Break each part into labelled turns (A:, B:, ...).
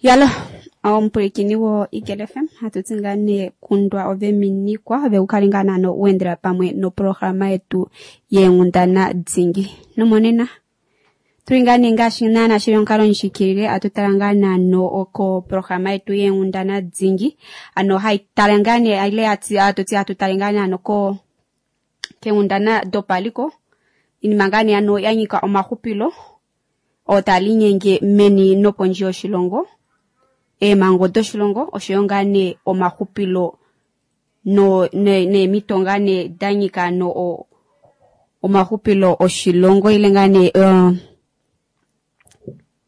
A: Yalo omupwilikini wo Eagle FM hatu ti ngaa nee kundwa ove minikwa ove ukale ngaa naano uendela pamwe noprograma yetu yeenghundana dingi. Nomonena tuli ngaa nee ngaashi naana shili omukalo ndjikilile atu tala ngaa naano koprograma yetu yeenghundana dingi ano hai tala ngaa nee ile atu ti hatu tale ngaa naano ko keenghundana dopaliko iinima ngaa nee ano ya nyika omaxupilo oo talinyenge meni nopondje yoshilongo eemhango doshilongo oshoyo ngaa nee omaxupilo neemito ngaa nee da nyika ano omaxupilo oshilongo ile ngaa nee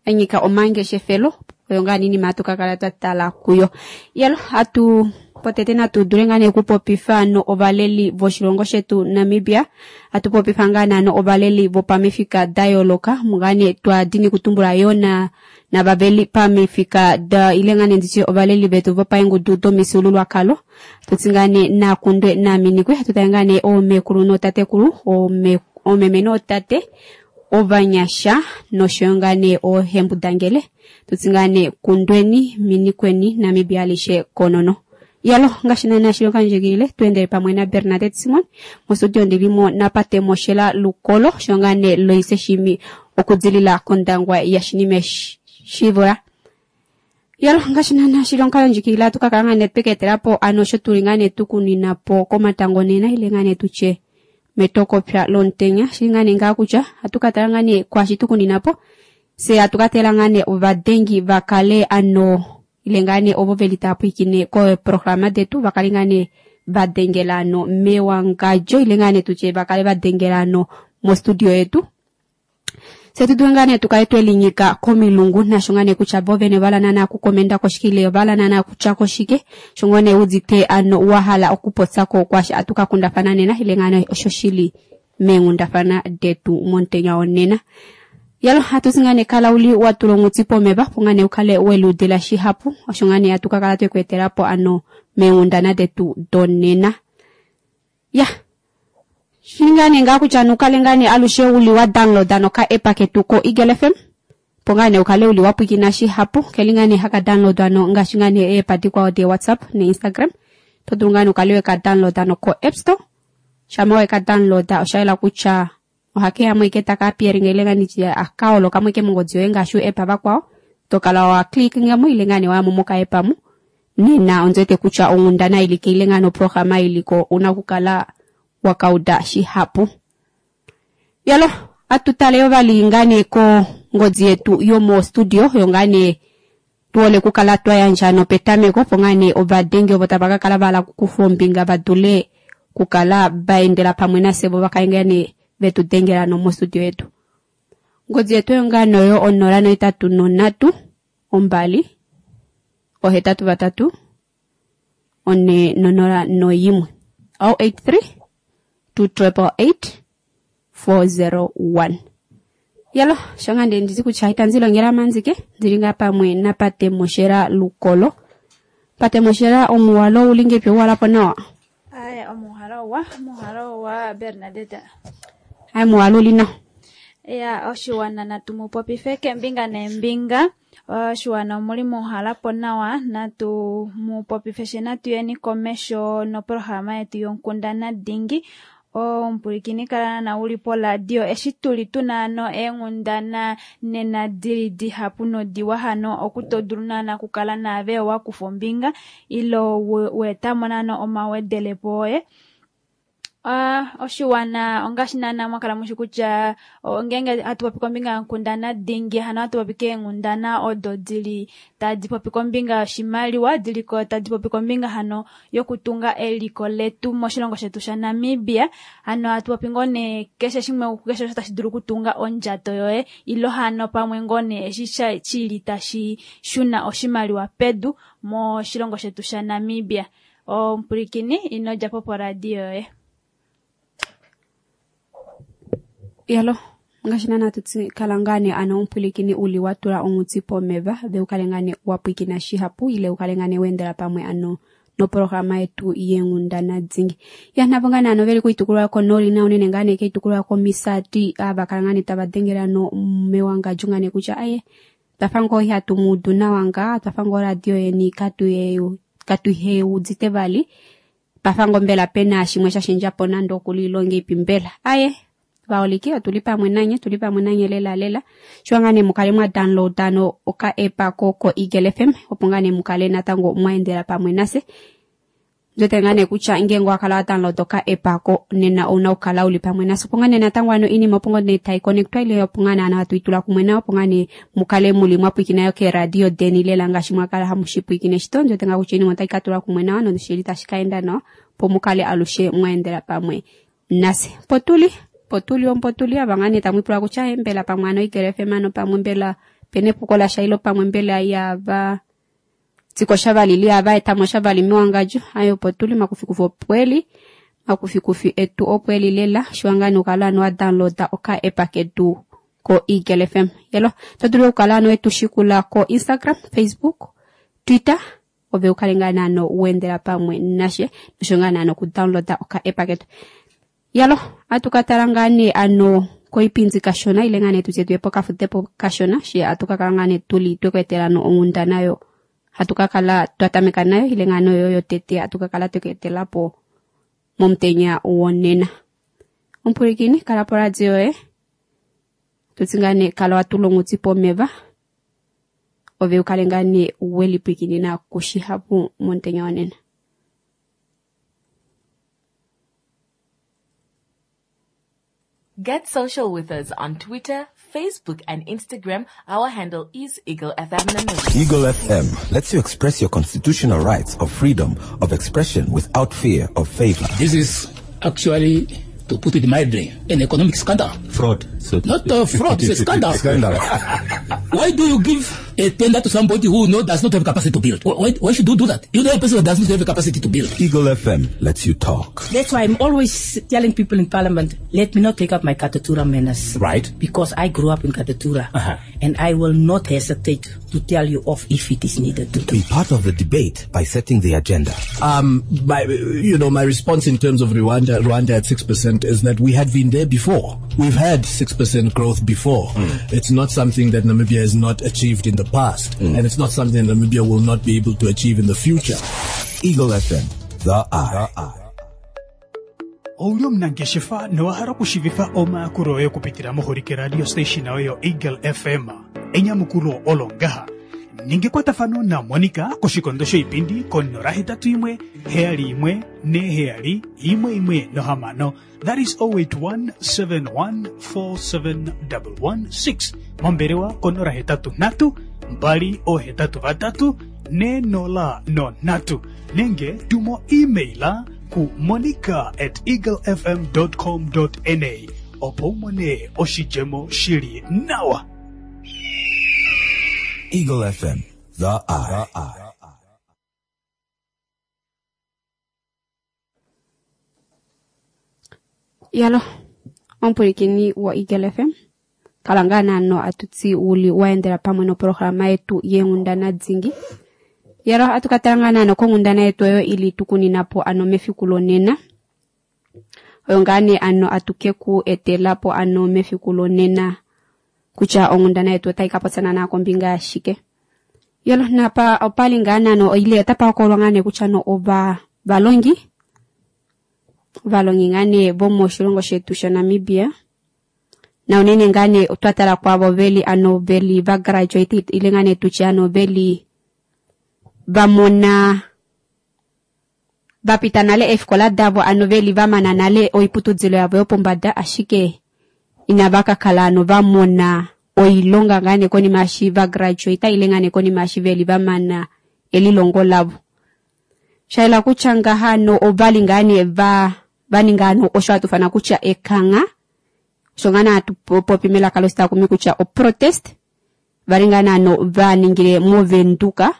A: ya nyika omangeshefelo oyo ngaa nee iinima hatu ka kala twa tala kuyo. Yelo hatu potete natu dule ngaa nee okupopifa no ovaleli voshilongo shetu Namibia hatu popifa ngaa naano ovaleli vopamifika da yooloka ngaa nee twa dini kutumbula yoo navaveli pamifika da ile ngaa nee nditye ovaleli vetu vopaengudu domifyuululwakalo tutsi ngaa nee nakundwe naminikwe hatu tale ngaa nee oomekulu nootatekulu oomeme nootate ovanyasha noshoyo ngaa nee oohembundangele tutsi ngaa nee kundweni minikweni Namibia alishe konono. Yalo ngaashi naana shili okandjigilile tuendele pamwe na Bernadette Simon mostudio ndilimo napate Moshela Lukolo osho ngaa nee Loise Shimi okudilila kOndangwa yaShinime Shivula. Yalo ngaashi naana shili omukalo ndjikilile atu ka kala ngaa nee tweka ano osho tuli ngaa nee tukunina po komatango nena ile ngaa nee tutye metokopya lomutenya shili ngaa nee ngaa kutya atu ka tala ngaa nee kwaashi tukunina po se atu ka tala ngaa nee ovadengi va kale ano ile ngaa nee ovo veli tava pwiikine koprograma detu va kale ngaa nee va dengela ano mewangadjo ile ngaa nee tutye va kale va dengela ano mostudio yetu se tu dule ngaa nee tukale twelinyika komilungu nasho ngaa nee kutya vo vene ovala naana okukomenda koshike ile ovala naana okutya koshike sho ngoo nee udite ano wa hala okupopyako kwaashi atu ka kundafana nena ile ngaa nee osho shili meenghundafana detu momutenya wonena. Yalo hatu ti ngaa nee kala uli wa tula onghuti pomeva opo ngaa nee ukale weludila shihapu osho ngaa nee hatu ka kala tweku etelapo ano meenghundana detu donena. Ya shili ngaa nee ngaa kutya nukale ngaa nee alushe uli wa downloada noka app ketu ko Eagle FM opo ngaa nee ukale uli wa pwiikina shihapu keli ngaa nee haka downloadwa no ngaashi ngaa nee eepa dikwao de WhatsApp ne Instagram to dulu ngaa nee ukale weka downloada no ko App Store shama weka downloada osha yela kutya ohakeya mo ike taka appearinga ile ngaa nditye akaoloka mo ike mongodi yoye ngaashi uapp vakwao to kala wa clickinga mo ile ngaa nee waya mo moka app mu nena ondi wete kutya onghundana ilike ile ngaa noprograma iliko una okukala wakauda shihapu. Yalo atu tale yo vali ngaa nee kongodi yetu yomo studio yo ngaa nee tuole kukala twa yandja nopetameko opo ngaa nee ovadengi ovo tava ka kala vahala okukufa ombinga va dule kukala va endela pamwe nafye vo vakale ngaa nee vetu dengela no mostudio yetu. Ongodi yetu oyo ngaa noyo 083 2 83 401 083 2888 401. Yalo sho ngaa ndee nditi kutya itandi longela manzike ndili ngaa pamwe napate Moshela Lukolo. Pate Moshela omuwalo uli ngepi uwalapo nawa?
B: Aya, omuhalo owa Bernadette.
A: Aya muwalo uli nawa.
B: Ya oshiwana natu mu popife kembinga nembinga. Oshiwana omuli muhalapo nawa natu mu popife she natu yeni komesho noprograma yetu yonkundana dingi. Omupulikini kala na uli poradio eshi tuli tuna ano eenghundana nena dili dihapu nodiwa hano okutodulu naana kukala naave wa kufa ombinga ilo weetamo naana omawedelepo oye. Oshiwana ongaashi naana mwakala mushi kutya ngeenge hatu popi kombinga yonkundana dingi hano hatu popi keenghundana odo dili tadi popi kombinga yoshimaliwa diliko tadi popi kombinga hano yokutunga eliko letu moshilongo shetu shaNamibia. Hano hatu popi ngoo nee keshe shimwe keshe osho tashi dulu okutunga ondjato yoye ilo hano pamwe ngoo nee eshi shili tashi shuna oshimaliwa pedu moshilongo shetu shaNamibia. Omupulikini ino djapo poradio yoye.
A: Yalo ngaashi naana tuti kala ngaa nee ano omupulikini uli wa tula onghuti pomeva ve ukale ngaa nee wa pwiikina shihapu ile ukale ngaa nee weendela pamwe ano noprograma yetu yeenghundana dingi. Ya navo ngaa nee ano veli koitukulwa yokonooli na unene ngaa nee koitukulwa yokomisati ava kala ngaa nee tava dengele ano mewangadjo ngaa nee kutya aye Twafa ngoo ihatu mu udu nawa ngaa, twafa ngoo oradio yeni katuheudite vali. Pafa ngoo mbela pena shimwe sha shendja po nande okulilonga ipi mbela. Aye, vaholike otuli pamwe nanye, tuli pamwe nanye lela lela. Shiwa ngaa nee mukale mwa downloada no oka app ko ko Eagle FM opo ngaa nee mukale natango mwa endela pamwe nase. Ndote ngaa nee kutya ngeenge owa kala wa download oka app ko nena ouna okukala uli pamwe nase. Opo ngaa nee natango ano iinima opo ngoo nee tai connectwa ile opo ngaa nee hatu itula kumwe nayo opo ngaa nee mukale muli mwa pwiikina yo keeradio deni lela ngaashi mwa kala hamu shi pwiikine shito. Ndote ngaa kutya iinima otai ka tulwa kumwe nawa noshili tashi ka enda nawa opo mukale alushe mwa endela pamwe nase. Potuli, potuli ompotuli ava ngaa nee tamu ipula kutya mbela pamwe ano Eagle FM ano pamwe mbela pena epuko lasha ilo pamwe mbela yava tsiko shavali li ava etamo shavali mewangadjo. Ayo opo tuli makufikufi opweli, makufikufi etu opweli lela. Shiwa ngaa nee ukala ano wa downloada oka app ketu ko Eagle FM. Yelo, to dulu okukala ano wetu shikula ko Instagram, Facebook, Twitter, ove ukale ngaa naano wendela pamwe nashe, nosho ngaa naano ku downloada oka app ketu. Yalo, atu ka tala ngaa nee ano koipindi kashona ile ngaa nee tutye tuye pokafutepo kashona, she atu ka kala ngaa nee tuli tweku etela no onghundana yo hatu ka kala twa tameka nayo ile ngaa nee oyo yotete atu ka kala tweku etela po momutenya wonena. Omupulikini, kala poradio yoye, tutsi ngaa nee kala watula onghuti pomeva, ove ukale ngaa nee welipwikinina kushihapu momutenya wonena.
C: Get social with us on Twitter, Facebook, and Instagram. Our handle is Eagle FM Namibia.
D: Eagle FM lets you express your constitutional rights of freedom of expression without fear of favor.
E: This is actually, to put it mildly, an economic scandal.
F: Fraud. So
E: Not a fraud, it's a scandal.
D: Scandal.
E: Why do you give a tender to somebody who does not have capacity to build? Why should you do that? You know a person who does not have capacity to build.
D: Eagle FM lets you talk.
G: That's why I'm always telling people in Parliament, let me not take up my Katutura manners.
F: Right.
G: Because I grew up in Katutura.
F: Uh-huh.
G: And I will not hesitate to tell you off if it is needed to do.
D: Be part of the debate by setting the agenda.
H: My response in terms of Rwanda at 6% is that we had been there before. We've had 6% growth before. It's not something that Namibia has not achieved in the past, and it's not something that Namibia will not be able to achieve in the future.
D: Eagle FM, the eye.
I: Ouli omunangeshefa nowahala okushivifa omayakulo oye okupitila moholike radio station oyo Eagle FM. Enyamukulo olo ngaha. Ninga ekwatafano na Monica koshikondo shoipindi ko 081 71 47 116. That is 081 71 47 116. Mombelewa ko 083 2 083 403. Nenge tumo emaila ku monica@eaglefm.com.na opo umone oshidjemo shili nawa.
D: Eagle FM, the eye.
A: Yalo, omupulikini wa Eagle FM, kala ngaa naano atutsi uli waendela pamwe noprograma yetu yenghundana dhingi. Yalo, atukatala ngaa naano konghundana yetu oyo ili tukuninapo ano mefiku lonena. Oyo ngaa nee ano atuke ku etelapo ano mefiku lonena kutya onghundana yetu otai ka popyana naa kombinga yashike. Yalo, napa opali ngaa naano ile otapa hokololwa ngaa nee kutya no ova valongi valongi ngaa nee vomoshilongo shetu shaNamibia. Na unene ngaa nee otwa tala kwavo veli ano veli va graduate ile ngaa nee tutye ano veli va mona va pita nale eefikola davo ano veli va mana nale oiputudilo yavo yopombada, ashike inava ka kala ano va mona oilonga ngaa nee konima eshi va graduate ile ngaa nee konima eshi veli va mana elilongo lavo. Shaela kutya ngaha ano ovali ngaa nee va ninga ano osho hatu fana kutya ekangha, osho ngaa nee hatu popi melaka loshitakumi kutya o protest, vali ngaa nee ano va ningile moVenduka.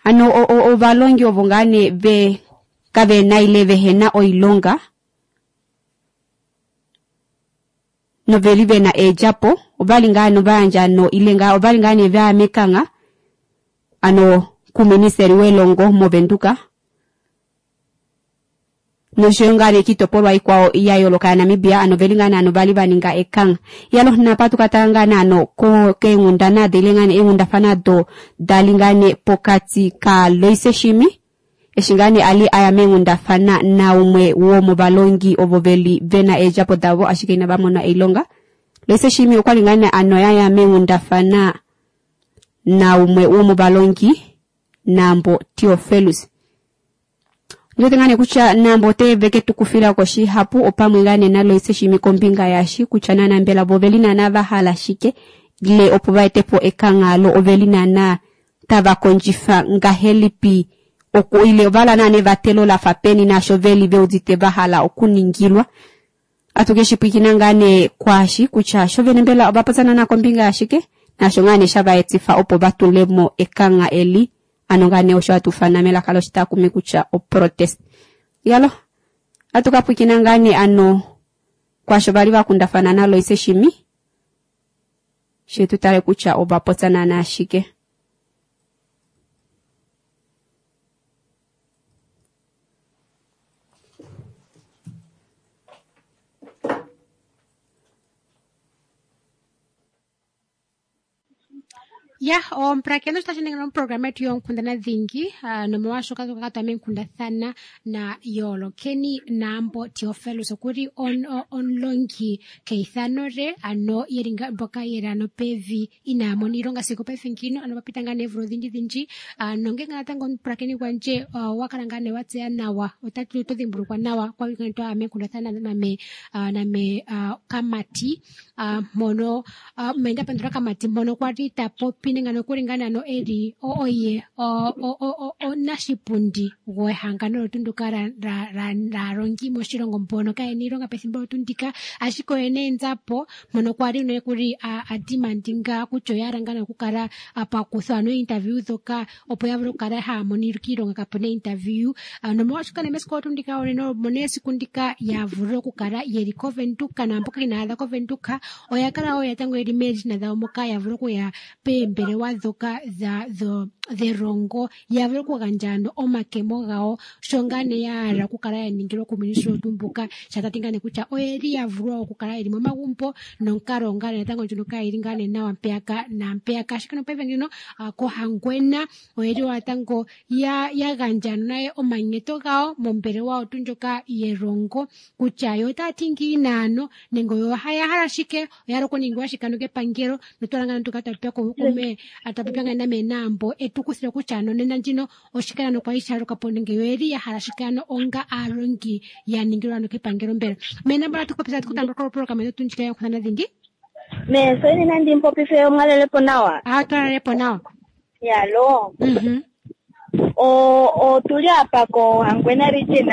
A: Ano ovalongi ovo ngaa nee ve kavena ile vehena oilonga noveli vena eedjapo, ovali ngaa ano va yandja ano ile ngaa ovali ngaa nee vaya mekangha ano kuministeri welongo moVenduka. Noshoyo ngaa nee kiitopolwa ikwao ya yooloka yaNamibia, ano veli ngaa nee ano vali va ninga ekangha. Iyalo napa tu ka tala ngaa nee ano keenghundana dile ngaa nee eenghundafana do dali ngaa nee pokati ka Loise Shimi eshi ngaa nee ali aya meenghundafana naumwe womovalongi ovo veli vena eedjapo davo ashike inava mona oilonga. Loise Shimi okwali ngaa nee ano yaya meenghundafana naumwe womovalongi Nambo Theofelus. Ndiwete ngaa nee kutya Nambo ote veke tu kufila ko shihapu opamwe ngaa nee naLoise Shimi kombinga yashi kutya naana mbela vo oveli naana va hala shike ile opo va ete po ekangha lo oveli naana tava kondjifa ngahelipi oku ile ovahala naana evatelo lafa peni naasho veli veudite va hala okuningilwa. Atu ke shi pwiikina ngaa nee kwaashi kutya sho vene mbela ova popya naana kombinga yashike naasho ngaa nee shava etifa opo va tulemo ekangha eli ano ngaa nee osho hatu ufana melaka loshitakumi kutya oprotest. Yalo, atu ka pwiikina ngaa nee ano kwaasho vali va kundafana naLoise Shimi she tu tale kutya ova popya naana shike.
F: Ya, omupulakeni otashi ningi oprograma yetu yoonkundana dhingi nomolwaashoka tuka twa meenkundathana na Yoolokeni Naambo Theofelus okuli omulongi keithano lye ano yeli mboka yeli ano pevi inaa mona iilonga sigo paife ngino ano papita ngaa nee oomvula odhindji dhindji nongele natango omupulakeni gwandje owa kala ngaa nee wa tseya nawa otatu to dhimbulukwa nawa kwali twaya meenkundathana name name Kamati mpono Menda Pandula Kamati mpono kwali ta popi nenge nokuli ngaa nee ano eli oye omunashipundi gwehangano lyotu ndyoka laalongi moshilongo mbono kayena iilonga pethimbo lyotu ndika ashike oyena eenzapo mpono kwali nokuli adimandinga kutya oya hala ngaa nee okukala pakuthwa ano interview dhoka opo ya vule okukala haya mono iilonga kapuna interview nomolwaashoka nee mesiku lyotu ndika mono esiku ndika ya vule okukala yeli koVenduka naamboka inaya adha koVenduka oya kala wo natango yeli moondjila dhawo moka ya vule okuya peembelewa dhoka dhelongo ya vule okugandja ano omakemo gawo sho ngaa nee ya hala okukala ya ningilwa kuuministeli wetu mbuka sha tati ngaa nee kutya oyeli ya vulwa okukala yeli momagumbo nonkalo ngaa nee natango ndjono kayili ngaa nee nawa mpeyaka naampeyaka ashike nopaife ngino koHangwena oyeli wo natango ya gandja naye omanyenyeto gawo mombelewa otu ndjoka yelongo kutya yo otaya ti ngiini ano nenge oyo ya hala shike oya hala okuningilwa shike ano kepangelo notwala ngaa tuka twapopya kume twapopya ngaa name Naambo etu kuthile kutya ano nena ndjino oshike ano kwali sha luka po nenge yo oyeli ya hala shike ano onga aalongi ya ningilwa ano kepangelo mbela me Naambo atu popisa tukutambula koprograma yetu ndjika yonkundana dhingi.
J: Me soini nandi mpopife omwalelepo nawa.
F: Twalalepo nawa.
J: Yalo. Otuli apa koHangwena region.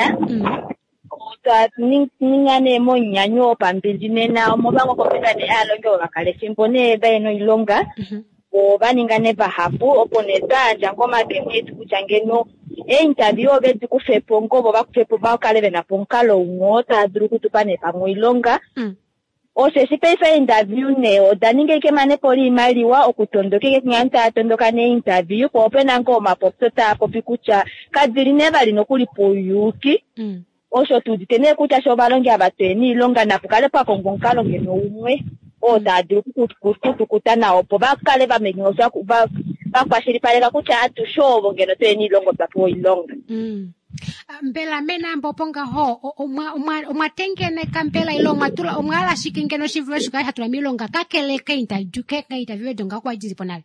J: Otwa ninga nee monyanyu wopambili nena omolwa kombinga nee aalongi ovakala efimbo nee vayena oilonga. Ova ninga nee vahapu opo nee twayandja ngo omakemo etu kutya ngeno einterview ove di kufepo ngo vo vakufepo vakale vena po omukalo umwe oo tava dulu okutupa nee pamwe oilonga. Osheshi paife interview nee oda ninga ike emanepo liimaliwa okutondoka ike ngani taya tondoka nee interview po opena ngoo omapopyo taa popi kutya kadili nee vali nokuli pouyuuki. Osho tuudite nee kutya sho ovalongi ava tuyena iilonga napu kale pwakongwa omukalo ngeno umwe oo taa dulu okutukuta nawo opo vakale vakwashilipaleka kutya atushe ovo ngeno tuyena iilonga otwa pewa oilonga.
F: Mbela meNaambo opo ngaho omwa tengeneka mbela ile omwa hala shike ngeno shivule shikale sha tulwa miilonga kakele keinterview edo ngaho kwali dili po nale.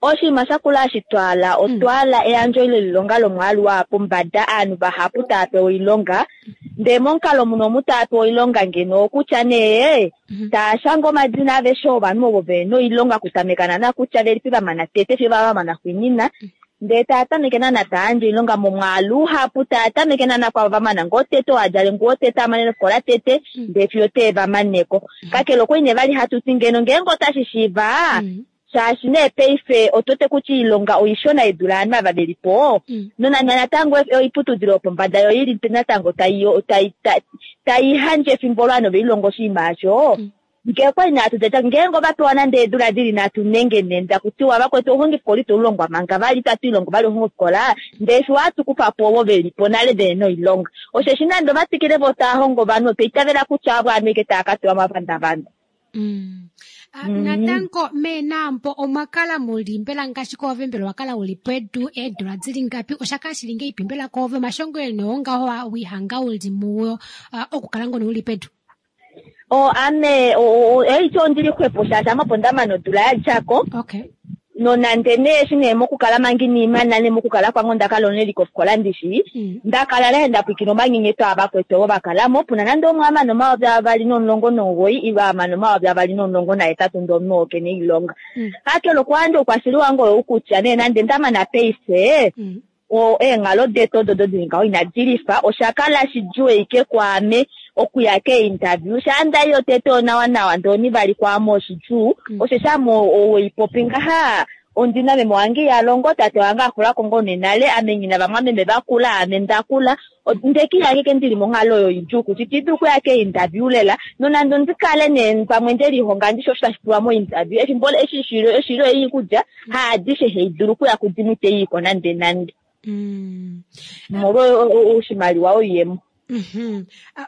J: Oshinima shakula hashi twala otwala eyandjo lelilonga lomwaalu wa pombada aanhu vahapu tava pewa oilonga ndee momukalo muno omu tava pewa oilonga ngeno okutya nee taya shanga omadina aveshe ovanhu ovo vena oilonga kutameka naana kutya velipi vamana tete fiyo vamana xwinina ndee taya tameke naana tayandje oilonga momwaalu uhapu taya tameke naana kwavo vamana ngoo tete oadjale ngoo tete amane nofikola tete ndee fiyo tee vamaneko kakele okwali nee vali hatu ti ngeno ngeenge otashi shiiva shaashi nee paife otote kutya iilonga oishona yedula ovanhu ava veli po nonande natango oiputudilo yopombada yo ili natango tai handje efimbo lovanhu velilonga oshinima osho. Ngee kwali natu teta ngeenge ova pewa nande eedula dili nhatu nenge ne ndakutiwa vakwetu ouhongifikola ito ulongwa manga vali itatu ilongo vali ouhongifikola ndee fiyo ohatu kufa po ovo velipo nale vehena oilonga. Osheshi nande ova twikile vo tava hongo ovanhu otwa itavela kutya avo ovanhu ashike tava ka tewa omapandavanda.
F: Natango meenambo omwa kala muli mbela ngaashi koove mbela owa kala uli pedu eedula dili ngapi osha kala shili ngeipi mbela koove omashongo eni oo ngaho wihanga uli muwo okukala ngono uli pedu?
J: O ame eityo ondili xwepo shaashi ame opo ndamana odula yadjako.
F: Okay.
J: Nonande nee eshi nee mokukala manga ina imana nee mokukala kwange onda kala oneli kofikola ndishi nda kala nee nda pwiikina omanyenyeto avakwetu ovo va kalamo puna nande umwe amana 2019 ile amana 2018 ndee omunhu oo kena oilonga. Kakele okuyandja oukwashili wange oyou kutya nee nande ndamana paife eenghalo detu odo dili ngaho inadi lifa, osha kala shidjuu ashike kwaame okuya keeinterview. Shaa nda i yotete onawa nawa ndee onivali kwaame oshidjuu, osheshi ame oweipopi ngaha ondina meme wange iha longo, tate wange axulako ngoo nee nale, ame nghina vamwameme vakula, ame ndakula, nde kihange ke ndili monghalo oyo idjuu kutya iti dulu okuya keeinterview lela, nonande ondi kale nee pamwe nde lihonga ndishi osho tashi pulwa mointerview, efimbo eshi shilo ei kutya haadishe hei dulu okuya kudimwe ite iiko nande nande. Molwa oshimaliwa oiyemo.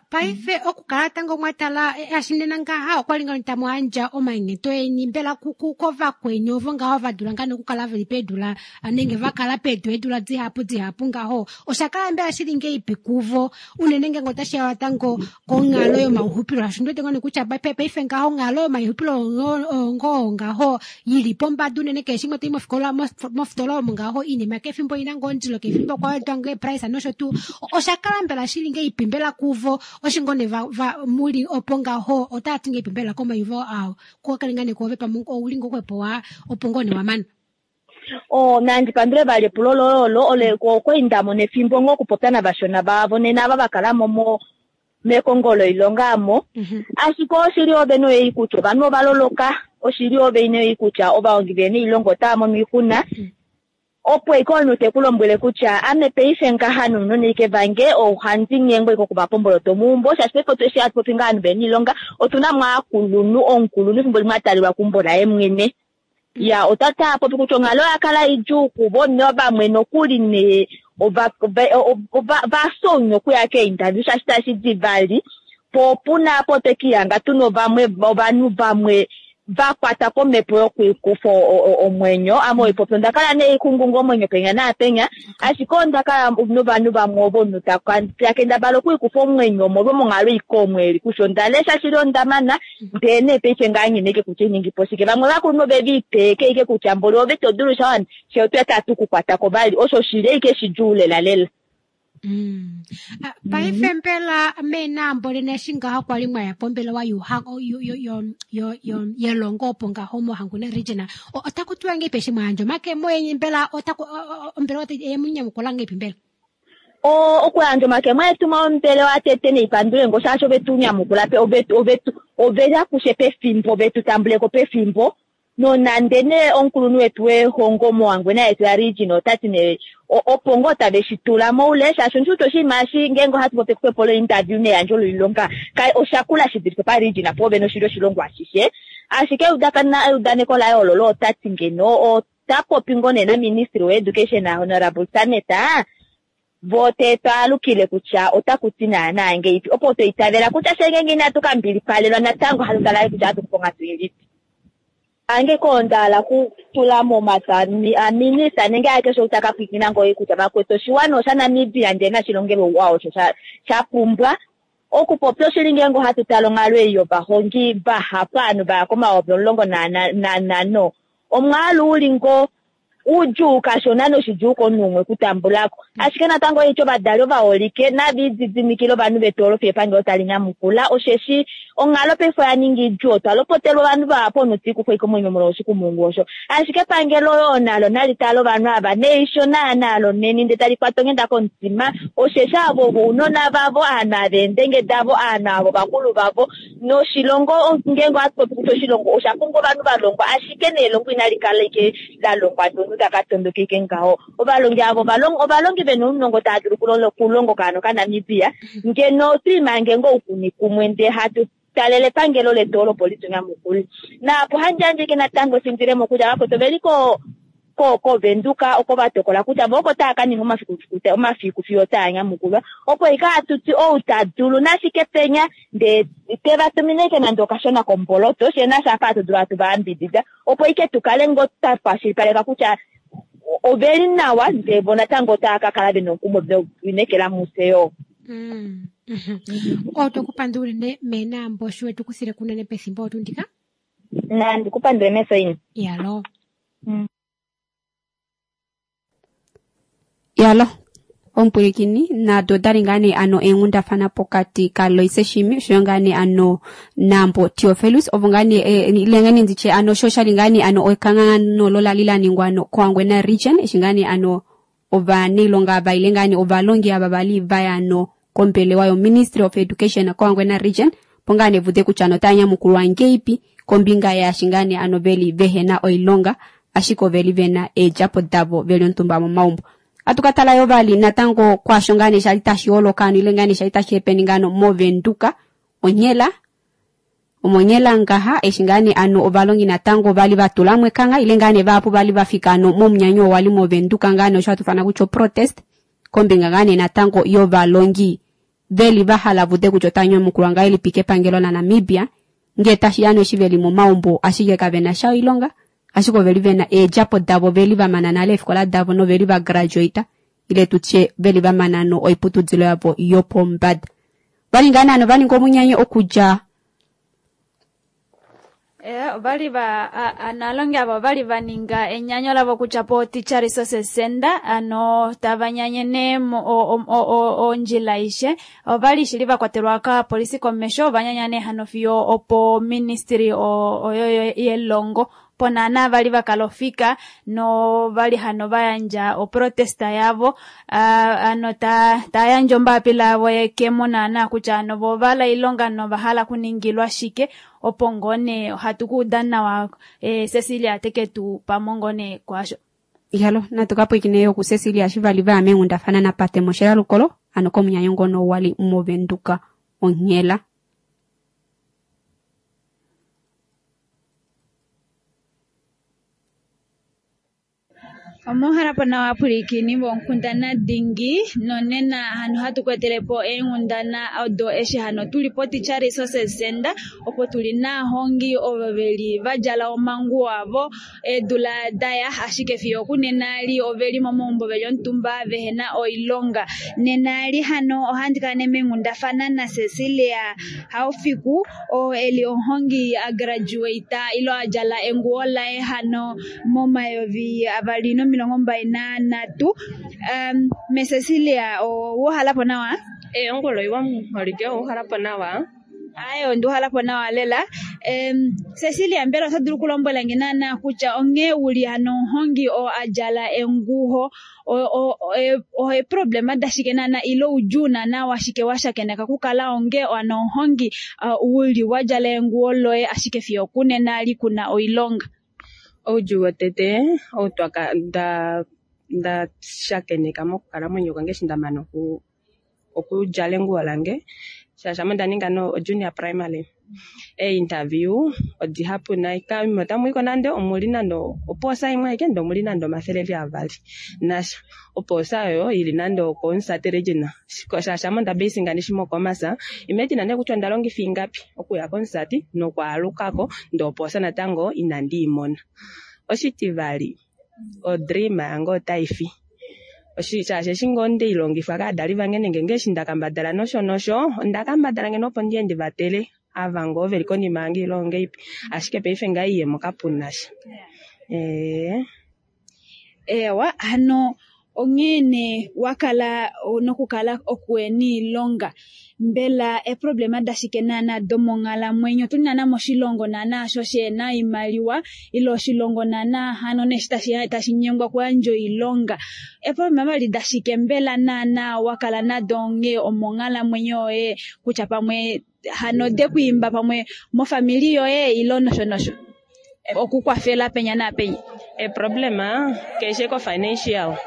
F: Paife okukala tango mwa tala eshi nena ngaha okwa li ngoo tamu yandja omanyenyeto eni mbela kovakweni ovo ngaho va dula ngaa nokukala veli peedula nenge va kala pedu eedula dihapu dihapu ngaho osha kala mbela shili ngeipi kuvo unene ngeenge otashi ya tango konghalo yomauxupilo shaashi ondiwete ngoo kutya paife ngaho onghalo yomaixupilo ngoo ngaho yili pombada unene keshe shimwe toyi mofikola mofitola omo ngaho iinima kefimbo ina ngoo ondilo kefimbo kwa wedwa ngoo eprice nosho tuu osha kala mbela shili ngeipi mbela kuvo oshi ngoo nee muli opo ngaho otaa ti ngeipi mbela komaiyuvo ao kokale ngaa nee kuove pamwe ouli ngoo xwepo opo ngoo nee wamana.
J: Nandi pandule vali epulo loye olo, ole okwali ndamona efimbo ngoo okupopya navashona vavo nena ava vakalamo mo mekongo loilonga amo. Ashike oshili ove noyei kutya ovanhu ovaloloka, oshili ove noyei kutya ovahongi vene oilonga otava mono oixuna. Opo eke omunhu te ku lombwele kutya ame paife ngaha nounona ike vange ohandi nyengwa ike okuvapa omboloto meumbo, shaashi paife otu eshi hatu popi ngaha ovanhu vena oilonga otuna mo aakulunhu, omukulunhu efimbo limwe a talelwa keumbo laye mwene. Ya, ota taa popi kutya onghalo oya kala idjuu kuvo, novamwe nokuli nee va sonya okuya keeinterview shaashi tashi di vali. Po opuna apo twe kihanga tuna ovanhu vamwe va kwata komhepo yokuikufa omwenyo. Ame oipopi onda kala nee ikungunga omwenyo penya naapenya, ashike onda kala novanhu vamwe ovo omunhu ta kendabala okuikufa omwenyo omolwo monghalo ike omo eli kutya onda lesha shili onda mana ndee nee paife ngaa nghene ike kutya iningi po shike. Vamwe vakulunhu ove liiteeke ike kutya mboli ove to dulu sha she otwe tatu kukwatako vali, osho shili ike shidjuu lela lela.
F: Paife mbela meenambo lena eshi ngaho kwali mwaya pombelewa yelongo opo ngaho moHangwena region, otaku tiwa ngeipi eshi mwayandja omakemo enye mbela otaku ombelewa yemunyamukula ngeipi mbela?
J: Okuyandja omakemo etu mombelewa tete neipandule ngo shaashi ove tu nyamukula pe, ove ya kushe pefimbo, ove tu tambuleko pefimbo. Nonande nee omukulunhu wetu wehongo moHangwena yetu ya region ota ti nee opo ngoo tave shi tula moule, shaashi ondi wete oshinima eshi ngeenge ohatu popi ekufe lointerview neyandjo loilonga osha kula shi dulife pa region po vene oshili oshilongo ashishe. Ashike eudaneko laye ololo ota ti ngeno ota popi ngoo nee na ministry we education Honorable Sanet, vo te twaalukile kutya otaku ti naana ngeipi, opo to itavela kutya she ngeenge inatu ka mbilipalelwa natango hatu tala kutya hatu kufa onghatu ilipi. Ange konda kutula momata aminista nenge akeshe utaka pwikina ngoye kutya vakwetu oshiwana osha Namibia ndee nashilongelwe ouwa osho sha pumbwa. Okupopya oshili ngeenge ohatu tala onghalo ei yovahongi vahapu ovanhu vaya komayovi omulongo nanhano, omwaalu uli ngoo udjuu kashona noshidjuu komunhu umwe okutambulako. Ashike natango eityo ovadali ovaholike nava ididimikile ovanhu vetu olo fiyo epangelo tali nyamukula, osheshi onghalo paife oya ninga idjuu. Otwa lopotelwa ovanhu vahapu omunhu te ikufa komwenyo molwa oshikumungu osho, ashike epangelo yo nalo nali tale ovanhu ava neisho naanalo neni ndee tali kwata onghenda komutima, osheshi avo ovo ounona vavo, aanhu ava eendenge davo, aanhu avo ovakulu vavo. Noshilongo ngeenge ohatu popi kutya oshilongo osha pumbwa ovanhu va longwa, ashike nelongo inali kala ike la longwa ndee omunhu taka tondoka ike ngaho. Ovalongi avo ovalongi vena ounongo tava dulu okulonga okaana okaNamibia, ngeno otwiimange ngoo oukuni kumwe ndee hatu talele epangelo letu olo opo li tu nyamukule. Naapo handi yandje natango efindilemo kutya vakwetu oveli koVenduka oko va tokola kutya vo oko tava ka ninga omafiku fiyo taa nyamukulwa, opo ika hatu ti ou ta dulu nashike penya ndee te va tumine ike nande okashona komboloto shee nasha apa hatu dulu hatu va yambidida, opo ike tu kale ngoo twa kwashilipaleka kutya oveli nawa ndee vo natango otava ka kala vena omukumo velineekela mufye yoo.
F: Otwe ku pandula unene meenambo sho wetu kuthile kunene pethimbo otu ndika.
J: Nandi ku pandule mesoini.
F: Yalo.
A: Yalo, omupwilikini nado odali ngaa nee ano eenghundafana pokati kaLoise Shimi oshoyo ngaa nee ano Nambo Theofelus ovo ngaa nee ile ngaa nee nditye ano sho shali ngaa nee ano ekangano lo lali la ningwa ano koHangwena region eshi ngaa nee ano ovanailonga ava ile ngaa nee ovalongi ava vali vaya ano kombelewa yo Ministry of Education koHangwena region opo ngaa nee vude kutya ano otaya nyamukulwa ngeipi kombinga yaashi ngaa nee ano veli vehena oilonga ashike oveli vena eedjapo davo veli omutumba momaumbo. Atu ka tala yo vali natango kwaasho ngaa nee shali tashi holoka ano ile ngaa nee shali tashi happening ano moVenduka onghela omonyela ngaha eshi ngaa nee ano ovalongi natango vali va tulamo ekangha ile ngaa nee vahapu vali va fika ano momunyanyo oo wali moVenduka ngaa nee osho hatu fana kutya oprotest kombinga ngaa nee natango yovalongi veli va hala vude kutya otava nyamukulwa ngahelipi kepangelo laNamibia ngee tashi ya eshi veli momaumbo ashike kavena sha oilonga ashike oveli vena eedjapo davo veli va mana nale eefikola davo noveli va graduata ile tutye veli va mana no oiputudilo yavo yopombada. Vali ngaa nee ano va ninga omunyanyo okudja
B: Ovali va analongi avo ovali va ninga enyanyo lavo kutya po Teacher Resources Center ano tava nyanyene ondjila ishe ovali shili va kwatelwa ka polisi komesho ova nyanya hano fiyo opo ministry oyo yelongo ponana vali vakalofika no vali hano vayandja oprotesta yavo ano ta yandja ombapila yavo yekemo naana kutya ano vo ovala ilonga novahala kuningilwa shike opo ngone ohatu kuuda nawa Cecilia teke tu pamongone kwasho.
A: Ihalo natu kapwikine yo ku Cecilia shivali vaya meenghundafana napate moshela lukolo ano komunyanyo ngono wali moVenduka onghela.
B: Omuhalapo nawa pwilikini vonkundana dingi nonena hano hatu kwetelepo eenghundana odo eshi hano tuli po Teacher Resources Center opo tuli naahongi ovo veli vadjala omanguwo avo eedula daya ashike fiyo okunena li oveli momaumbo veli omutumba vehena oilonga. Nena li hano ohandi kala meenghundafana na Cecilia Haufiku oo eli omuhongi a graduate ilo adjala enguwo laye hano mo 2023. Me Cecilia owuhalapo nawa?
K: Ongolo iwa muholike owuhalapo nawa.
B: Aye onduhalapo nawa lela. Cecilia mbela ota dulu kulombwela nge naana kutya onghee uli hano omuhongi oo adjala enguwo oeproblema dashike naana ile oudjuu naana washike washakeneka kukala onge ano omuhongi uli wadjala enguwo loye ashike fiyo okunena li kuna oilonga.
K: Oudjuu wotete ou nda shakeneka mokukalamwenyo kwange eshi nda mana okudjala enguwo lange shaashi ame onda ninga no junior primary. Interview odihapu nai kaime otamu nande omuli nande opoosa imwe aike nde omuli nande 200 nasha opoosa oyo ili nande okomusate region shaashi ame onda basinga nishi mokomasa imeti nande kutya onda longifa ingapi okuya komusati nokwaalukako nde opoosa natango inandi imona. Oshitivali odream yange otai fi shaashi eshi ngoo ndeilongifwa kaadali vange nenge ngeeshi ndakambadala nosho nosho ondakambadala ngeno opo ndiye ndivatele ava ngoo veli konima yange ile ongeipi ashike paife ngaa iyemo kapunasha.
B: Ewa hano onghee wakala nokukala okuena iilonga mbela eproblema dashike naana domonghalamwenyo tuli naana moshilongo naana sho shena oimaliwa ile oshilongo naana hano neshi tashi nyengwa kuyandja oilonga eproblema vali dashike mbela naana wakala nado onghee omonghalamwenyo yoye kutya pamwe hano dekwiimba pamwe mofamili yoye ile nosho nosho. Okukwafela penya naapenya.
K: A problem keshe ko financial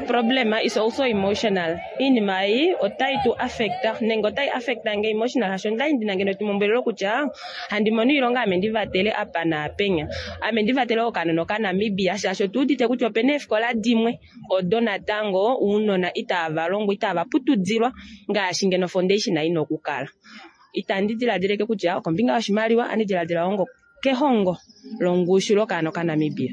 K: problem is also emotional. Iinima ei otai tu affecta nenge otai affecta nge emotional, hasho ndai ndina ngeno etumombwelelo kutya handi mono iilonga ame ndivatele apa naapenya, ame ndivatele okanona okaNamibia, shaashi otuudite kutya opena eefikola dimwe odo natango ounona itava longwa, itava putudilwa ngaashi ngeno foundation ina okukala. Itandi diladileke kutya okombinga yoshimaliwa, andi diladila ongo kehongo longushu lokaana okaNamibia.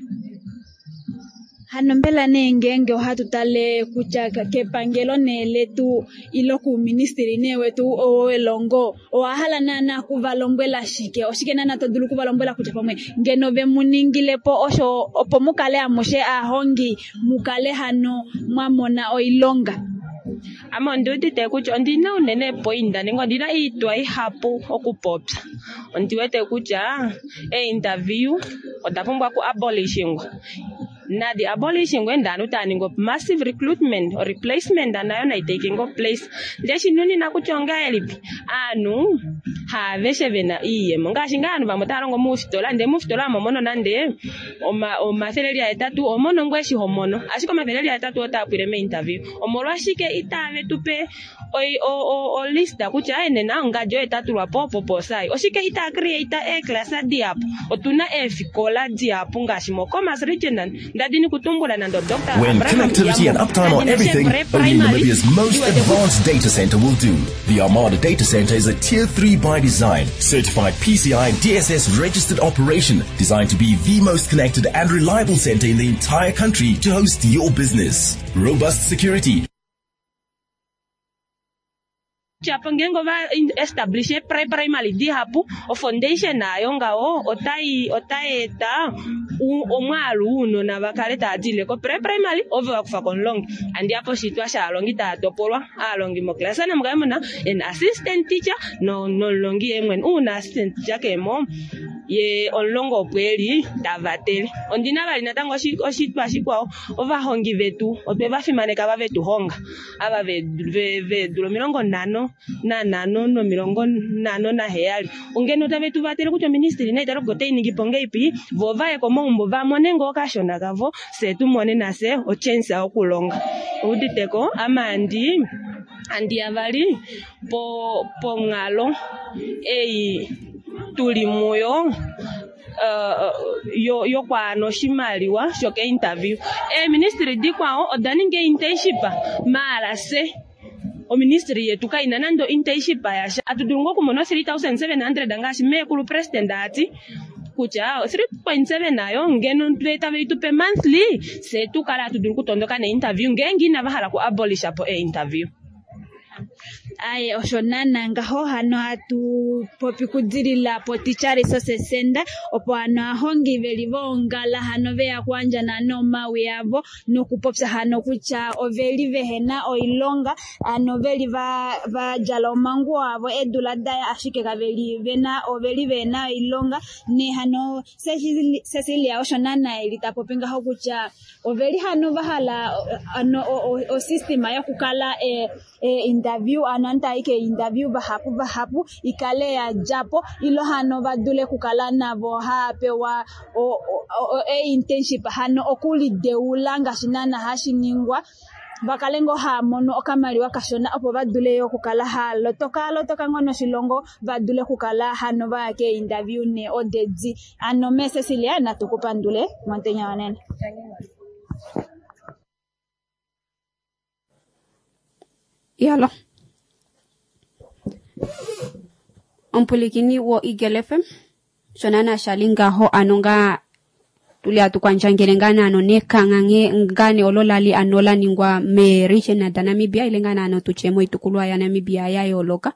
B: Hano mbela nee ngeenge ohatu tale kutya kepangelo nee letu ilo kuuministili nee wetu welongo, owa hala naana kuvalombwela shike? Oshike naana to dulu kuvalombwela kutya pamwe ngeno ve mu ningile po osho opo mukale amushe aahongi mukale hano mwa mona oilonga?
K: Ame ondiudite kutya ondina unene epoinda nenge ondina oitwa ihapu okupopya. Ondiwete kutya einterview oda pumbwa ku abolishingwa. Nadi abolishingwe ndanu tava ningi massive recruitment or replacement nayo nai taking place. Ndee shinunina kutya ongahelipi aanhu haaveshe vena iiyemo, ngaashi ngaa aanhu vamwe otava longo moofitola, ndee moofitola omo mono nande 800 omono ngoo eshi homono, ashike 800 otaa pwile meinterview. Omolwashike itave tu pe olist kutya nena ongadi oyo tatulwa po opo posai? Oshike itaa create eeclass dihapu? Otuna eefikola dihapu ngaashi moKhomas region, ndadini kutumbula nande Dr.
L: When
K: Abraham
L: connectivity and
K: Iyambo,
L: uptime are
K: ndadina
L: everything,
K: Chevre
L: only
K: Primary,
L: Namibia's most
K: ndiwete
L: advanced data center will do. The Armada Data Center is a Tier 3 by design, certified PCI DSS registered operation, designed to be the most connected and reliable center in the entire country to host your business. Robust security,
K: Kutya ngeenge ova establish pre-primary dihapu, o-foundation nayo ngaho otai eta omwaalu wounona va kale tava dilile ko pre-primary ovo va kufa komulongi. Andi apo oshitwa shaalongi tava topolwa, aalongi moclass namukale muna an assistant teacher nomulongi yee mwene. Uuna assistant teacher kemo ye omulongo opo eli tavatele. Ondina vali natango oshitwa shikwao, ovahongi vetu otwe va fimaneka va vetu honga ava veedula 55 no57, ongeno tave tu vatele kutya oministili nayi tale kutya otai ningi po ngeipi, vo vaye komaumbo va mone ngoo okashona kavo, fye tu mone nafye ochance yokulonga. Ouditeko ame andi ya vali ponghalo ei tuli muyo yokwaana oshimaliwa shoke-interview. Eeministili dikwao oda ninga internship maala fye oministry yetu kaina nande internship yasha. Atu dulu ngoo okumona 3700 ngaashi meekulu president ati kutya 3.7 nayo ngeno tave tu pe monthly, fye tu kala atu dulu okutondoka ne-interview ngeenge inava hala ku abolisha po e-interview.
B: Aye, osho naana ngaho hano hatu popi kudilila po Teacher Resources Center, opo hano ahongi veli voongala hano veya kuandjana nomawi avo nokupopya hano kutya oveli vehena oilonga, hano veli va djala omanguwo avo eedula daya, ashike kaveli vena oveli vehena oilonga. Ne hano Cecilia osho naana eli tapopi ngaho kutya oveli hano vahala hano osystem yokukala interview, ano antu ke interview vahapu vahapu ikale ya djapo, ilo hano vadule kukala navo haapewa internship hano okulideula ngaashi naana hashi ningwa, vakale ngoo haamono okamaliwa kashona opo vadule yo okukala haalotoka lotoka ngoo noshilongo, vadule okukala hano vaya ke interview ne odedi. Ano me Cecilia natu kupandule momutenya wonena.
A: Yalo. Omupulikini wo Eagle FM sho naana shali ngaho ano nga tuli atukwandjangele ngaa naano nekangha ngane olo lali ano la ningwa meeregion daNamibia ile ngaa naano tutye moitukulwa yaNamibia ya yooloka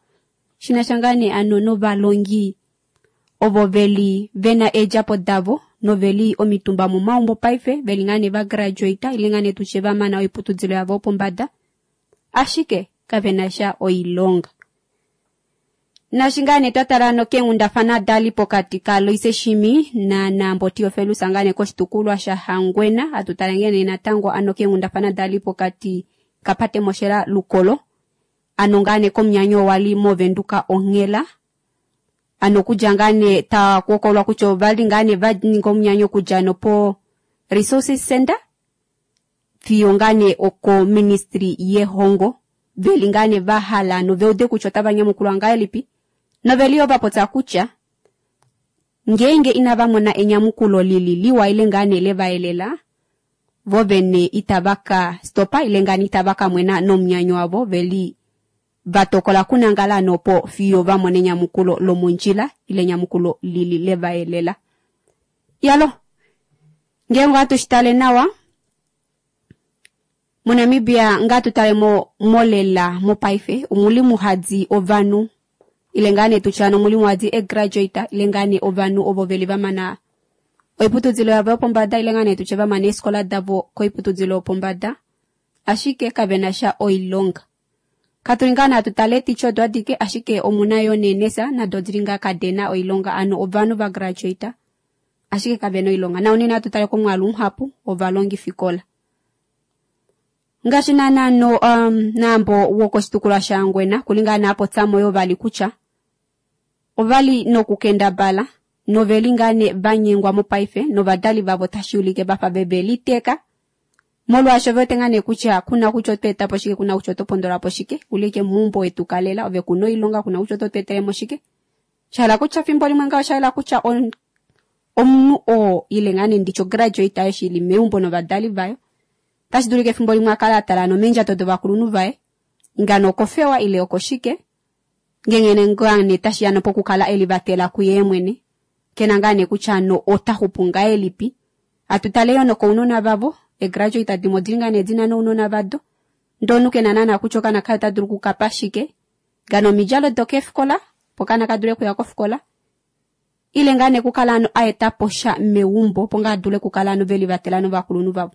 A: shinasha ngaa nee ano novalongi ovo veli vena eedjapo davo noveli omitumba momaumbo paife veli ngaa nee va graduate ile ngaa nee tutye va mana oiputudilo yavo yopombada, ashike kavena sha oilonga. Nashi ngaa nee twatala ano keenghundafana dali pokati kaLoise Shimi naNambo Theofelus ngaa nee koshitukulwa shaHangwena, atu tala nghene natango ano keenghundafana dali pokati kaPate Moshela Lukolo ano ngaa nee komunyanyo wali moVenduka onghela. Ano okudja ngaa nee takuhokololwa kutya ovali ngaa nee vaninga omunyanyo okudja nopo Resources Center fiyo ngaa nee oko ministry yehongo veli ngaa nee vahala noveude kutya otava nyamukulwa ngahelipi noveli yoo vapopya kutya ngeenge inava mona enyamukulo lili liwa ile ngaa nee levaelela vo vene itava ka stopa ile ngaa nee itava ka mwena nomunyanyo wavo veli vatokola kunangala nopo fiyo vamona enyamukulo lomondjila ile enyamukulo lili levaelela. Yalo, ngeenge ohatu shitale nawa moNamibia ngaa tutale mo molela mopaife omuli muhadi ovanhu ile ngaa nee tutya omuli muhadi egraduate ile ngaa nee ovanhu ovo veli vamana oiputudilo yavo yopombada ile ngaa nee tutye vamana eefikola davo koiputudilo yopombada ashike kavena sha oilonga. Katuli ngaa natu tale ticha odo adike ashike omuna yoo neenesa nado odili ngaa kadena oilonga ano ovanhu va graduate ashike kavena oilonga. Na unene atu tale komwaalu muhapu ovalongifikola. Ngaashi naana no naambo wokoshitukulwa shaHangwena kuli ngaa nee apopyamo yoo vali kutya ovali nokukendabala noveli ngaa nee vanyengwa mopaife novadali vavo tashi ulike vafa veve liteeka molwaasho vewete ngaa nee kutya kuna kutya oto etapo shike kuna kutya oto pondolapo shike ulike meumbo wetu kalela ove kuna oilonga kuna kutya oto tu etelemo shike shahala kutya fimbo limwe ngaho oshahala kutya omunhu oo ile ngaa nee nditye ograduate ayo shili meumbo novadali vayo tashi dulika efimbo limwe akala atala nomeendjato dovakulunhu vaye ngano okofewa ile okoshike ngengene ngaa nee tashiya nopokukala elivatela kuye mwene kena ngaa nee kutya no ota xupu ngahelipi atutale yoo nokounona vavo egraduate dimwe odili ngaa nee dina nounona vado ndee omunhu kena naana kutya okaana kaye ota dulu okukapa shike ngano omidjalo dokeefikola opo okaana kadule okuya kofikola ile ngaa nee kukala ano aetapo sha meumbo opo ngaa adule okukala ano velivatela novakulunhu vavo.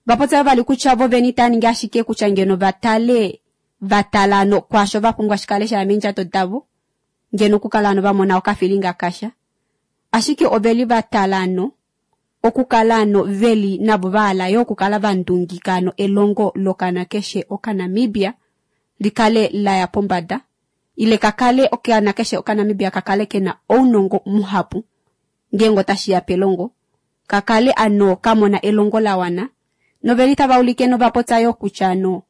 A: Vapopya vali kutya vo vene itava ningi ashike kutya ngeno vatale vatala ano kwaasho vapumbwa shikale shaya meendjato davo ngeno okukala ano vamona okafilinga kasha ashike oveli vatala ano okukala ano veli navo vahala yoo okukala vandungika ano elongo lokana keshe okaNamibia likale laya pombada ile kakale okaana keshe okaNamibia kakale kena ounongo muhapu ngeenge otashiya pelongo kakale ano kamona elongo lawana noveli tava ulike novapopya yoo kutya ano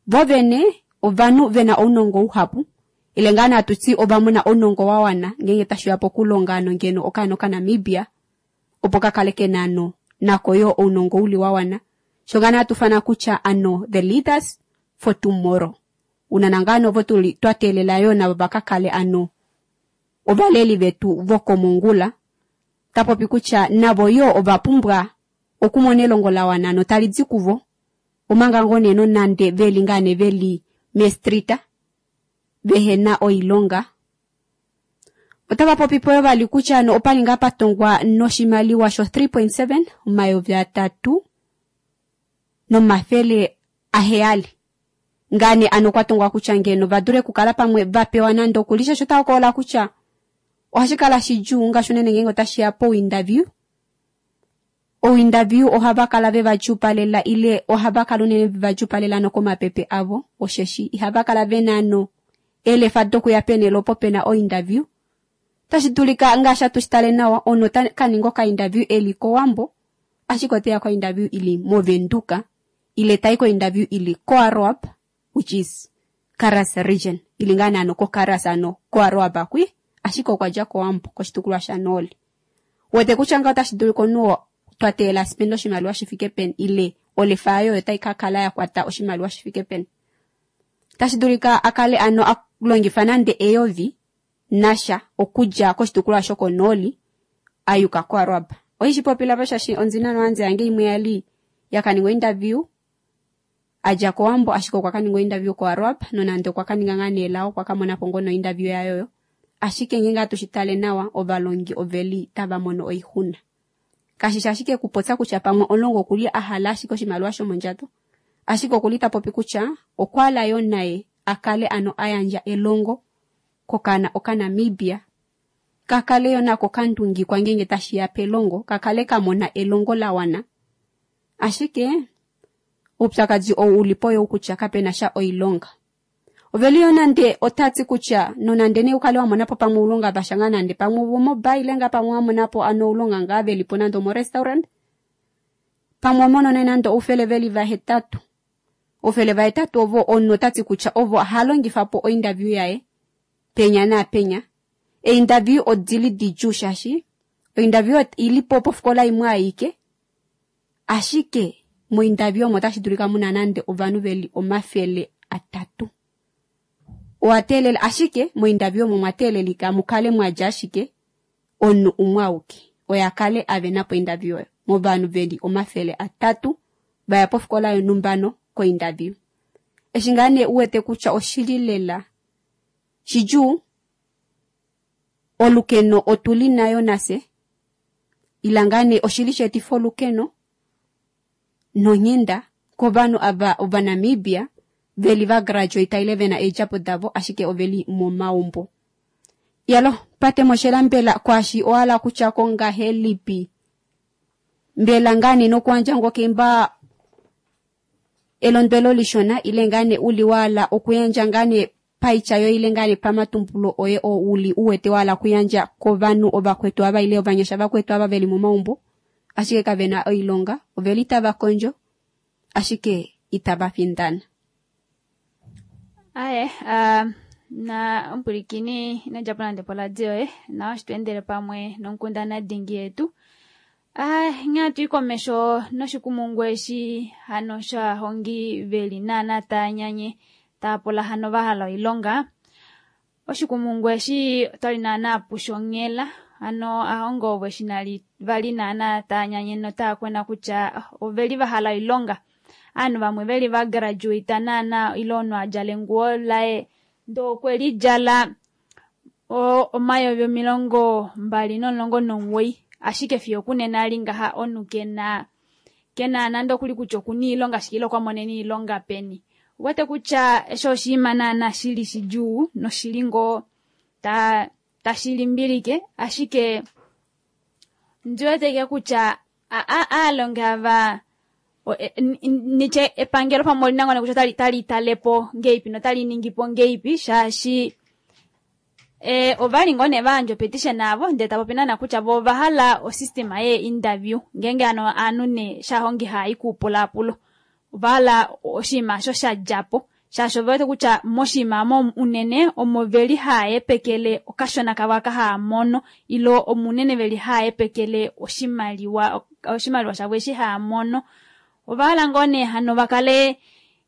A: vo vene ovanhu vena ounongo uhapu ile ngaa natuti ovamona ounongo wawana ngeenge tashiya pokulonga ano ngeno okaana okaNamibia opo kakale kena ano nako yoo ounongo uli wawana sho ngaa natufana kutya ano the leaders for tomorrow unana ngaa novo tuli twateelela yoo navo vakakale ano ovaleli vetu vokomongula tapopi kutya navo yoo ovapumbwa okumona elongo lawana notali di kuvo omanga ngoo nee nonande veli ngaa nee veli meestrita vehena oilonga. Otava popipo yoo vali kutya ano opali ngaa patongwa noshimaliwa sho 3.7 300,700 ngaa nee ano kwatongwa kutya ngeno vadule okukala pamwe vapewa nande okulisha sho tahokola kutya ohashi kala shidjuu ngaashi unene ngeenge otashiya pointerview. Ointerview ohava kala veva djuupalela ile ohava kala unene veva djuupalela nokomapepe avo osheshi ihava kala vena ano eelefa dokuya penele opo pena ointerview. Tashi dulika ngaashi atu shitale nawa omunhu ota kaninga okainterview eli kOwambo ashike oteya kointerview ili moVenduka ile tai kointerview ili koAroab which is Karas region ili ngaa nee ano koKaras ano koAroab akwi ashike okwa dja kOwambo koshitukulwa shaNooli. Wete kutya ngaho otashi dulika omunhu twa teelela aspende oshimaliwa shifike peni ile olefa yaye oyo tai kakala yakwata oshimaliwa shifike peni. Tashi dulika akale ano alongifa nande eyovi nasha okudja koshitukulwa shokonooli ayuka koAroab. Oishi popila shaashi ondina nohanzi yange imwe yali yakaningwa interview adja kOwambo ashike okwa kaningwa interview koAroab nonande okwa kaninga ngaa nee lao okwa kamonapo ngoo nointerview yayo ashike ngeenge atu shitale nawa ovalongi oveli tava mono oixuna. Kashishi ashike kupopya kutya pamwe omulongi okuli ahala ashike oshimaliwa shomondjato ashike okuli tapopi kutya okwahala yoo naye akale ano ayandja elongo kokana okaNamibia kakale yoo nako kandungikwa ngeenge tashiya pelongo kakale kamona elongo lawana ashike oupyakadi ou ulipo oyou kutya kapena sha oilonga. Oveli yo nande otati kutya nonande nee ukale wa mona po pamwe oulonga vasha ngaa nande pamwe vomobile ngaa pamwe wa mona po ano oulonga ngaa veli po nande omorestaurant pamwe omonone nande oufele veli vahetatu oufele vahetatu ovo omunhu otati kutya ovo ha longifa po ointerview yaye penya naapenya. Einterview odili didjuu shaashi ointerview ili po pofikola imwe aike ashike mointerview omo otashi dulika muna nande ovanhu veli 300. Owa teelela ashike mointerview omo mwa teelelika mukale mwadja ashike omunhu umwe auke oye akale avena po interview oyo movanhu veli 300 vaya pofikola yonhumba kointerview. Eshi ngaa nee uwete kutya oshili lela shidjuu olukeno otuli nayo nase ila ngaa nee oshili sheetifa olukeno nonghenda kovanhu ava Ovanamibia veli va graduate ile vena eedjapo davo ashike oveli momaumbo. Yalo pate moshela mbela kwashi ohala kutya ko ngahelipi mbela ngaa nee nokuandja ngokemba elondwelo lishona ile ngaa nee uli wala okuyandja ngaa nee paitya yo ile ngaa nee pamatumbulo oye oo uli uwete wala okuyandja kovanhu ovakwetu ava ile ovanyasha vakwetu ava veli momaumbo ashike kavena oilonga oveli tava kondjo ashike itava findana.
B: Aye, na omupulikini ino djapo nande poladio yoye nawa shi tweendele pamwe nonkundana dingi yetu. Nghee hatu i komesho noshikumungu eshi hano shovahongi veli naana taa nyanye taa pula hano va hala oilonga. Oshikumungu eshi otwali naana pushonghela hano ahongi ovo eshi vali naana taa nyanye notaa kwena kutya oveli va hala oilonga. Aanhu vamwe veli va graduate naana ile omunhu adjala enguwo laye ndee okwe lidjala 2019 ashike fiyo okunena ali ngaha omunhu kena nande okuli kutya okuna oilonga ashike ile okwa monene oilonga peni. Ouwete kutya eshi oshinima naana shili shidjuu noshili ngoo tashi limbilike ashike ndiweteke kutya aalongi ava nitye epangelo pamwe olina ngoo kutya otali talepo ngeipi notali ningipo ngeipi shaashi ovali ngoo nee vayandja opetition avo ndee tapopi naana kutya vo ovahala osystem ye interview ngeenge hano aanhu nee shahongi haayi kuupulaapulo ovahala oshinima osho shadjapo shaashi ovewete kutya moshinima omo unene omo veli haayepekele okashona kavo aka haamono ile omo unene veli haayepekele oshimaliwa shavo eshi haamono. Ovahala ngoo nee hano vakale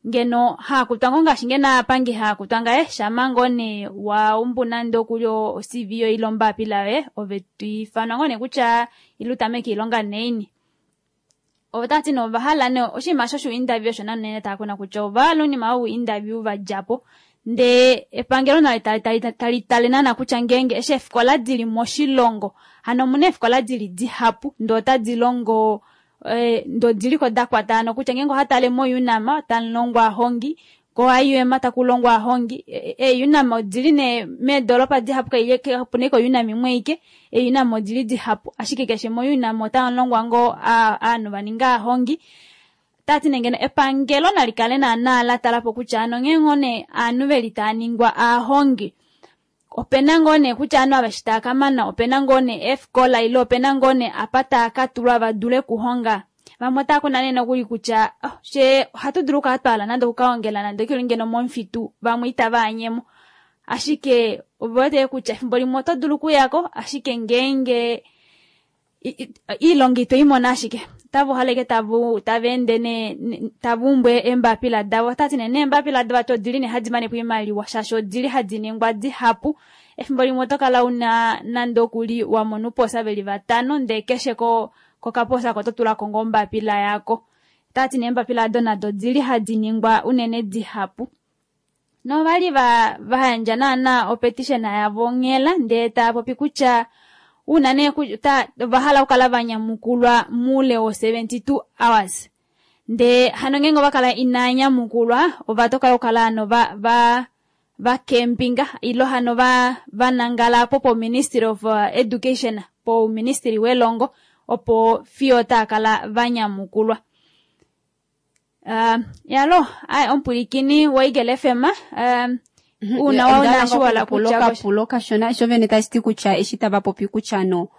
B: ngeno haakutwa ngoo ngaashi ngeno aapangi haakutwa ngaye shama ngoo nee waumbu nande okuli o-CV yoye ile ombapila yoye ove twiifanwa ngoo nee kutya ile utameke oilonga neini. Otati nee ovahala nee oshinima osho shou-interview osho naana taa kuna kutya ovahala oinima you-interview vadjapo ndee epangelo nalo tali tale naana kutya ngeenge eshi eefikola dili moshilongo hano omuna eefikola dili dihapu ndee otadi longo ndee odiliko dakwata hano kutya ngeenge ohatale mo-UNAM otamulongwa ahongi ko-IUM takulongwa ahongi ee-UNAM odili nee meedoropa dihapu kapuna ashike o-UNAM imwe aike ee-UNAM odili dihapu ashike keshe mo-UNAM otamulongwa ngoo ovanhu vaninga ahongi. Tati nee ngeno epangelo nali kale naana latalapo kutya hano nghee ngoo nee ovanhu veli taaningwa aahongi opena ngoo nee kutya ovanhu ava eshi taakamana opena ngoo nee eefikola ile opena ngoo nee apa taakatulwa vadule okuhonga. Vamwe otaa kuna nee nokuli kutya she ohatu dulu okukala twahala nande okukahongela nande okuli ngeno momufitu vamwe itava anyemo ashike ovewete kutya efimbo limwe oto dulu okuyako ashike ngeenge iilonga ito imona ashike otava uhaleke tava ende tava umbu eembapila davo. Otati nee neembapila davo vati odili nee hadi manepo oimaliwa shaashi odili hadi ningwa dihapu. Efimbo limwe oto kala una nande okuli wamona ouposa veli vatano ndee keshe kokaposa ako oto tulako ngoo ombapila yako. Otati nee eembapila ado nado odili hadi ningwa unene dihapu. Novali vayandja naana opetition yavo onghela ndee taapopi kutya una nee ovahala okukala vanyamukulwa moule wo 72 hours ndee hano ngeenge ovakala inanyamukulwa ovatokola okukala hano vakempinga ile hano vanangala po po Ministry of Education po Ministry welongo opo fiyo taakala vanyamukulwa. Yalo omupwilikini wa Eagle FM. Uuna wa una shi wala kutya
A: kapulo kashona sho vene tashi ti kutya eshi tava popi kutya no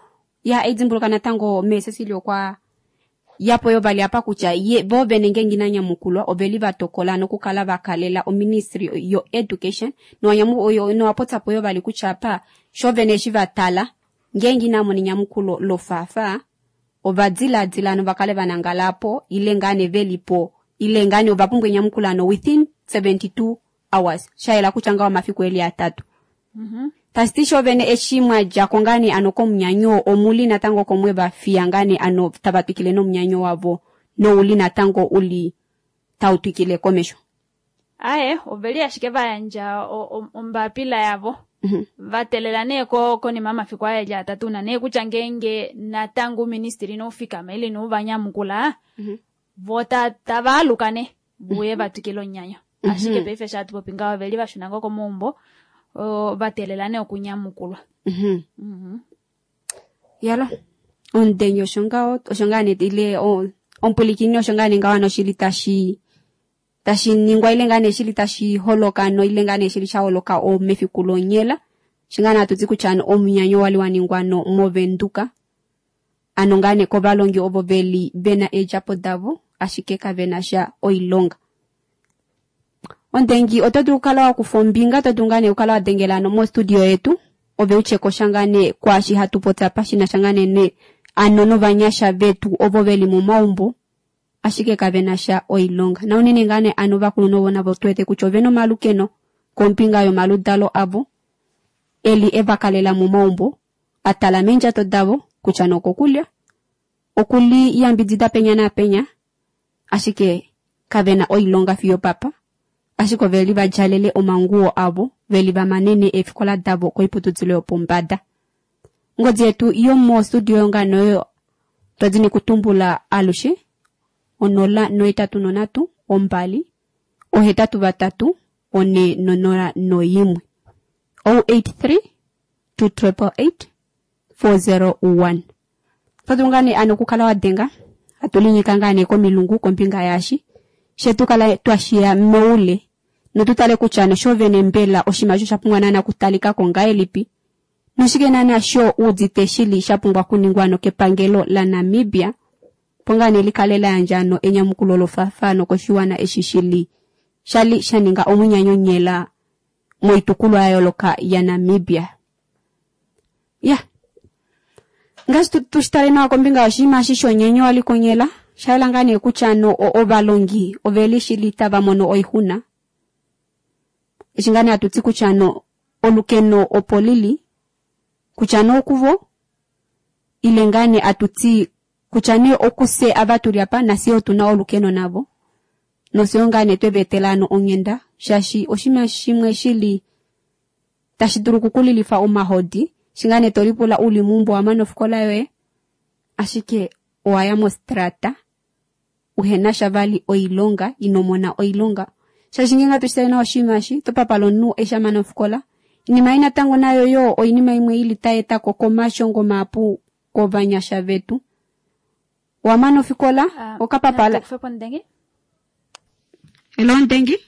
A: ya edimbuluka natango meesesili okwa yapo yo vali apa kutya ye vo vene ngeenge ina nyamukulwa oveli va tokola nokukala va kalela oministry yo education nowapotyapo yo vali kutya apa sho vene eshi va tala ngeenge ina mona enyamukulo lofaafaa ova diladila nova kale va nangala po ile ngaa nee velipo ile ngaa nee ova pumbwa enyamukulo ano within 72 hours shayela kutya ngaho omafiku eli atatu. Tashi ti sho vene eshi mwa djako ngaa nee ano komunyanyo omuli natango komwe va fiya ngaa nee ano tava twikile nomunyanyo wavo nouli natango uli tau twikile komesho.
B: Aye, oveli ashike va yandja ombapila yavo. Va telela nee konima yomafiku aye eli atatu una nee kutya ngeenge natango uuministili inau fikama ile inau va nyamukula, vo tava aluka nee vuye va twikile omunyanyo. Ashike paife sho hatu popi ngaho oveli va shuna ngoo komaumbo, va teelela nee okunyamukulwa.
A: Yalo, omudengi osho ngaho, osho ngaa nee ile omupulikini osho ngaa nee ngaho ano shili tashi ningwa ile ngaa nee shili tashi holoka no ile ngaa nee shili sha holoka mefiku lonyela. Osho ngaa nee hatu ti kutya ano omunyanyo wali wa ningwa no movenduka. Ano ngaa nee kovalongi ovo veli vena eedjapo davo ashike kavena sha oilonga. Ondengi oto dulu okukala wa kufa ombinga, oto dulu ngaa nee okukala wa dengela ano mostudio yetu ove utye ko sha ngaa nee kwaashi hatu popya apa shi na sha ngaa nee ano novanyasha vetu ovo veli momaumbo ashike kavena sha oilonga. Na unene ngaa nee ano ovakulunhu ovo navo tu wete kutya ovena omalukeno kombinga yomaludalo avo eli eva kalela momaumbo a tala meendjato davo kutya nokokulya okuli yambidida penya naapenya ashike kavena oilonga fiyo papa ashike oveli va djalele omanguwo avo veli va manene eefikola davo koiputudilo yopombada. Ngodi yetu yomostudio yongano oyo twadini kutumbula alushe 083 2 83 401 083 2888 401. Todulu ngaa nee ano okukala wa denga hatu linyika ngaa nee komilungu kombinga yaashi shetu kala twashiya moule notutale kutya nosho vene mbela oshinima osho sha pumbwa naana okutalika ko ngahelipi noshike naana sho udite shili sha pumbwa okuningwa nokepangelo laNamibia opo ngaa nee likale la yandja ano enyamukulo lofaafano koshiwana eshi shili shali sha ninga omunyanyonyela moitukulwa ya yooloka yaNamibia. Ya ngaashi tushitale nawa kombinga yoshinima eshi shonyenyo wali konyela shayela ngaa nee kutya ano ovalongi oveli shili tava mono oixuna eshi ngaa nee hatu ti kutya ano olukeno opo lili kutya nee okuvo ile ngaa nee atu ti kutya nee okufye ava tuli apa nafye otuna olukeno navo noshoyo ngaa nee tweva etela ano onghenda shaashi oshinima shimwe shili tashi dulu okukulilifa omahodi eshi ngaa nee tolipula uli meumbo wamana ofikola yoye ashike owaya mostrata uhena sha vali oilonga ino mona oilonga shaashi ngeenge hatu shitale nawa oshinima eshi otopapala omunhu eshi amana ofikola oinima ei natango nayo yo oinima imwe ili tai etako komashongo mahapu kovanyasha vetu. Owamana ofikola okapapala. Hello Ndengi.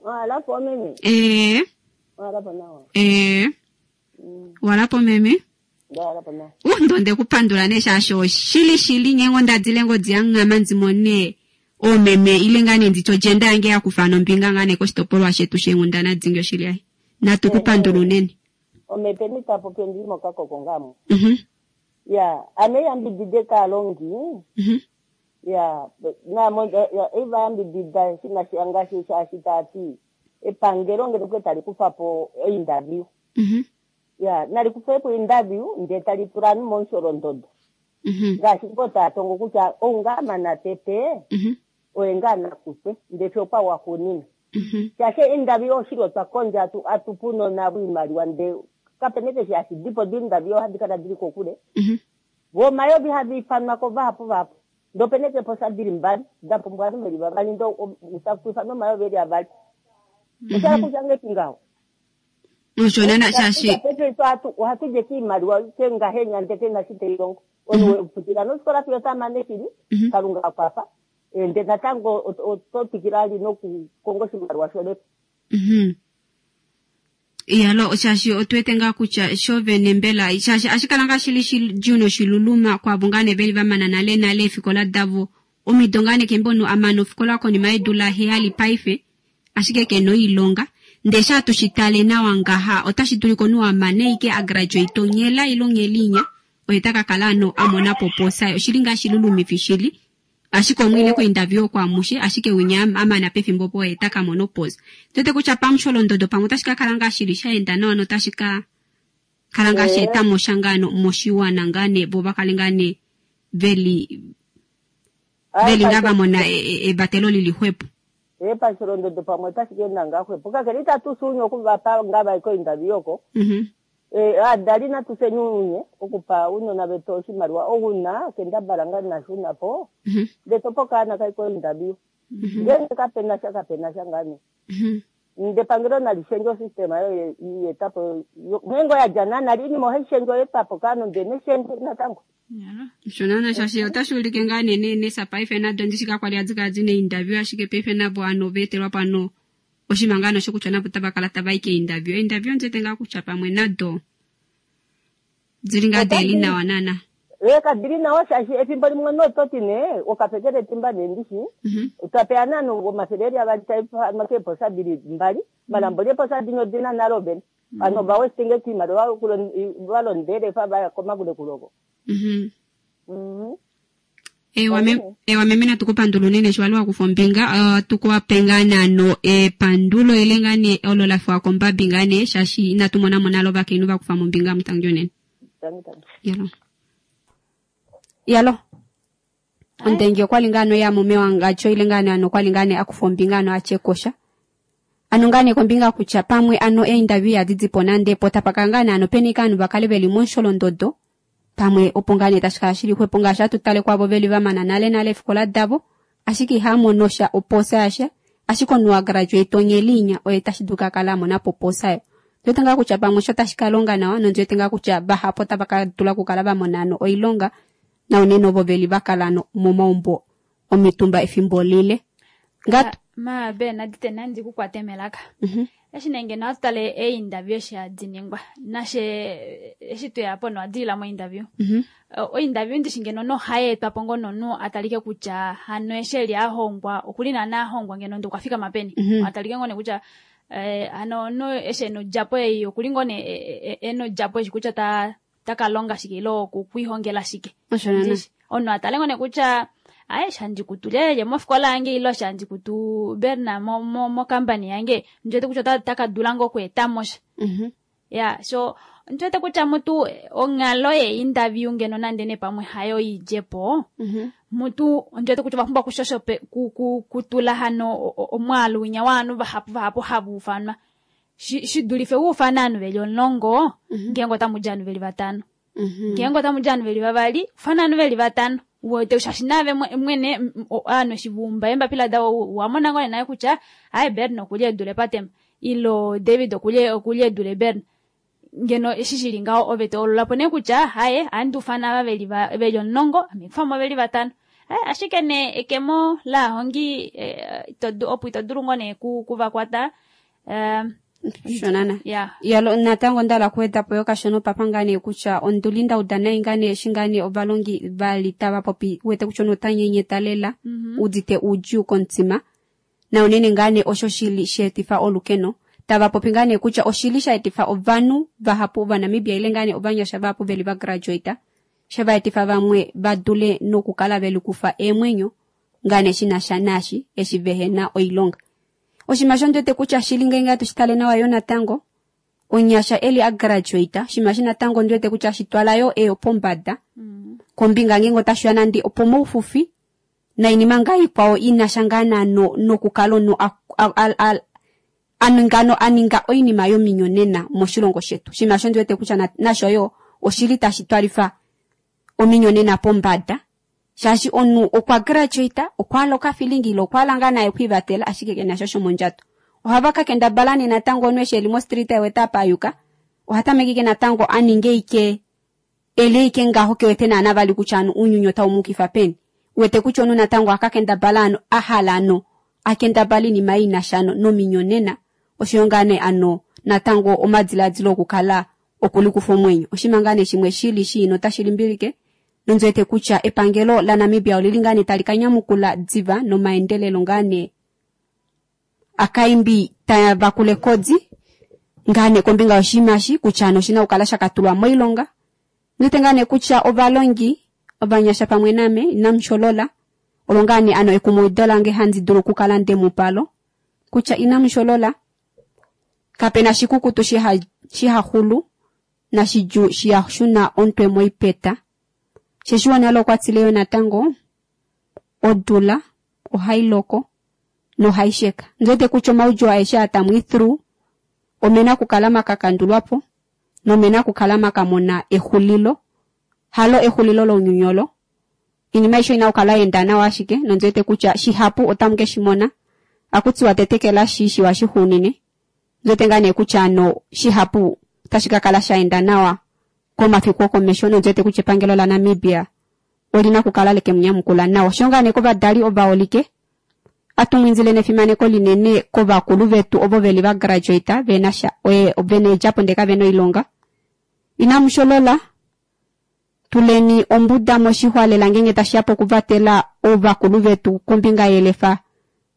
M: Walapo meme. Walapo nawa.
A: Walapo meme.
M: Walapo nawa.
A: Ndonde kupandula nee shaashi oshili shili ngeenge ondadile ngodi yanghama ndimone oomeme ile ngaa nee nditye ondjenda yange yakufa nombinga ngaa nee koshitopolwa shetu sheenghundana dingi oshili ai. Natu kupandula unene.
M: Omepeni tapopi ondili mokakoko ngamo. Ya, ame yambidide kaalongi. Ya, namo eva yambidida shina ngaashi shaashi tati epangelo ngele kwe tali kufa po interview. Ya, nali kufa po interview nde tali tula momusholondodo. Ngaashi ngo taya tongo kutya ounga tete oye ngaa nakufwe ndele fiyo okwa waxuuninwa. Shaashi interview oshili otwa kondja atupunona oimaliwa nde kapena keshe hashi dipo di interview ohadi kala dili kokule. Vo omayovi hava ifanwa ko vahapu vahapu. Ndee opena eeposa dili mbali da pumbwa ovanhu veli vavali ndee taku ifanwa omayovi eli avali. Oshahala kutya ngahelipi ngaho?
A: Osho naana shaashi
M: ohatu li ashike oimaliwa ngahenya ndee kena shi tailongo. Omunhu wefutila nofikola fiyo otamane shili Kalunga akwafa ndee natango oto twikile vali nokukonga oshimaliwa sholepo.
A: Iyalo shaashi otuwete ngaa kutya sho vene mbela shaashi ashikala ngaa shili shidjuu noshiluluma kwaavo ngaa nee veli vamana nale nale eefikola davo omido ngaa nee kembo omunhu amana ofikola konima yeedula 7 paife ashike kena oilonga ndee sha tushitale nawa ngaha otashi dulika omunhu amane ike agraduate onghela ile onghelinya oye takakala ano amonapo oposa oshili ngaa shilulumifi shili ashike omwine kointerview oko amushe ashike winya amana pefimbo opo oye takamona oposa. Ndiwete kutya pamusholondodo pamwe otashi kakala ngaa shili shaenda nawa notashi ka kala ngaa shaetamo sha ngaa moshiwana ngaa nee vo vakale ngaa nee veli ngaa vamona evatelo lili xwepo.
M: Pasholondodo pamwe otashi kaenda ngaa xwepo kakele itatu sunye okuvapa ngaa vai kointerview oko. Adali natuseni unye okupa unona vetu oshimaliwa ouna kendabala ngaa nashunapo ndee topo kaana kai kointerview ngenge kapena sha ngaa nee. Nde pangelo nalishendje osystema yo yetapo ngengo yadja nana iinima ohayi shendjwa yetapo kaanhu ndee neshendje natango.
A: Shonana shaashi otashi ulike ngaa nee nesa paife nado ndishi kakwali adikala dina interview ashike paife navo ano veetelwa pano oshinima ngaa nosho kutya navo tava kala tava i keinterview. Einterview ndiwete ngaa kutya pamwe nado dili ngaa deli nawa nana.
M: Kadili nawa shaashi efimbo limwe nototi nee okapekele etimba nee ndishi twapeya nanu omathele eli avali taifanwa keeposa dili mbali malambo lyeeposa dino odina nalo vene ano vawestinge kiimaliwa valondele fa vaya komakulekuloko.
A: Ewa meme natukupandula unene sho wali wakufa ombinga tukuwape ngaa nano epandulo ile ngaa nee olo lafiwa kombabi ngaa nee shaashi inatu mona mo nale ovakainhu vakufa mombinga mutangi unene. Yalo. Yalo. Ondenge okwali ngaa no ya mume wangacho ile ngaa nee ano okwali ngaa nee akufa ombinga ano atyekosha. Ano ngaa nee kombinga kutya pamwe ano einterview yadidipo nande po tapaka ngaa nee ano peni kaanhu vakale veli mosholondodo pamwe opo ngaa nee tashi kala shili xwepo ngaashi atutale kwavo veli vamana nale nale efikola davo ashike ihamono sha oposa yasha ashike omunhu agraduate onyelinya oye tashi dulu kakala amonapo oposa yo. Ndiwete ngaa kutya pamwe osho tashi kalonga nawa nondiwete ngaa kutya vahapu otava ka dula okukala vamona ano oilonga naunene ovo veli vakala ano momaumbo omitumba efimbo lile.
B: Ma be nadite nandi kukwate melaka. Eshi nee ngeno atutale einterview eshi hadi ningwa nashe eshi tweyapo nowadilila mointerview. Ointerview ndishi ngeno nohayeetwapo ngoo nomunhu atalike kutya hano eshi eli ahongwa okuli naana ahongwa ngeno ndee okwafikama peni. Atalike ngoo nee kutya hano omunhu eshi ena odjapo ei okuli ngoo nee ena odjapo eshi kutya takalonga shike ile okwiihongela shike. Omunhu atale ngoo nee kutya aye shandikutu lelye mofikola yange ile shandikutu Berna mokampani yange ndiwete kutya otakadula ngoo okweetamo sha. Ya so ndiwete kutya mutu onghalo yeinterview ngeno nande nee pamwe hayo idjepo mutu ndiwete kutya ovapumbwa okushoshope kutula hano omwaalu winya waanhu vahapu vahapu hava ufanwa shidulife wuufana ovanhu veli 10 ngeenge otamudja ovanhu veli 5 ngeenge otamudja ovanhu veli 2 ufana ovanhu veli 5 wete shaashi naave mwene ovanhu eshi vaumba eembapila davo wamona ngoo naye kutya aye Bern okuli edule patema ilo David okuli edule Bern ngeno eshi shili ngaho ove toololapo nee kutya haye ohandi ufana ava veli 10 ame kufamo veli 5 ashike nee ekemo laahongi opo ito dulu ngoo nee kuvakwata
A: shonana. Yalo natango ndala kuweda po yo kashono papa ngaa nee kutya onduli ndauda nai ngaa nee eshi ngaa nee ovalongi vali tava popi wete kutya omunhu otanyenyeta lela udite oudjuu komutima na unene ngaa nee osho shili sheetifa olukeno tava popi ngaa nee kutya oshili shaetifa ovanhu vahapu ovanamibia ile ngaa nee ovanyasha vahapu veli vagraduate shavaetifa vamwe vadule nokukala velikufa eemwenyo ngaa nee shinasha naashi eshi vehena oilonga. Oshinima sho ndiwete kutya shili ngenge atushitale nawa yo natango onyasha eli agraduate oshinima shi natango ndiwete kutya shitwala yo eyo pombada kombinga ngenge otashiya nande opo moufufi nainima ngaa ikwao inasha ngaa nano nokukala omunhu aninga oinima yominyonena moshilongo shetu. Oshinima sho ndiwete kutya nasho yo oshili tashi twalifa ominyonena pombada shaashi omunhu okwa graduate okwahala okafilingi ile okwahala ngaa naye okwiivatela ashike kena sha shomondjato. Ohava kakendabala nee natango omunhu eshi eli mostreet ewete apa ayuka ohatameke ike natango aninge ike ele ike ngaho kewete naana vali kutya anu uunyuni otau mukifa peni. Wete kutya omunhu natango akakendabala ano ahala ano akendabala iinima inasha nominyonena oshoyo ngaa nee ano natango omadiladilo okukala okulikufa omwenyo. Oshinima ngaa nee shimwe shili shii notashi limbilike nondi wete kutya epangelo laNamibia olili ngaa nee tali ka nyamukula diva nomaendelelo ngaa nee akaimbi tava kule kodi ngaa nee kombinga yoshinima eshi kutya ano oshina okukala sha katulwa moilonga. Ondi wete ngaa nee kutya ovalongi ovanyasha pamwe name inamu sholola olo ngaa nee ano ekumaido lange handi dulu okukala ndemupalo kutya inamu sholola kapena shikukutu shihaxulu nashidjuu shihashuna omutwe moipeta. Sheshiwo nale okwa tile yo natango odula ohai loko nohai sheka. Ondi wete kutya omaudjuu aeshe aa tamu i through omena okukala makakandulwapo nomena okukala makamona exulilo halo exulilo lounyuni olo. Oinima aishe oina okukala yaenda nawa ashike nondi wete kutya shihapu otamu ke shimona. Akutiwa tetekela shi shiwa shixuunine. Ondi wete ngaa nee kutya ano shihapu otashi ka kala shaenda nawa komafiku okomesho nondi wete kutya epangelo laNamibia olina okukala leke munyamukula nawa. Osho ngaa nee kovadali ovaholike atumwindile nefimaneko linene kovakulu vetu ovo veli va graduate vena sha vena eedjapo ndee kavena oilonga. Inamu sholola, tuleni ombuda moshixwa lela ngeenge tashiya pokuvatela ovakulu vetu kombinga yelefa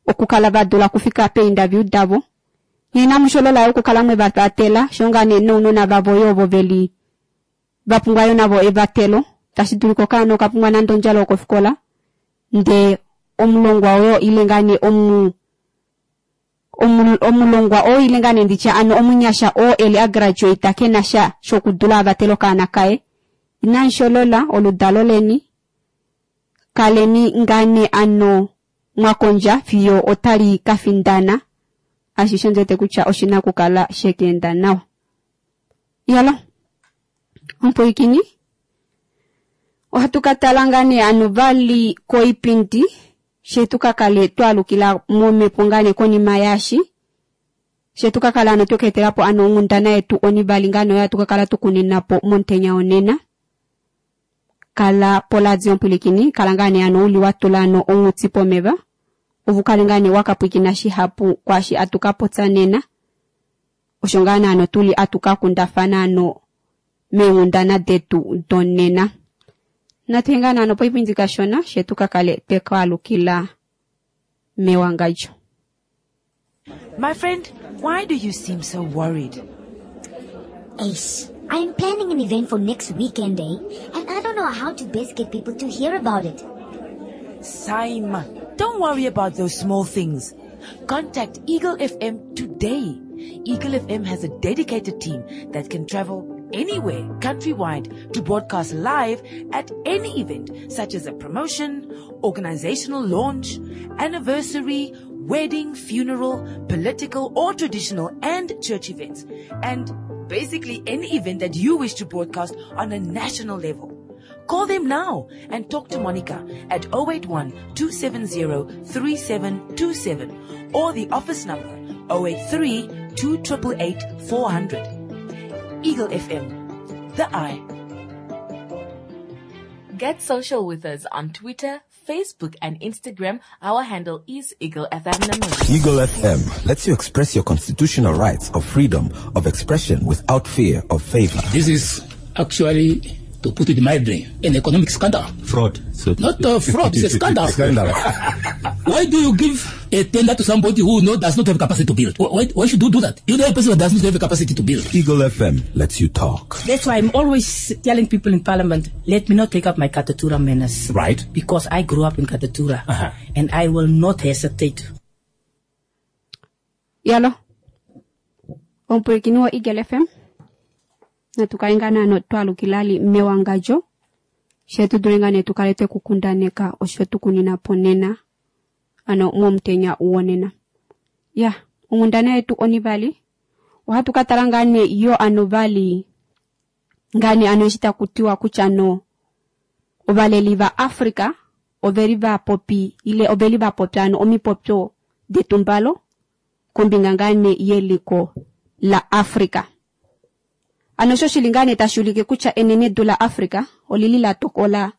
A: okukala va dula okufika peinterview davo. Inamu sholola yo okukala mwe va vatela sho ngaa nee nounona vavo yo ovo veli va pumbwa yo navo evatelo. Tashi dulika okaana oka pumbwa nande ondjala yokofikola ndee omulongwa oyo ile ngaa nee omulongwa oo ile ngaa nee nditya ano omunyasha oo eli a graduate kena sha shokudula avatele okaana kaye. Inamu sholola oludalo leni, kaleni ngaa nee ano mwakondja fiyo otali ka findana. Ashishe ondi wete kutya oshina okukala shekeenda nawa. Yalo omupwilikini, ohatu ka tala ngaa nee ano vali koipindi she tu ka kale twaalukila momhepo ngaa nee konima yaashi she tu ka kala ano tweka etela po ano onghundana yetu onivali ngaa nee oyo hatu ka kala tukunina po momutenya wonena. Kala poladio omupwilikini, kala ngaa nee ano uli wa tula ano onghuti pomeva opo ukale ngaa nee wakapwilikina shihapu kwaashi atu ka popya nena. Osho ngaa nee ano tuli atu ka kundafana ano meenghundana detu donena. Natu ngaa nee ano poipindi kashona she tu ka kale twekaalukila mewangadjo.
C: My friend, why do you seem so worried?
N: Ace, I'm planning an event for next weekend, and I don't know how to best get people to hear about it.
C: Saima, don't worry about those small things. Contact Eagle FM today. Eagle FM has a dedicated team that can travel anywhere countrywide to broadcast live at any event, such as a promotion, organizational launch, anniversary, wedding, funeral, political or traditional and church events, and basically any event that you wish to broadcast on a national level. Call them now and talk to Monica at 081-270-3727 or the office number 083-2888-400. Eagle FM, the eye. Get social with us on Twitter, Facebook and Instagram. Our handle is Eagle FM Namibia.
D: Eagle FM lets you express your constitutional rights of freedom of expression without fear of favor.
E: This is actually, to put it mildly, an economic scandal.
O: Fraud. So
E: Not a fraud, it's a scandal.
D: Scandal.
E: Why do you give a tender to somebody who does not have capacity to build? Why should you do that? You know a person who does not have a capacity to build.
D: Eagle FM lets you talk.
G: That's why I'm always telling people in Parliament, let me not take up my Katutura manners.
O: Right.
G: Because I grew up in Katutura. And I will not hesitate.
A: Yalo. Omupwilikini wa Eagle FM. Natu kale ngaa naano twalukilali mewangadjo she tu dule ngaa nee tukale twekukundaneka osho tukunina po nena ano momutenya wonena. Ya, onghundana yetu onivali ohatu ka tala ngaa nee yo ano vali ngaa nee ano eshi takutiwa kutya ano ovaleli va Africa oveli va popi ile oveli va popya ano omipopyo detumbalo kombinga ngaa nee yeliko la Africa. Ano sho shili ngaa nee tashi ulike kutya enenedu la Africa olili la tokola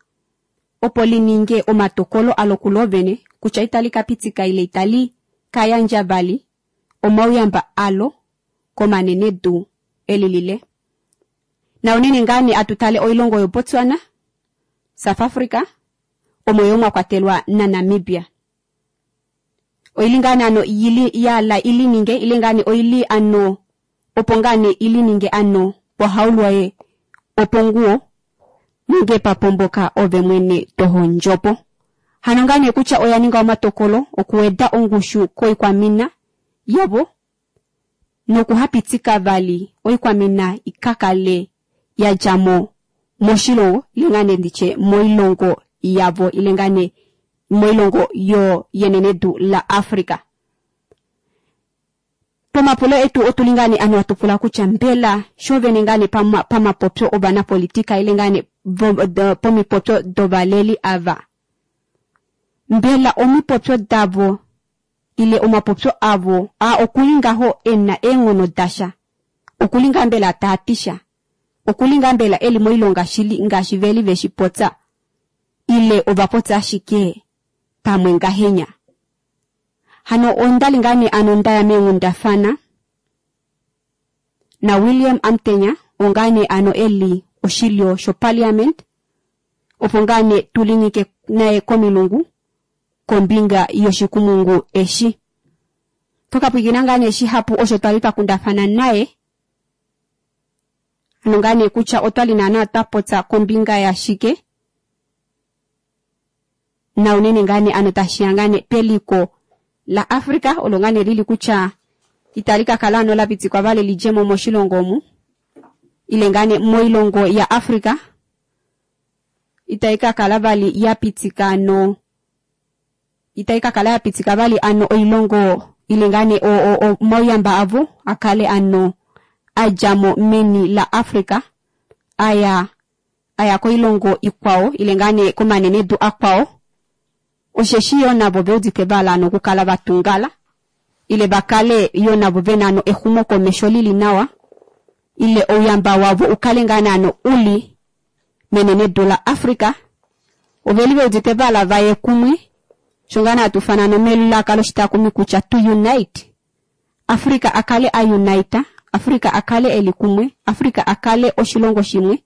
A: opo li ninge omatokolo alo kulo vene kutya itali ka pitika ile itali ka yandja vali omauyamba alo Komanenedu elilile. Na unene ngaa nee atu tale oilongo yoBotswana, South Africa, omo yo mwa kwatelwa naNamibia. Oili ngaa nee ano yili yala ili ninge ile ngaa nee oili ano opo ngaa nee ili ninge ano pohaulwaye oponguwo nenge papomboka ove mwene tohondjopo. Hano ngaa nee kutya oya ninga omatokolo okuweda ongushu koikwamina yavo nokuhapitika vali oikwamina ikakale ya dja mo moshilongo ile ngaa nee nditye moilongo yavo ile ngaa nee moilongo yo yenenedu la Africa. Pomapulo etu otuli ngaa nee ano atupula kutya mbela shovene ngaa nee pamapopyo ovanapolitika ile ngaa nee pomipopyo dovaleli ava. Mbela omipopyo davo ile omapopyo avo a okuli ngaho ena eenghono dasha. Okuli ngaa mbela taatisha. Okuli ngaa mbela eli moilonga shili ngaashi veli veshi popya. Ile ovapopya ashike pamwe ngahenya. Hano ondali ngaa nee ano ndaya meenghundafana na William Amutenya ongaa nee ano eli oshilyo shoparliament opo ngaa nee tulinyike naye komilungu kombinga yoshikumungu eshi. Tokapwikina ngaa nee shihapu osho twali twakundafana naye. Ano ngaa nee kutya otwali naana twapopya kombinga yashike. Na unene ngaa nee ano tashiya ngaa nee peliko la Africa olo ngaa nee lili kutya itali ka kala ano la pitikwa vale lidjemo moshilongo omu. Ile ngaa nee moilongo ya Africa itai ka kala vali ya pitika ano itai ka kala ya pitika vali ano oilongo ile ngaa nee omauyamba avo akale ano adjamo meni la Africa aya koilongo ikwao ile ngaa nee komanenedu akwao. Osheshi yo navo veudite vala ano okukala vatungala ile vakale yo navo vena ano exumokomesho lili nawa ile ouyamba wavo ukale ngaa nee ano uli menenedu la Africa. Oveli veudite vala vaye kumwe sho ngaa nee atufana no melaka loshitakumi kutya to unite. Africa akale a unite, Africa akale eli kumwe, Africa akale oshilongo shimwe.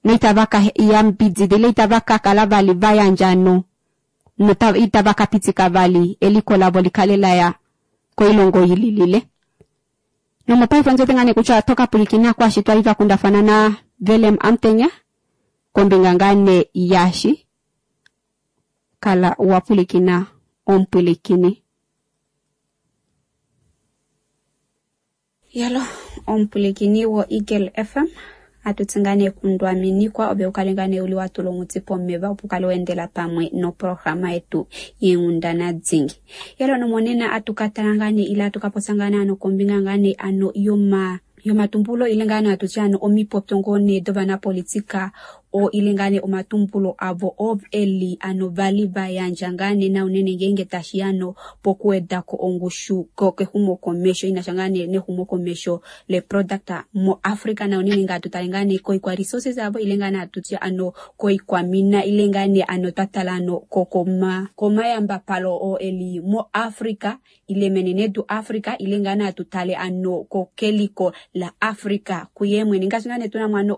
A: Noitava ka yambidida ile itava ka kala vali vayandja no itava ka pitika vali eliko lavo likale laya koilongo yililile. Nomopaife nzote ngane kutya toka pulikina kwashi twali twakundafana na Willem Amutenya kombinga ngane yashi kala wapulikina ompulikini. Yalo ompulikini wo Eagle FM atutsingane kundwaminikwa obe ukalengane uli watulongutsi pomeva opo ukale wendela pamwe noprograma yetu yenghundana dzingi. Yalo nomonena atukatalangane ile atukapotsangane ano kombinga ngane ano yomatumbulo ile ngane atutya ano omipopyo ngone dovanapolitika o ile ngane omatumbulo avo ov eli ano vali vayandja ngane na unene ngenge tashi ano pokuwedako ongushu kexumokomesho inasha ngane nexumokomesho le product mo Africa na unene nga tutale ngane koikwa resources avo ile ngane atutya ano koikwa mina ile ngane ano tatala ano kokoma komayamba palo o eli mo Africa ile menenedu Africa ile ngane atutale ano kokeliko la Africa kuyemwe ngaashi ngane tuna mwano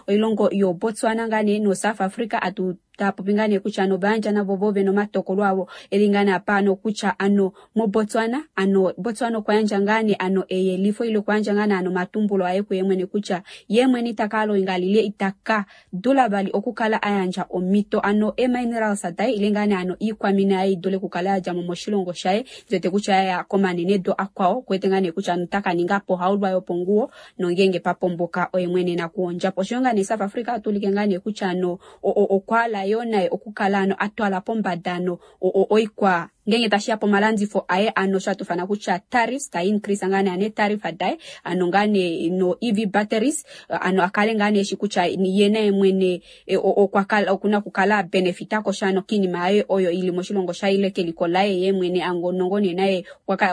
A: oilongo yo Botswana ngane no South Africa atu tapopingane kutya ano vayandja navo vove nomatokolo avo elingane apa ano kutya ano mo Botswana ano Botswana okwayandja ngane ano eyelifo ile okwayandja ngane ano matumbulo aye kuye mwene kutya ye mwene itaka loinga lile itaka dula vali okukala ayandja omito ano eminerals daye ile ngane ano iikwamina aye idule kukala yadjamo moshilongo shaye nzete kutya ya komanenedu akwao kwete ngane kutya ano taka ninga po haulwa yoponguwo nongenge papomboka oye mwene nakuondjapo. Osho ngane South Africa atulike ngane kutya ano okwala yo naye okukala ano atwala pombada ano oikwa ngenge tashiya pomalandifo aye ano sho atufana kutya tariffs ta increase ngane ane tariff adaye ano ngane no EV batteries ano akale ngane eshi kutya ye naye mwene okwakala okuna kukala benefita kosha ano kinima aye oyo ili moshilongo shaile keliko laye ye mwene ango nongone naye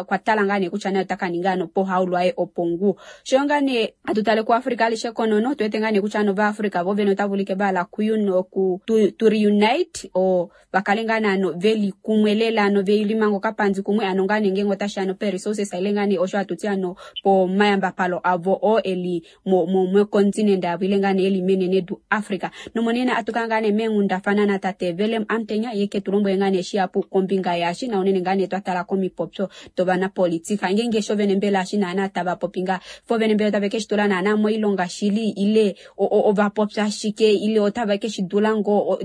A: kwatala ngane kutya naye otakaninga ano pohaulwa aye opongu. Sho ngane atutale ku Africa alishe konono tuete ngane kutya ano va Africa vovene otavulike bala kuyuno ku to reunite o bakale ngane ano veli kumwe lela ano velimanga okapandzi kumwe ano ngaa nee ngenge otashi ano pe-resources ile ngaa nee osho hatuti ano pomayambapalo avo oo eli mocontinent yavo ile ngaa nee eli menenedu Africa. Nomonena atuka ngaa nee meenghundafana natate Willem Amutenya ye ke tu lombwele ngaa nee shihapu kombinga yaashi na unene ngaa nee twatala komipopyo dovanapolitika ngenge sho vene mbela eshi naana tava popi ngaa fo vene mbela otave keshi tula naana moilonga shili ile ovapopya shike ile otave keshi dula ngoo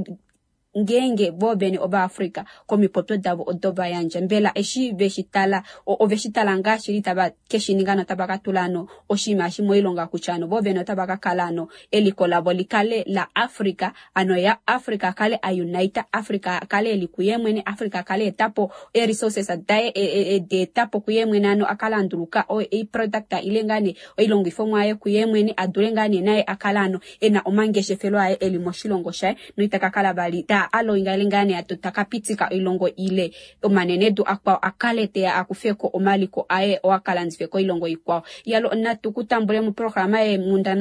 A: ngeenge vo vene ovaafrika komipopyo davo odo vayandja mbela eshi veshi tala oveshi tala ngaa shili tava keshi ninga notava ka tula ano oshinima eshi moilonga kutya ano vo vene otava ka kala ano eliko lavo likale la Africa ano ya Africa akale a unite Africa akale eli kuye mwene Africa akale etapo e-resources daye deetapo kuye mwene ano akale anduluka i-product ile ngaa nee oilongifomwa aye kuye mwene adule ngaa nee naye akale ano ena omangeshefelo aye eli moshilongo shaye noita ka kala vali ta aloinga ile ngaa nee takapitika oilongo ile omanenedu akwao akale teya akufeko omaliko aye oo akalandife koilongo ikwao. Yalo natu kutambule muprograma ye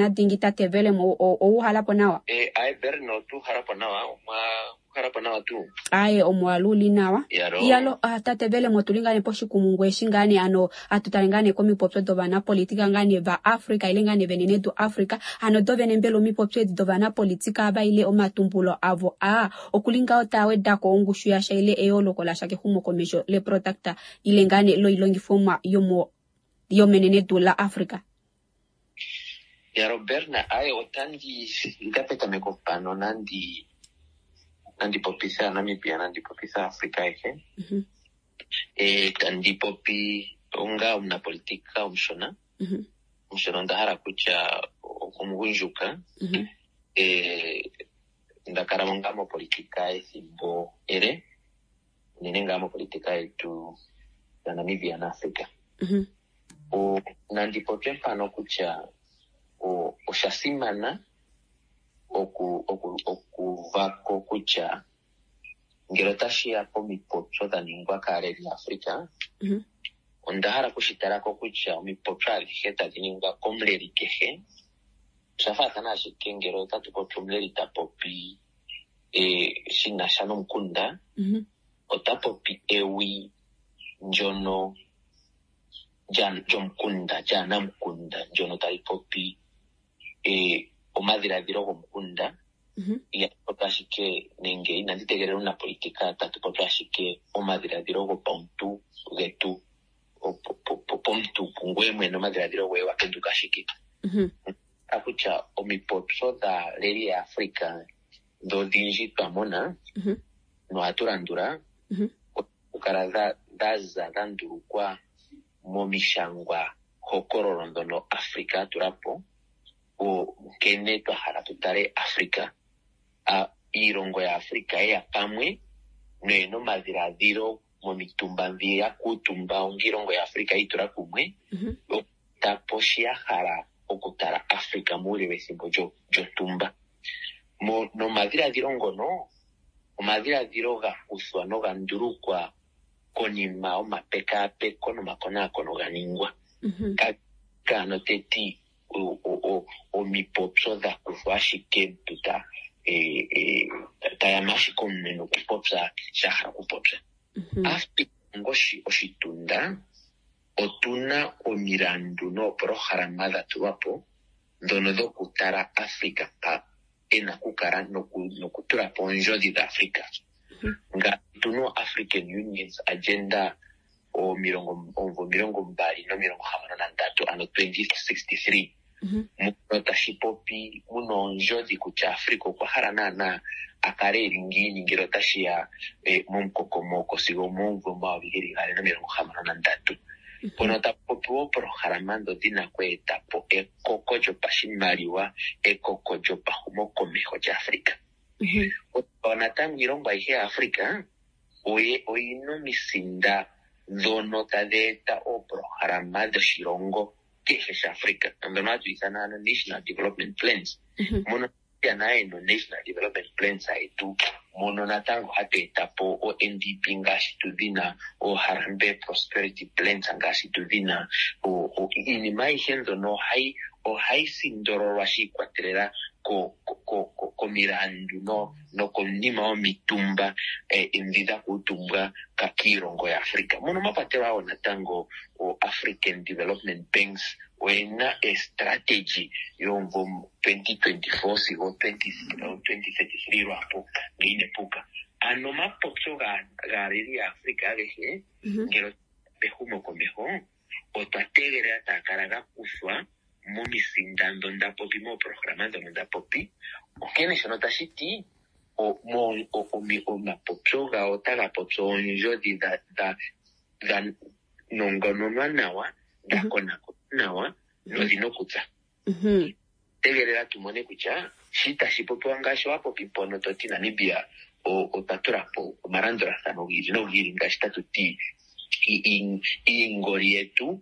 A: Dingi tate Willem ouhalapo nawa?
O: Aye Berno tuuhalapo nawa omwa uhalapo nawa tuu.
A: Aye omwaluli nawa.
O: Yalo.
A: Yalo tate Willem otuli ngaa nee poshikumungu eshi ngaa nee ano atutale ngaa nee komipopyo dovanapolitika ngaa nee va Africa ile ngaa nee venenedu Africa ano dovene mbela omipopyo edi dovanapolitika ava ile omatumbulo avo a okuli ngaho tawedako ongushu yasha ile eyooloko lasha kexumokomesho leproduct ile ngaa nee loilongifomwa yomenenedu la Africa.
O: Yalo Berna, aye otandi nda petameko pano nandi popitha Namibia nandi popitha Africa ayihe. Tandi popi onga omunapolitika omushona. Omushona onda hala kutya omugundjuka. Nda kala ngaa mopolitika ethimbo ele unene ngaa mopolitika yetu ya Namibia na Africa. Nandi popye mpano kutya osha simana okuvako kutya ngele otashi ya komipopyo dha ningwa kaaleli yaAfrica, onda hala okushitalako kutya omipopyo adhihe tadhi ningwa komuleli kehe osha faathana ashike ngele otatu popi omuleli ta popi shina sha nomukunda, ota popi ewi ndjono lyomukunda lyaanamukunda ndjono tali popi omadhiladhilo gomukunda. Ihapu ashike nenge inandi tegelela omunapolitika tatu popi ashike omadhiladhilo gopauntu getu pomuntu kungoye mwene omadhiladhilo goye wa penduka ashike. Kutya omipopyo dhaaleli yaAfrica dhodhindji twa mona nohatu landula okukala dha za dha ndulukwa momishangwa hokololo ndhono Africa a tula po nkene twa hala tu tale Africa. Iilongo yaAfrica yeya pamwe noyena omadhiladhilo momitumba ndhi ya kuutumba onga iilongo yaAfrica yiitula kumwe tapo shi ya hala okutala Africa muule wethimbo lyontumba. Nomadhiladhilo ngono omadhiladhilo ga kuthwa noga ndulukwa konima yomapekaapeko nomakonaakono ga ningwa. Kaano teti omipopyo dha kuthwa ashike omuntu tayama ashike omunwe nokupopya sha hala okupopya. Africa onga oshitunda otuna omilandu noopolohalama dha tulwa po ndhono dhokutala Africa mpa ena okukala nokutula po oondjodhi dhaAfrica. Ngaashi tuna African Union's agenda omumvo 2063 ano 2063 muno tashi popi muna oondjodhi kutya Africa okwa hala naana a kale eli ngiini ngele otashi ya momukokomoko sigo omomumvo 2063. Mpono tapu popiwa oopolohalama ndho dhina oku eta po ekoko lyopashimaliwa, ekoko lyopahumokomeho lyaAfrica. Natango iilongo ayihe yaAfrica oyina omisinda ndhono tadhi eta oopolohalama dhoshilongo kehe shaAfrica ndhono hatu ithana ano National Development Plans. Mono Namibia naye no National Development Plans yetu mono natango hatu eta po o NDP ngaashi tu dhina o Harambee Prosperity Plans ngaashi tu dhina iinima ayihe mbyono ohayi ohayi sindololwa shi ikwatelela komilandu nokonima yomitumba ndhi dha kuutumbwa kiilongo yaAfrica. Mono mwa kwatelwa wo natango o-African Development Banks oyena estrategy yomumvo 2024 sigo 2033 lwaapo ngele ine puka. Ano omapopyo gaaleli yaAfrica agehe ngele pehumokomeho otwa tegelela taga kala ga kuthwa momisinda ndho nda popi mooprograma ndhono nda popi. Onkene shono tashi ti omapopyo gawo otaga popi oondjodhi dha nongononwa nawa, dha konakonwa nawa nodhina okutsa. Tegelela tu mone kutya shi tashi popiwa ngaashi wa popi mpono to ti Namibia otwa tula po omalandulathano gi ili nogi ili ngaashi tatu ti iingoli yetu,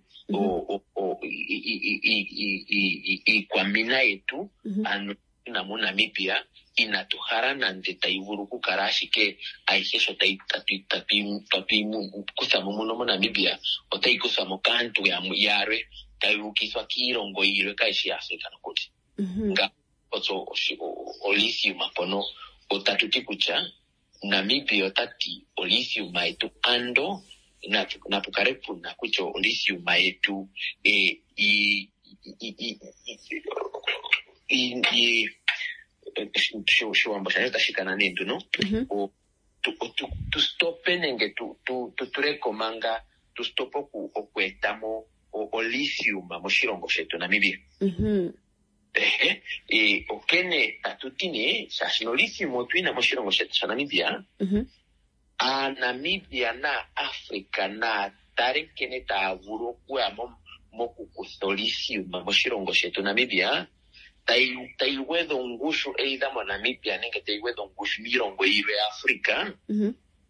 O: iikwamina yetu ano tuna moNamibia inatu hala nande tayi vulu okukala ashike ayihe sho tatu yi kutha mo muno moNamibia otayi kuthwa mo kaantu yalwe tayi ukithwa kiilongo yilwe kayishi yaAfrica nokuli. Nga otso olithium mpono otatu ti kutya Namibia ota ti olithium yetu ando napu kale puna kutya olithium yetu Oshiwambo shandje otashi kana nee nduno tu stope nenge tu tuleko manga tu stope oku etamo olithium moshilongo shetu Namibia. Ehe, onkene tatu ti nee shaashi nolithium otu yina moshilongo shetu shaNamibia, Aanamibia nAafrica naa tale nkene taya vulu okuya mokukutha olithium moshilongo shetu Namibia, tayi gwedha ongushu either moNamibia nenge tayi gwedha ongushu miilongo yilwe yaAfrica,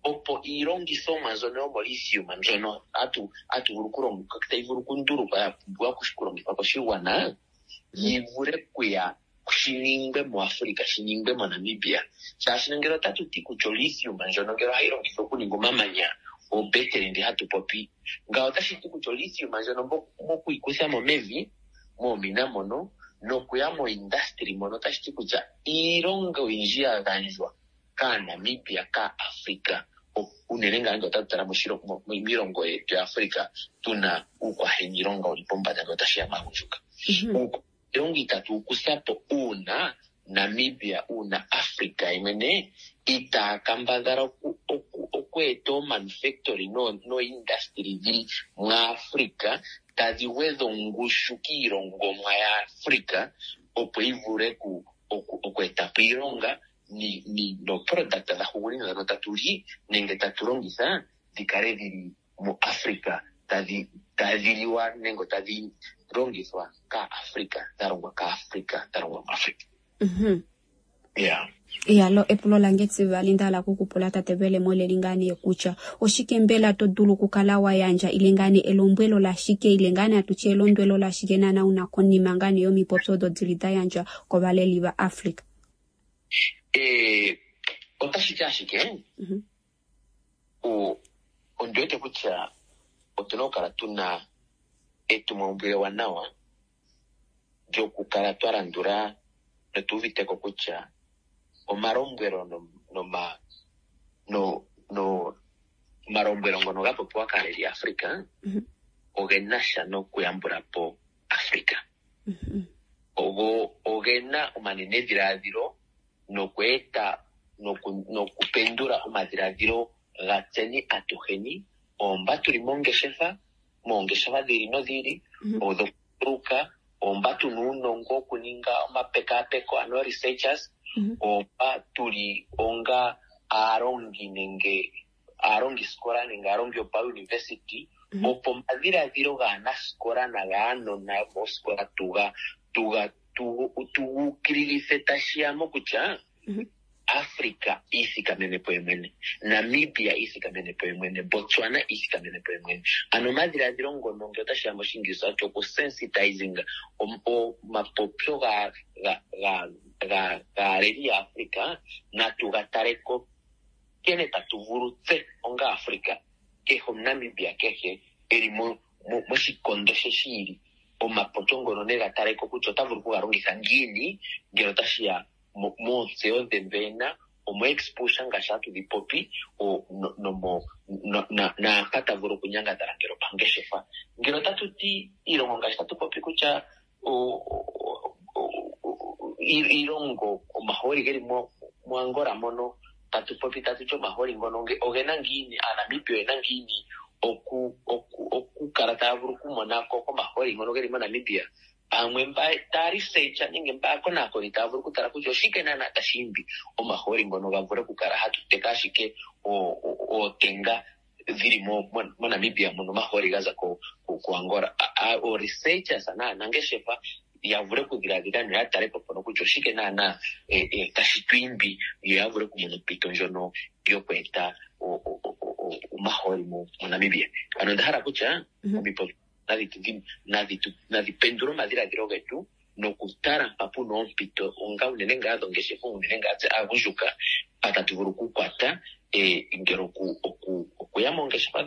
O: opo iilongithomwa mbyono yomolithium mbyono hatu vulu okulongitha, tayi vulu okundulukwa ya pumbiwa okulongithwa koshigwana, yi vule kuya shi ningwe muAfrica, shi ningwe moNamibia. Shaashi ngele otatu ti kutya olithium ndjono ngele ohayi longithwa okuninga omamanya oobetele ndi hatu popi, ngawo otashi ti kutya olithium ndjono moku yi kutha mo mevi, moomina mono, nokuya moindastri mono, otashi ti kutya iilonga oyindji ya gandjwa kAanamibia, kAafrica, unene ngaa ngele otatu tala miilongo yetu yaAfrica tuna uukwaheniilonga wuli pombanda ngele otashi ya maagundjuka. Iilonga itatu wu kutha po uuna Namibia, uuna Africa yemwene itaa kambadhala oku eta oomanufactory nooindustry dhili muAfrica tadhi gwedha ongushu kiilongomwa yaAfrica opo yi vule oku eta po iilonga nooproduct dha hugunina ndhono tatu li nenge tatu longitha dhi kale dhili muAfrica tadhi liwa nenge tadhi longithwa kaAfrica, dha longwa kaAfrica, dha longwa muAfrica. Yeah.
A: Iyalo epulo lange tsivali nda hala kukupula tate Velemo leli ngaa nee kutya oshike mbela to dulu okukala wa yandja ile ngaa nee elombwelo lashike ile ngaa nee atutye elondwelo lashike naana una konima ngaa nee yomipopyo odo dili da yandjwa kovaleli vaAfrica?
O: Otashi ti ashike ondi wete kutya otuna okukala tuna etumwaumbwile ewanawa lyokukala twa landula notu uviteko kutya omalombwelo omalombwelo ngono ga popiwa kaaleli yaAfrica oge na sha nokuyambula po Africa. Ogo ogena omanenedhiladhilo nokweeta nokupendula omadhiladhilo gatseni atuheni oomba tuli mongeshefa, moongeshefa dhi ili nodhi ili, odhokunduluka, oomba tuna uunongo wokuninga omapekapeko ano researchers, oomba tuli onga aalongi nenge aalongisikola nenge aalongi yopauniversity, opo omadhiladhilo gaanasikola nagaanona yomoosikola tugu ukililithe tashi ya mokutya Africa iithikamene po yemwene, Namibia iithikamene po yemwene, Botswana iithikamene po yemwene. Ano omadhiladhilo ngono ngele otashi ya moshingilisa oti okusensitizing omapopyo gaaleli yaAfrica natu ga taleko nkene tatu vulu tse onga Africa, kehe omuNamibia kehe eli moshikondo she shi ili. Omapopyo ngono nega tale ko kutya ota vulu okuga longitha ngiini ngele otashi ya moontseyo dhe ndho ena, omo-exposure ngaashi hatu dhi popi, naampa ta vulu okunyangadhala ngele opangeshefa. Ngele otatu ti iilongo ngaashi tatu popi kutya iilongo omahooli geli moAngola mono tatu popi tatu ti omahooli ngono ogena ngiini, Aanamibia oyena ngiini okukala taya vulu okumona ko komahooli ngono geli moNamibia. Pamwe mba taya research nenge mba aakonaakoni taya vulu okutala kutya oshike naanaa tashi imbi omahooli ngono ga vule okukala hatu teka ashike ootenga dhili moNamibia mono omahooli ga za kuAngola. Oo-researchers naanangeshefa ya vule okudhiladhila noya tale po mpono kutya oshike naanaa tashi tu imbi yo ya vule okumona ompito ndjono yokweeta omahooli moNamibia. Ano onda hala kutya omipopyo nadhi pendule omadhiladhilo getu nokutala mpa puna oompito onga unene ngaa dhongeshefa, unene ngaa tse aagundjuka mpa tatu vulu okukwata ngele okuya moongeshefa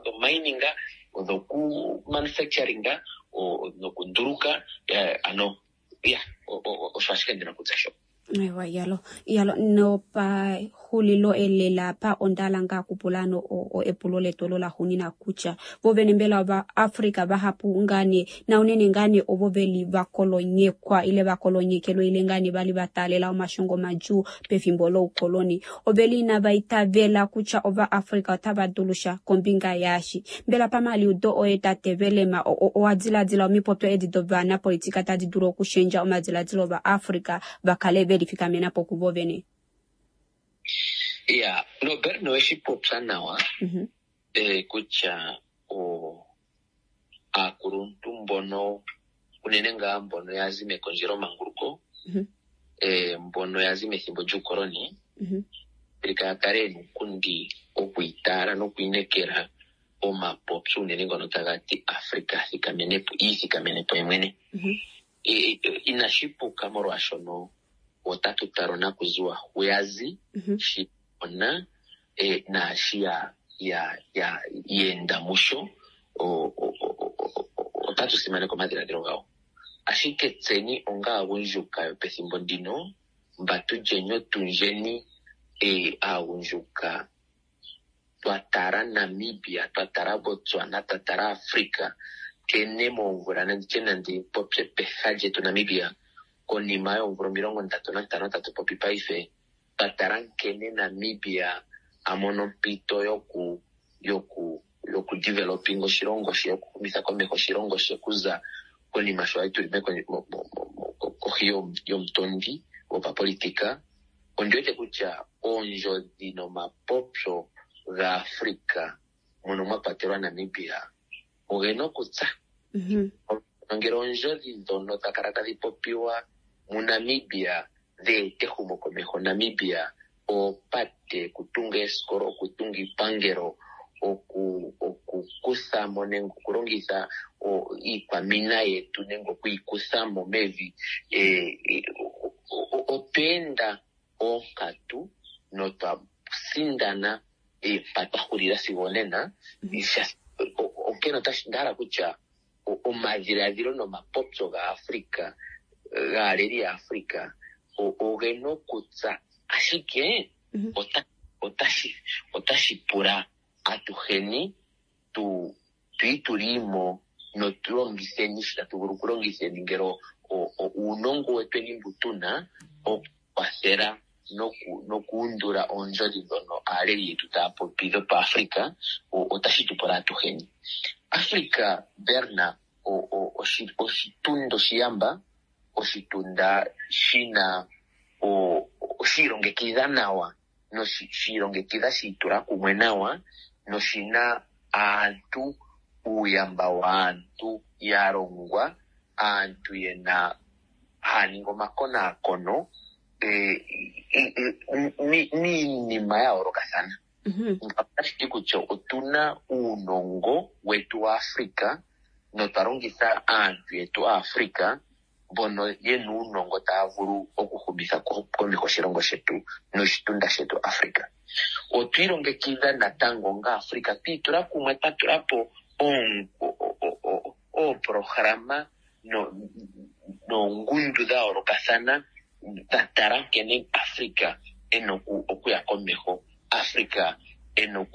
O: dhomining, dhoku-manufacturing, nokunduluka, ano ya osho ashike ndina okutya sho.
A: Ewa, iyalo iyalo nopahulilo elela pa ondala ngaa kupula no epulo letu olo laxuuninwa kutya vovene mbela ovaAfrika vahapu ngane na unene ngane ovo veli vakolonyekwa ile vakolonyekelwe ile ngane vali vataalela omashongo madjuu pefimbo loukoloni oveli inava itavela kutya ovaAfrika otava dulu sha kombinga yaashi. Mbela pamaliudo oye tate Velema owa diladila omipopyo edi dovanapolitika tadi dulu okushendja omadiladilo ovaAfrika va kale veli fikamena po kuvo vene?
O: Ya, Robert, oweshi popya nawa kutya aakuluntu mbono unene ngaa mbono ya zi mekondjelomanguluko, mbono ya zi methimbo lyuukoloni, Afrika ya kale yena uunkundi okwiitaala nokwiinekela omapopyo unene ngono taga ti Afrika iithikamene po yemwene. Inashi puka molwaashono otatu tala onakuziwa hu ya zi, shi ona naashi ya enda musho, otatu simaneka omadhiladhilo gawo. Ashike tseni onga aagundjuka yopethimbo ndino, mba tulyeni otundjeni aagundjuka twa tala Namibia, twa tala Botswana, twa tala Afrika, nkene moomvula nanditye nandi popye peha lyetu Namibia, konima yoomvula 35 tatu popi paife, twa tala nkene Namibia a mono ompito yoku developing oshilongo she, yokuhumitha komeho oshilongo she kuza konima sho ali tuli kohi yomutondi gopapolitika. Ondi wete kutya oondjodhi nomapopyo gaAfrika mono mwa kwatelwa Namibia ogena okutsa. Ngele oondjodhi ndhono dha kala tadhi popiwa muNamibia dheeta ehumokomeho Namibia, oopate, okutunga eesikola, okutunga iipangelo, okukutha mo nenge okulongitha iikwamina yetu nenge okuyikutha mo mevi, otwa enda oonkatu notwa sindana mpa twa hulila sigo onena. Onkene onda hala kutya omadhiladhilo nomapopyo gaAfrika, gaaleli yaAfrika, ogena okutsa, ashike otashi pula atuheni tu itulimo notu longitheni shi tatu vulu okulongitheni ngele uunongo wetweni mbu tuna okukwathela nokuundula oondjodhi ndhono aaleli yetu taya popi dhopaAfrika, otashi tu pula atuheni. Afrika, Berna, oshitunda oshiyamba, oshitunda shina shi ilongekidha nawa noshi ilongekidha shi itula kumwe nawa noshina aantu, uuyamba waantu ya longwa, aantu yena haya ningi omakonaakono miinima ya yoolokathana. Otashi ti kutya otuna uunongo wetu waAfrika notwa longitha aantu yetu aAfrika mbono yena uunongo taya vulu okuhumitha komeho oshilongo shetu noshitunda shetu Afrika. Otwa ilongekidha natango onga Afrika, twi itula kumwe, twa tula po ooprograma noongundu dha yoolokathana dha tala nkene Africa e na okuya komeho, Africa e na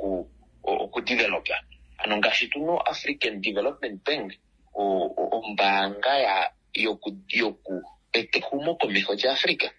O: okudevelopa. Ano ngaashi tu na oAfrican Development Bank, ombaanga yoku eta ehumokomeho lyaAfrica,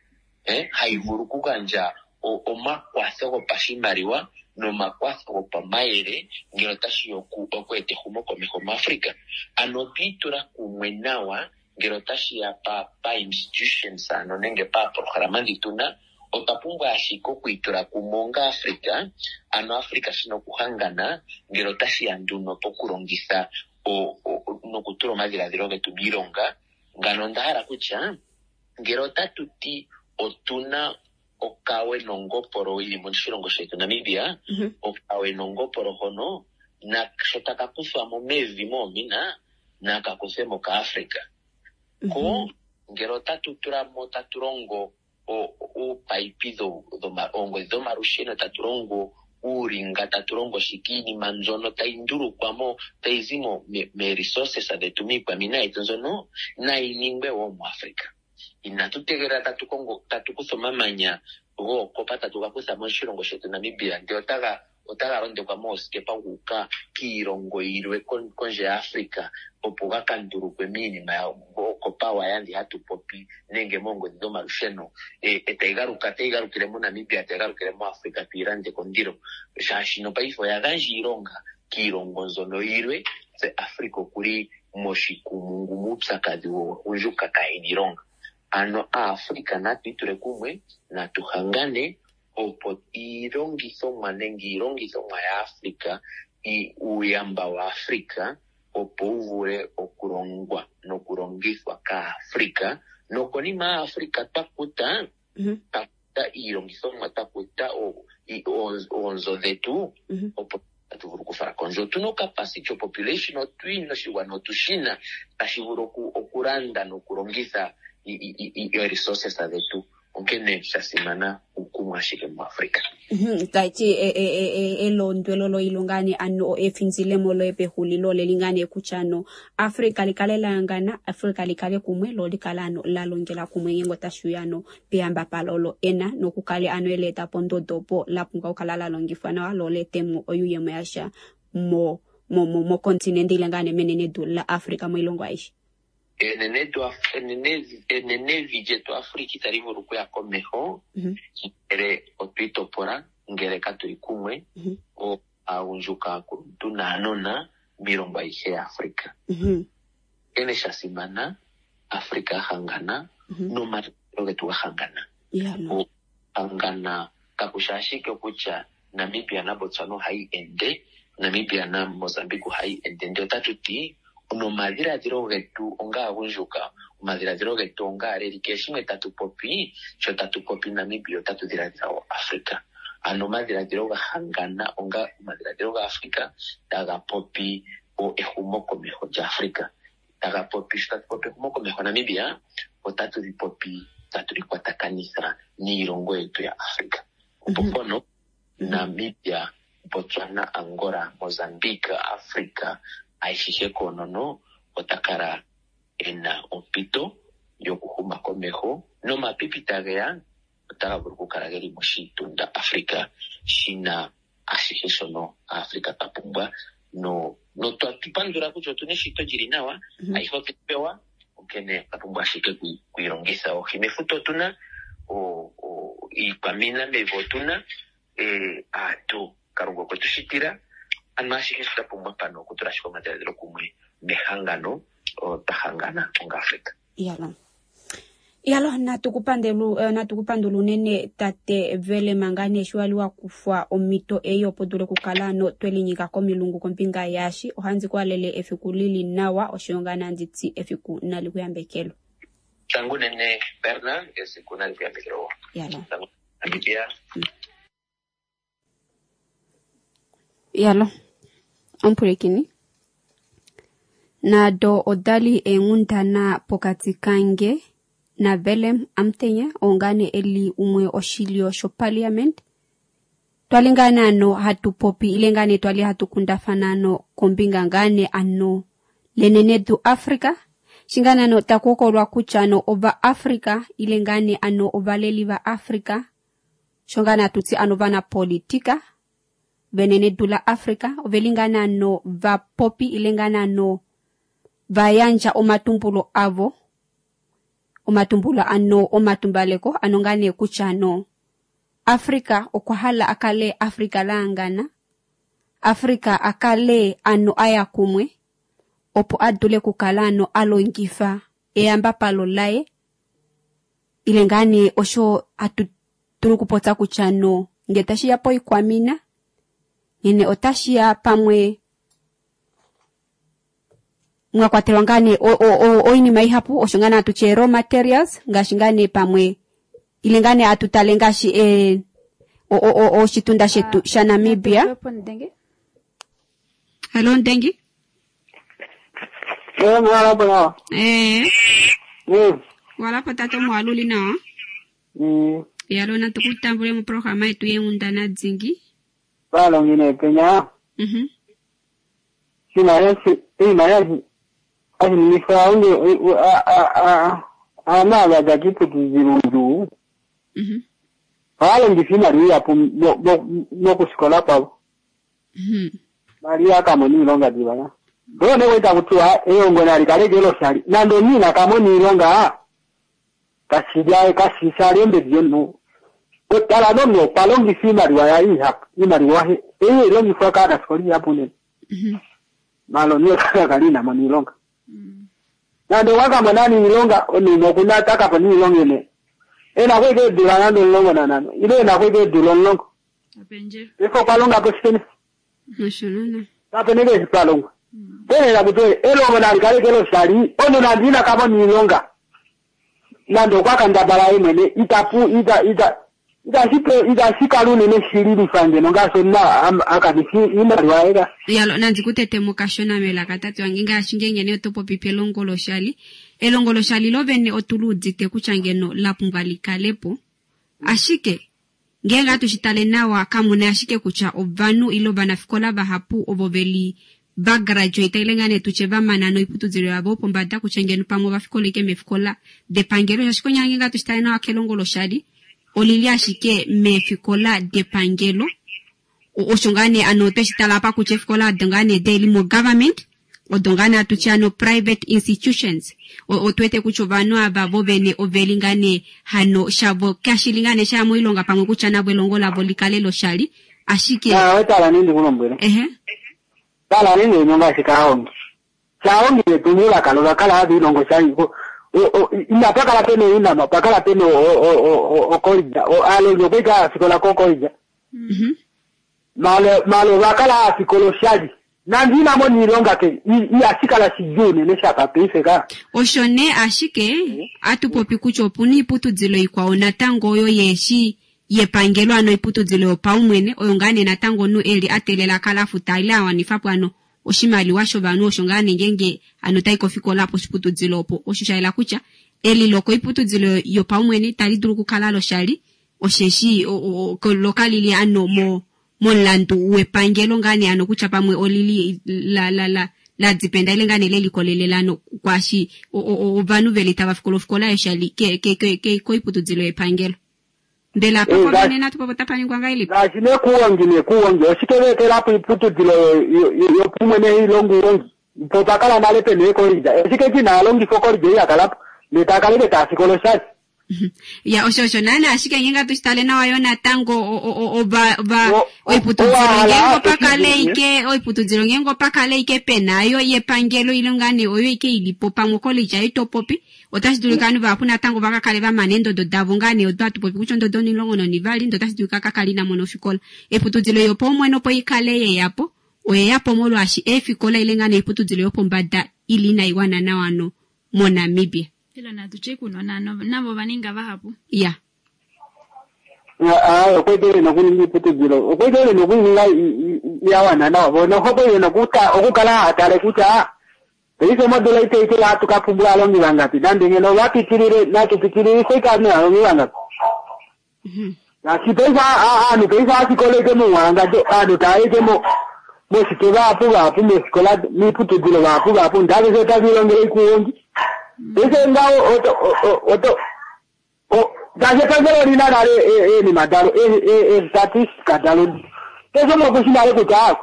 O: hayi vulu okugandja omakwatho gopashimaliwa nomakwatho gopamayele ngele otashi ya oku eta ehumokomeho muAfrica. Ano otwi itula kumwe nawa ngele otashi ya pa institutions ano nenge paaprograma ndhi tu na, otwa pumbwa ashike okwiitula kumwe onga Africa, ano Africa shina okuhangana ngele otashi ya nduno pokulongitha nokutula omadhiladhilo getu miilonga. Ngano onda hala kutya ngele otatu ti otuna okawe nongopolo yili moshilongo shetu Namibia, okawe nongopolo hono sho taka kuthwa mo mevi moomina, naka kuthwe mo kaAfrica. Ko ngele otatu tula mo tatu longo oopaipi oongodhi dhomalusheno, tatu longo uulinga, tatu longo shike, iinima mbyono tayi ndulukwa mo, tayi zi mo mee-resources dhetu, miikwamina yetu mbyono, nayi ningwe wo muAfrica. Inatu tegelela tatu kongo, tatu kutha omamanya gookopa tatu ga kutha moshilongo shetu Namibia, ndele otaga otaga londekwa moosikepa gu uka kiilongo yilwe kondje yaAfrica opo ga ka ndulukwe miinima ookopa waya ndhi hatu popi nenge moongodhi dhomalusheno e tayi galuka tayi galukile moNamibia tayi galukile moAfrica tuyi lande kondilo shaashino paife oya gandja iilonga kiilongo mbyono yilwe tse Africa okuli moshikumungu muupyakadhi wogundjuka kaayena iilonga. Ano Aafrica natu itule kumwe natu hangane opo iilongithomwa nenge iilongithomwa yaAfrica, uuyamba waAfrica opo wu vule okulongwa nokulongithwa kAafrica, nokonima Aafrica twa kuta, twa kuta iilongithomwa, twa kuta oonzo dhetu, opo tatu vulu okufala kondje. Otu na ocapacity yopopulation, otu yi na oshigwana, otu shi na, tashi vulu okulanda nokulongitha resources dhetu. Onkene sha simana uukumwe ashike muAfrica.
A: Taiti elondwelo loilonga ne ano efinzilemo loye pexulilo leli ngaa nee kutya ano Africa likale la hangana, Africa likale kumwe lo likale ano la longela kumwe ngeenge otashi uya ano peyambapalo olo ena nokukale ano eleeta pondodo opo la pumbwa okukala la longifwa nawa lo leetemo oyuuyemo yasha mo mo mo mokontinente ile ngaa nee menenedu la Africa moilongo aishe.
O: Enenevi lyetu Africa itali vulu okuya komeho ngele otwi itopola, ngele katu li kumwe, aagundjuka, aakuluntu naanona miilongo ayihe yaAfrica. Onkene sha simana Africa a hangana nomadhiladhilo getu ga hangana. Hangana kakushi ashike kutya Namibia naBotswana ohayi ende, Namibia naMozambique ohayi ende, ndele otatu ti nomadhiladhilo getu ongaagundjuka, omadhiladhilo getu ongaaleli, kehe shimwe tatu popi, sho tatu popi Namibia otatu dhiladhila wo Africa. Ano omadhiladhilo ga hangana onga omadhiladhilo gaAfrica taga popi ehumokomeho lyaAfrica. Taga popi, sho tatu popi ehumokomeho Namibia, otatu li popi tatu li kwatakanitha niilongo yetu yaAfrica. Opo mpono Namibia, Botswana, Angola, Mozambique, Africa ayihe koonono ota kala e na ompito yokuhuma komeho nomapipi tage ya otaga vulu okukala ge li moshitunda Africa shi na ashihe shono Aafrica twa pumbwa notwa pandula kutya otu na eshito lyi li nawa, ayihe otwe yi pewa, onkene otwa pumbwa ashike okuyi longitha. Oohi mefuta otu na, iikwamina mevi otu na, aantu Kalunga okwe tu shitila, ano ashihe sho twa pumbwa mpano okutula ashike omadhiladhilo kumwe mehangano, twa hangana onga Africa.
A: Iyalo, natu ku pandelu, natu ku pandula unene tate Vele manga nee sho wali wa kufwa omhito ei opo dule okukala ano twe linyika komilungu kombinga yaashi. Ohandi ku halele efiku li li nawa oshoyo ngaa nandi ti efiku nali ku yambekelwe.
O: Tango unene Berna, esiku nali ku yambekelwe wo.
A: Iyalo.
O: Tango Namibia.
A: Iyalo, omupwilikini. Nado oda li eenghundana pokati kange naVillem Amutenya, oo ngaa nee e li umwe oshilyo shoparliament. Twali ngaa nee ano hatu popi ile ngaa nee twali hatu kundafana ano kombinga ngaa nee ano lenenedu Africa shingane ano takuhokolwa kutya ano ovaAfrica ile ngane ano ovaleli vaAfrica sho ngane atuti ano vanapolitika venenedu la Africa oveli ngane ano vapopi ile ngane ano vayandja omatumbulo avo omatumbulo ano omatumbaleko ano ngane kutya ano Africa okwa hala akale Africa laangana Africa akale ano aya kumwe opo adule kukala ano alongifa eyambapalo laye ile ngane osho atu tulu kupotsa kutya no nge tashiya poikwamina ngene otashiya pamwe mwakwatelwa ngane oinima ihapu osho ngane atutye raw materials ngaashi ngane pamwe ile ngane atutale ngaashi oshitunda shetu sha Namibia. Hello Ndengi.
P: Mwalapo nawa.
A: Walapo tate mwaluli nawa. Yalo natukutambule mu programa yetu yenghundana dzingi.
P: Balongine penya. Sina yesi ina yesi ashinifwa unge ama gakiputuziru. Balongifina liya po mokusikola pabo. Maria kamoni ilonga dibana. Bone weta kutua eyongo nali kalekelo shali. Nando nina kamoni ilonga kasija kasisa lembe byonu. Otala nono palongi fima riwaya iha imariwa he elongi fwa kana skoli yapune. Malo niyo kalina mani ilonga. Nando waka manani ilonga oni mokuna taka pani ilonga ne. Ena kweke dula nando ilongo na nano. Ile na kweke dula ilongo.
B: Apenje.
P: Ifo palonga positene.
A: Nashonana.
P: Tapenege palonga. Tene na kutoe elongo na likalekelo shali ono na ndina kama ni ilonga. Nando kwaka ndabala imene itapu ita ita ita ita ne shilili fange nonga sonna akanifi imaliwa
A: Yalo nanzi kutetemuka shona melaka tate wange ngaashi ngenge otopopi pelongo loshali. Elongo loshali lovene otuluudite kutya ngeno la pumbwa likalepo. Ashike ngenge atushitale nawa kamuna ashike kutya ovanhu ile ovanafikola vahapu ovo veli vagraduate ile ngane tuche vamana noiputudhilo yavo pombada kutya ngeno pamwe vafikoleke mefikola depangelo shaashi konyala ngenge atushitale nawa kelongo loshali olili ashike mefikola depangelo osho ngane ano tweshitala apa kutya efikola odo ngane deli mo government odo ngane atutye ano private institutions otwete kutya ovanhu ava vovene oveli ngane hano shavo kashili ngane shaya moilonga pamwe kutya navo elongo lavo likale loshali ashike
P: wetala nindi kulombwele tala nini nyonga shikaongi chaongi netumula kalola kala havi ilongo shali ina pakala pene ina mapakala pene okolija alongo kweka sikola kokolija malo bakala sikolo shali nandina mo nilonga ke iyasikala sijune neshaka peifeka
A: osho ne ashike atupopi kutya opuna iiputudhilo ikwao natango oyo yeshi yepangelo ano iputudhilo yopaumwene oyo ngaa natango nu eli atelela kala afuta ile awanifapo ano oshimaliwa shovanhu osho ngaa ngenge ano tai kofikola poshiputudhilo opo osho shaela kutya eliloko iputudhilo yopaumwene tali dulu kukala loshali osheshi lokalili ano mo momulandu wepangelo ngane ano kutya pamwe olili la la la la dipenda ile ngane lelikolelelano kwashi ovanhu veli tava fikola ofikola yoshali ke ke ke koiputudhilo yepangelo. Mbela papo nena tupopo tapaningwa ngailipi?
P: Ngaashi nekuwongi nekuwongi oshikelekelapo iputudhilo yopumwene ilongo uwongi po pakala nale pene ekolija oshike china alongifo kolija iyakalapo netakaleke tasikolo shali
A: Ya osho osho nana ashike ngenga tushitale nawa yo natango oiputudhilo ngengo pakale ike oiputudhilo ngengo pakale ike penayo yepangelo ile ngane oyo ike ilipo pamwe kolija itopopi otashi dulika ovanhu vahapu natango vakakale vamana eendodo davo ngane odo atupopi kutya ondodo 12 ndo otashi dulika kakale ina mona ofikola. Eputudhilo yopaumwene opo ikale yeyapo oyeyapo molwaashi eefikola ile ngane oiputudhilo yopombada ili inaiwana nawa no moNamibia.
B: Ilo natuche kunona navo vaninga vahapu.
A: Ya.
P: Okwetele nokuninga iputudhilo okwetele nokuninga yawana nawa bona okwetele nokuta okukala atale kutya peife modula iteite atukapumbula alongi vangapi nande ngeno vapitilile natupitilile ikane alongi vangapi. Ngaashi peife anu peife asikoleke muwanga anu taeke mo Moshike vahapu vahapu meefikola miiputudilo vahapu vahapu ndaveshe otave ilongele ikuwongi. Paife ngaho oto oto ngaashi epangelo olina nale eenima dalo eestatistika dalo keshe umwe okushi nale kutya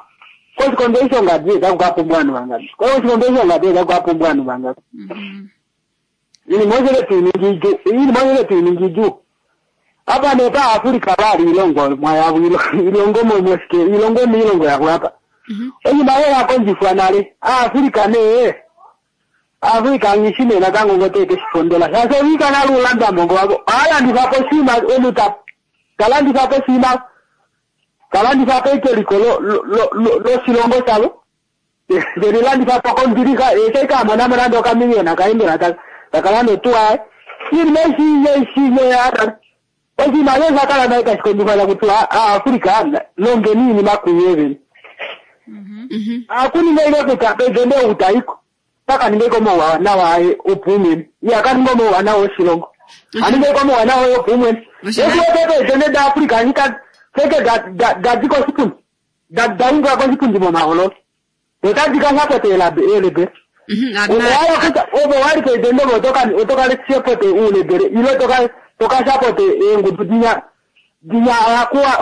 P: koshikondo eshi shongadi otaku ka pumbwa ovanhu vangapi, koshikondo eshi shongadi otaku ka pumbwa ovanhu vangapi. Iinima oyo tuiningi idjuu, iinima oyo tuiningi idjuu. Apa nee pa Africa vali ilongo mwayavo ilongo momoske ilongo miilongo yavo apa. Oinima oyo ya kondjifwa nale. Africa nee Africa ngishi nee natango ngo teke shipondola. Shaashi oviika nale ulanda mongo wavo. Ohalandifa po oshinima omunhu ta talandifa po oshinima talandifa po eliko loshilongo shavo. Telilandifa po kombilixa eshi ka mona mo nande okamiliyona kaye mbela taka landa otuwa yaye. Iinima eshi ya oshinima osho sha kala naye tashi kondjifwa taku tiwa Aafrika longeni iinima kuye vene. Akuninga ile kutya presidente ou taiko taka ninge komauwanawa aye opaumwene, iha ka ninga omauwanawa oshilongo, aninge komauwanawa oye opaumwene. Eshi wete presidente daAfrika shika seke dadi koshipundi da unga koshipundi momahololo otadi ka sapote eelebele. Owala kutya ove wali presidente ove otoka sapote uulebele ile toka sapote eengudu dinya dinya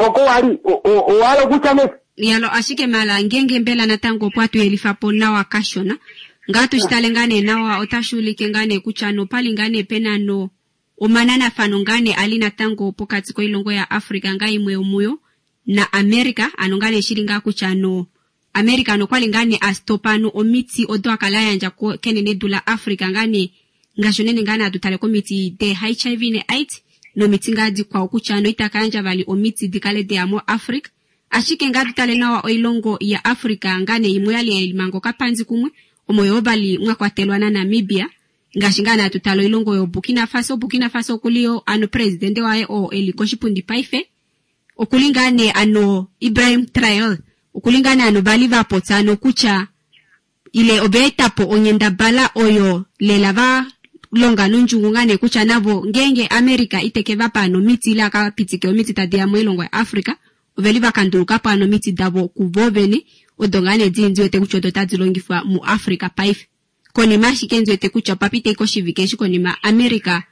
P: oko wali owala kutya me
A: Yalo ashike mala ngenge mbela natango opo atuyelifa po nawa kashona ngaa tushitale ngaa nee nawa otashi ulike ngaa nee kutya nopali ngaa nee pena no omananafano ngaa nee ali natango pokati koilongo ya Africa ngaa imwe yomuyo na America ano ngaa nee shili ngaa kutya no America nokwali ngaa nee astopa no omiti odo akala ayandja kenenedu la Africa ngaa nee ngaashi unene ngaa nee atutale komiti de HIV ne AIDS nomiti ngaa dikwao kutya no itaka yandja vali omiti dikale deya mo Africa. Ashike ngaa tutale nawa oilongo ya Africa ngaa nee imwe yali yalimanga okapanzi kumwe omo yoo vali mwa kwatelwa na Namibia ngaashi ngaa nee atutale oilongo yo Burkina Faso. Burkina Faso okuliyo ano presidente waye oo eli koshipundi paife okuli ngaa nee ano Ibrahim Traore okuli ngaa nee ano vali vapotsa ano kutya ile oveetapo onyendabala oyo lela va longa nondjungu ngaa nee kutya navo ngeenge America iteke vapa ano omiti ile akapitike omiti tadi ya moilongo ya Africa oveli vakandulukapo ano omiti davo kuvo vene odo ngaa nee dili ndiwete kutya odo tadi longifwa mu Africa paife. Konima ashike ndiwete kutya opapita ike oshivike eshi konima America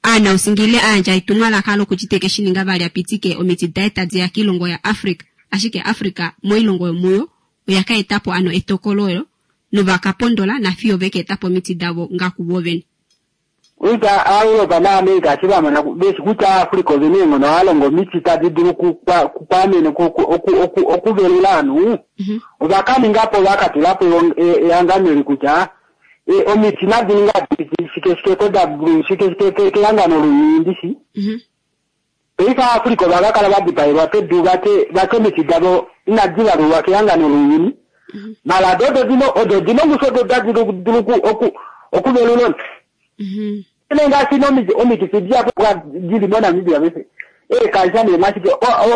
A: aanausingi ile ayandja etumwalaka lokuti teke shininga vali apitike omiti daye tadi ya kiilongo ya Africa. Ashike Africa moilongo yomuyo oya ka etapo ano etokolo olo novakapondola nafiyo veka etapo omiti davo nga kuvo vene.
P: Uita Europa na America eshi vamona veshi kutya Africa ovene eenghono ohalongo omiti tadi dulu kukwamene okuvelula ovanhu ovakaningapo vakatulapo ehangano eli kutya omiti nadi ninga shike ko shike shike kehangano lounyuni Paife Africa ovakakala vadipaelwa pedu vati omiti davo inadi valulwa kehangano lounyuni. Mala odo dina ongushu odo tadi dulu okuvelula. Ine ngaashi omikifi dihapu dili moNamibia paife eekansa neemashike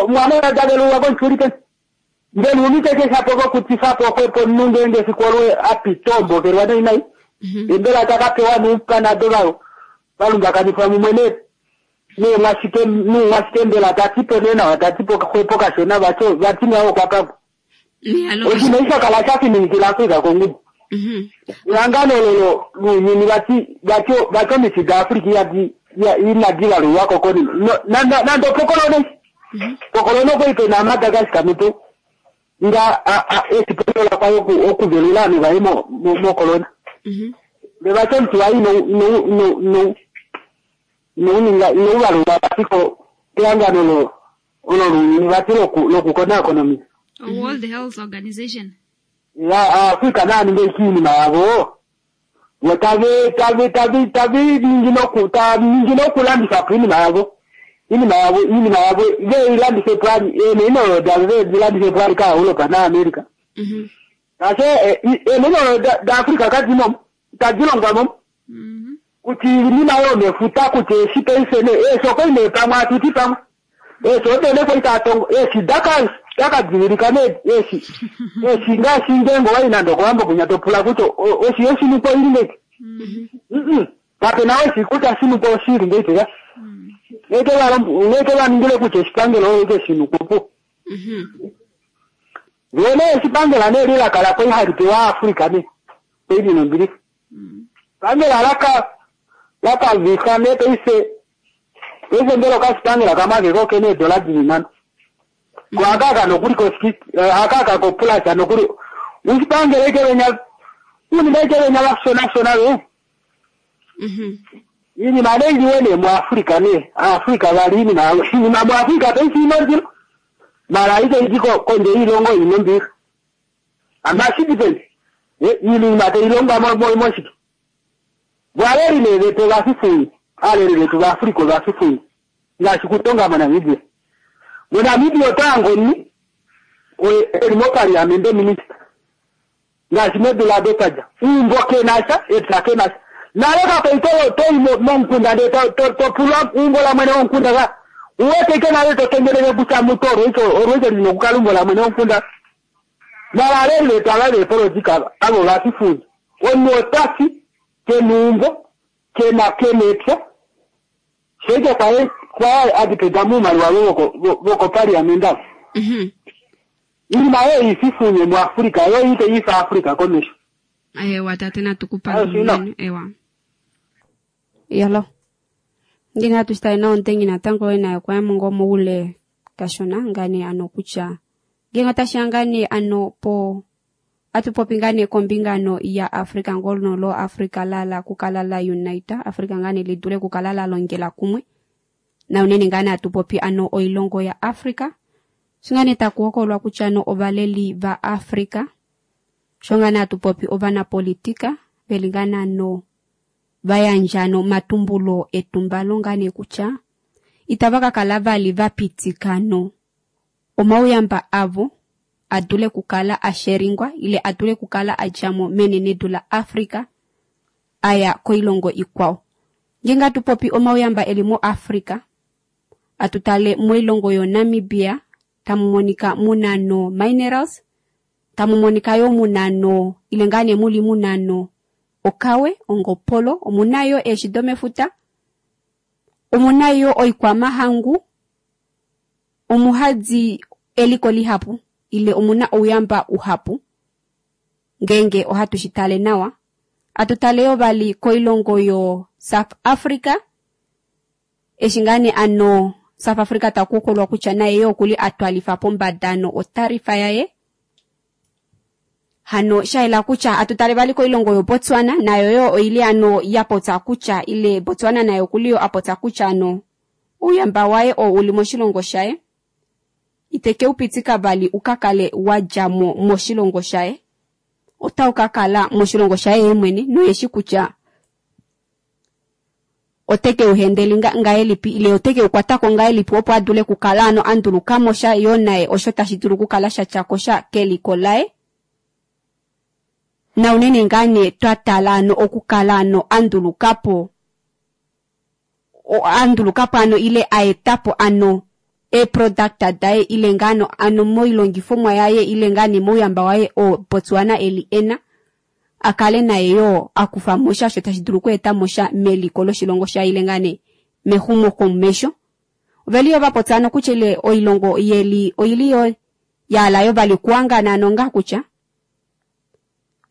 P: mwana davelulwa komuchuli peni mbela uniteke shapo kokutifapo xwepo omunhu ngeenge efiku olo apita ombokelwa nainai mbela takapewa nuupanado vao valumbakanifwa mumwe neemwashike nuumwashike mbela tatipo nee nawa tatipo xwepo kashona vati ngaho kwapako oshinima eshi shakala shafininikila Africa kongudu. Ehangano lolo lounyuni vati omiti daAfrica inadi valulwako konima nande opokolone pokolone okwali pena Madagascar mutu nga esipondola kwayo okuvelula ovanhu vaye mokolona. Vevati omuti waye inouvalulwa vati kehangano olo lounyuni vati lokukonaakona omiti.
B: World Health Organization.
P: Ya Africa naaninge iinima yavo tavi ningi nokulandifa po iinima yavo iinima yavo iinima yavo veilandife po ali eeneno davo vedilandife po ali kaEuropa naAmerica. Kashe eeneno daAfrica kadimo tadi longwa mo kuti iinima yomefuta kuti eshi paife ne eeshi okwali nee pamwe atuti pamwe eeshi odene kwali tatongo eeshi dakadivilika ne eeshi eeshi ngaashi ngeenge owali nande okowambo kunya topula kutya oshi yoshinupo ili ngeki kapena oshi kutya shinupo oshili ngeki ka ngeke vaningile kutya oshipangelo eke shinupo po. Vene eshipangela ne lilaka kwai hali pewa Afrika ne kwai nombilifa. Pangela laka laka ne paife paife mbela okashipangela kamwe ake kene eedola dili nhano. Ko akaka nokuli ko akaka ko plus nokuli ushipangela ike venya unima ike venya vashona shona ve. Iinima ne iliwe ne muAfrika ne Afrika vali iinima iinima muAfrika paife inondilo mara ike iti kondje iilongo ino mbiha. Amashidipeni iinima teilongwa moshike. Valeli ne vetu vafifuyi aleli vetu vaAfrika vafifuyi ngaashi kutonga moNamibia. MoNamibia otangoni eli mopaliamende minista ngaashi medula dotaja uumbo kenasha epya kenasha nale kapei toyi momukunda ndee topulwa uumbo la mwene womukunda ka uwete ike nale tokengelele kutya mutu olwecho lina okukala umbo la mwene womukunda. Mara aleli vetu ava veepolitika avo vafifuyi omunhu otasi kenuumbo kena kenepya shoike kwaye adipeda muumaliwa vokopaliamende avo. Iinima oyo ififunye muAfrika yo ite ifa Afrika komesho.
A: Ewa tate natukupandula ewa. Yalo. Ngenge hatu shitale nawa omutengi natango naye okwa ya mo ngoo moule kashona ngane ano kutya ngenge otashiya ngaa nee ano po atupopi ngaa nee kombinga ano ya Africa ngono lo Africa lala kukala la unite Africa ngaa nee lidule kukala la longela kumwe na unene ngaa nee atupopi ano oilongo ya Africa sho ngaa nee taku hokololwa kutya ano ovaleli va Africa sho ngaa nee atupopi ovanapolitika veli ngaa nee ano vayandja ano omatumbulo etumbalo ngaa nee kutya itava ka kala vali vapitika ano omauyamba avo adule kukala asheringwa ile adule kukala adjamo menenedu la Africa aya koilongo ikwao. Ngenge atupopi omauyamba eli mo Africa atutale moilongo yo Namibia tamu monika muna no minerals tamu monika yo muna no ile ngaa nee muli muna no okawe ongopolo omuna yo eeshi domefuta omuna yo oikwamahangu omuhadi eliko lihapu ile omuna ouyamba uhapu ngenge ohatu shitale nawa. Atutale yo vali koilongo yo South Africa eshi ngaa nee ano South Africa takuhokololwa kutya naye yo okuli atwalifa pombada no otarifa yaye hano shaela kutya atutale vali koilongo yo Botswana nayo yo oili ano yapotsa kutya ile Botswana nayo okuli yo apotsa kutya ano ouyamba waye oo uli moshilongo shaye iteke upitika vali ukakale wadjamo moshilongo shaye otau kakala moshilongo shaye ye mwene noyeshi kutya oteke uhendeli ngahelipi ile oteke ukwatako ngahelipi opo adule kukala ano andulukamo sha yo naye osho tashi dulu kukala sha tyako sha keliko laye na unene ngaa nee twatala ano okukala ano andulukapo andulukapo ano ile aetapo ano eproduct daye ile ngano ano moilongifomwa yaye ile ngaa nee mouyamba waye o Botswana eli ena akale naye yo akufa mosha sho tashi dulu okweeta mosha meliko loshilongo shaye ile ngaa nee mexumokomesho. Oveli yo vapotsa ano kutya ile oilongo yeli oili yo yala yo vali kuangana ano nga kutya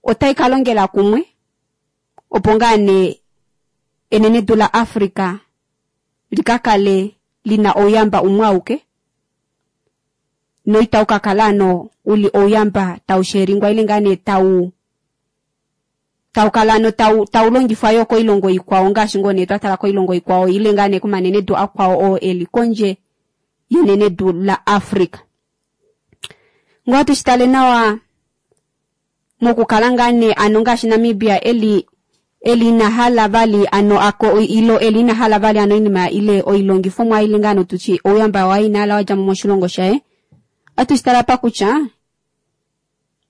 A: otai ka longela kumwe opo ngaa nee enenedu la Africa likakale lina ouyamba umwe auke noitau kakala ano uli ouyamba tau sheringwa ile ngaa nee tau kala ano tau longifwa yo koilongo ikwao ngaashi ngoo nee twatala koilongo ikwao ile ngaa nee komanenedu akwao oo eli kondje yenenedu la Africa. Ngoo atushitale nawa mokukala ngaa nee ano ngaashi Namibia eli inahala vali ano ako ilo eli inahala vali ano inima ile oilongifomwa ile ngaa tuchi ouyamba waye inahala wadjamo moshilongo shaye. Atushitala pa kutya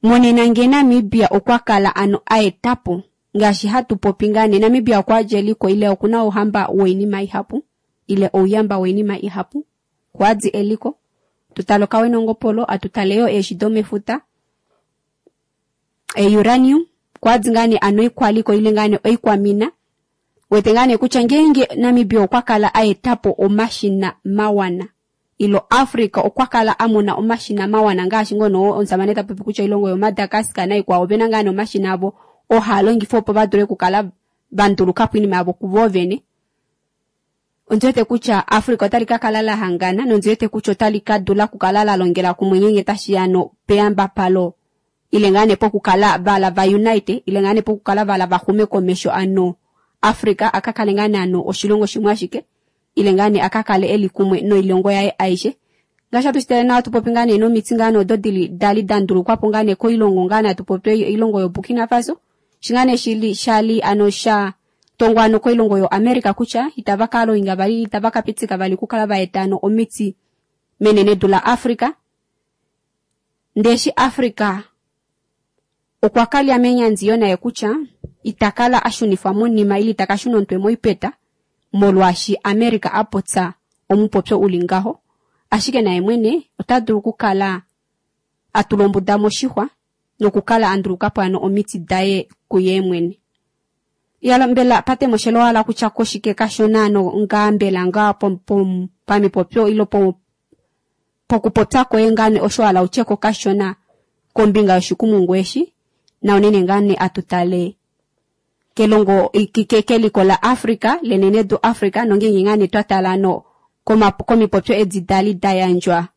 A: monena nge Namibia okwa kala ano aetapo ngaashi hatu popi ngaa nee Namibia okwa dja eliko ile okuna ouhamba woinima ihapu ile ouyamba woinima ihapu kwadi eliko tutale okawe nongopolo atutale yo eeshi domefuta uranium kwadi ngaa nee ano ikwaliko ile ngaa nee oikwamina wete ngaa nee kutya ngenge Namibia okwa kala aetapo omashina mawana Ilo Africa okwa kala a mona omashina mawana ngaashi ngono omusamane ta popi kutya oilongo yoMadagascar naikwao ovena ngaa nee omashina avo oo haa longifwa opo va dule okukala va nduluka po oinima yavo kuvo vene. Ondi wete kutya Africa otali ka kala la hangana nondi wete kutya otali ka dula okukala la longela kumwe ngeenge tashi ya no peyambapalo ile ngaa nee pokukala vala va unite ile ngaa nee pokukala vala va xume komesho ano Africa a ka kale ngaa nee ano oshilongo shimwe ashike ile ngaa nee a ka kale eli kumwe noilongo yaye aishe. Ngaashi hatu shi tale nawa hatu popi ngaa nee nomiti ngaa nee odo dili dali da ndulukwa po ngaa nee koilongo ngaa nee hatu popi oilongo yoBurkina Faso shi ngaa nee shili shali ano sha tongwa ano koilongo yoAmerica kutya itava ka loinga vali itava ka pitika vali okukala va eta ano omiti menenedu laAfrica. Ndee eshi Africa okwa kalya menyandiyo naye kutya ita kala a shunifwa monima ile ita ka shuna omutwe moipeta molwaashi America a popya omupopyo uli ngaho, ashike naye mwene ota dulu okukala a tula ombuda moshixwa nokukala a nduluka po ano omiti daye kuye mwene. Yalo mbela patemoshelo wala kutya koshike kashona ano ngaa mbela ngaa pamipopyo ilo pokupopya koye ngaa nee osho wala utye ko kashona kombinga yoshikumungu eshi, na unene ngaa nee atutale kelongo keliko la Africa lenenedu Africa nongeenge ngaa nee twatala ano komipopyo edi dali da yandjwa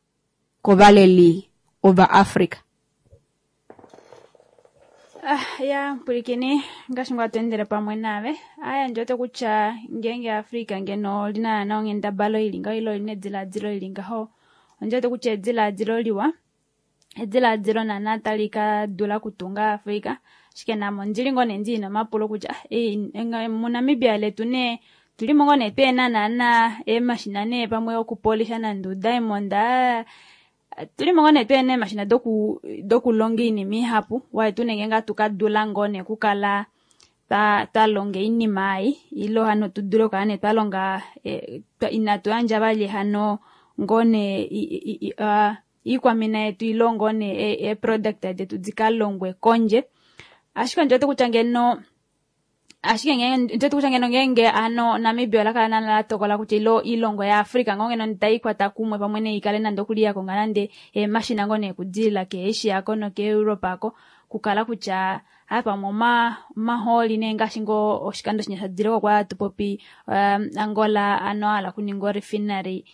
A: kovaleli ova Africa.
B: Ah, ya mpwilikini ngaashi ngoo atu pamwe naave aya ndiwete kutya ngeenge Africa ngeno olina naana onghendabalo ili ngaho ile olina ediladilo ili ngaho, ondiwete kutya ediladilo liwa, ediladilo naana tali ka dula okutunga Africa. Ashike namo ondili ngoo nee ndina omapulo kutya muNamibia letu nee tulimo ngoo nee peena naana eemashina nee pamwe okupolisha nande udiamond, tulimo ngoo nee peena eemashina dokulonga oinima ihapu, waye tu nenge ngaa tukadula ngoo nee okukala twalonga oinima ei ilo hano tudule okukala nee twalonga inatu yandja vali hano ngoo nee iikwamina yetu ilo ngoo nee eeproduct detu dikalongwe kondje. Ashike ondiwete kutya ngeno ashike ndiwete kutya ngeno ngeenge ano Namibia ola kala naana la tokola kutya ilo oilongo yaAfrica ngoo ngeno taikwata kumwe pamwe nee ikale nande okuli ya konga nande eemashina ngoo nee okudilila keAsia ko nokeEurope ko, kukala kutya haa pamwe omahooli nee ngaashi ngoo oshikando shinya shadileko kwa hatu popi Angola ano ahala okuninga orefinery,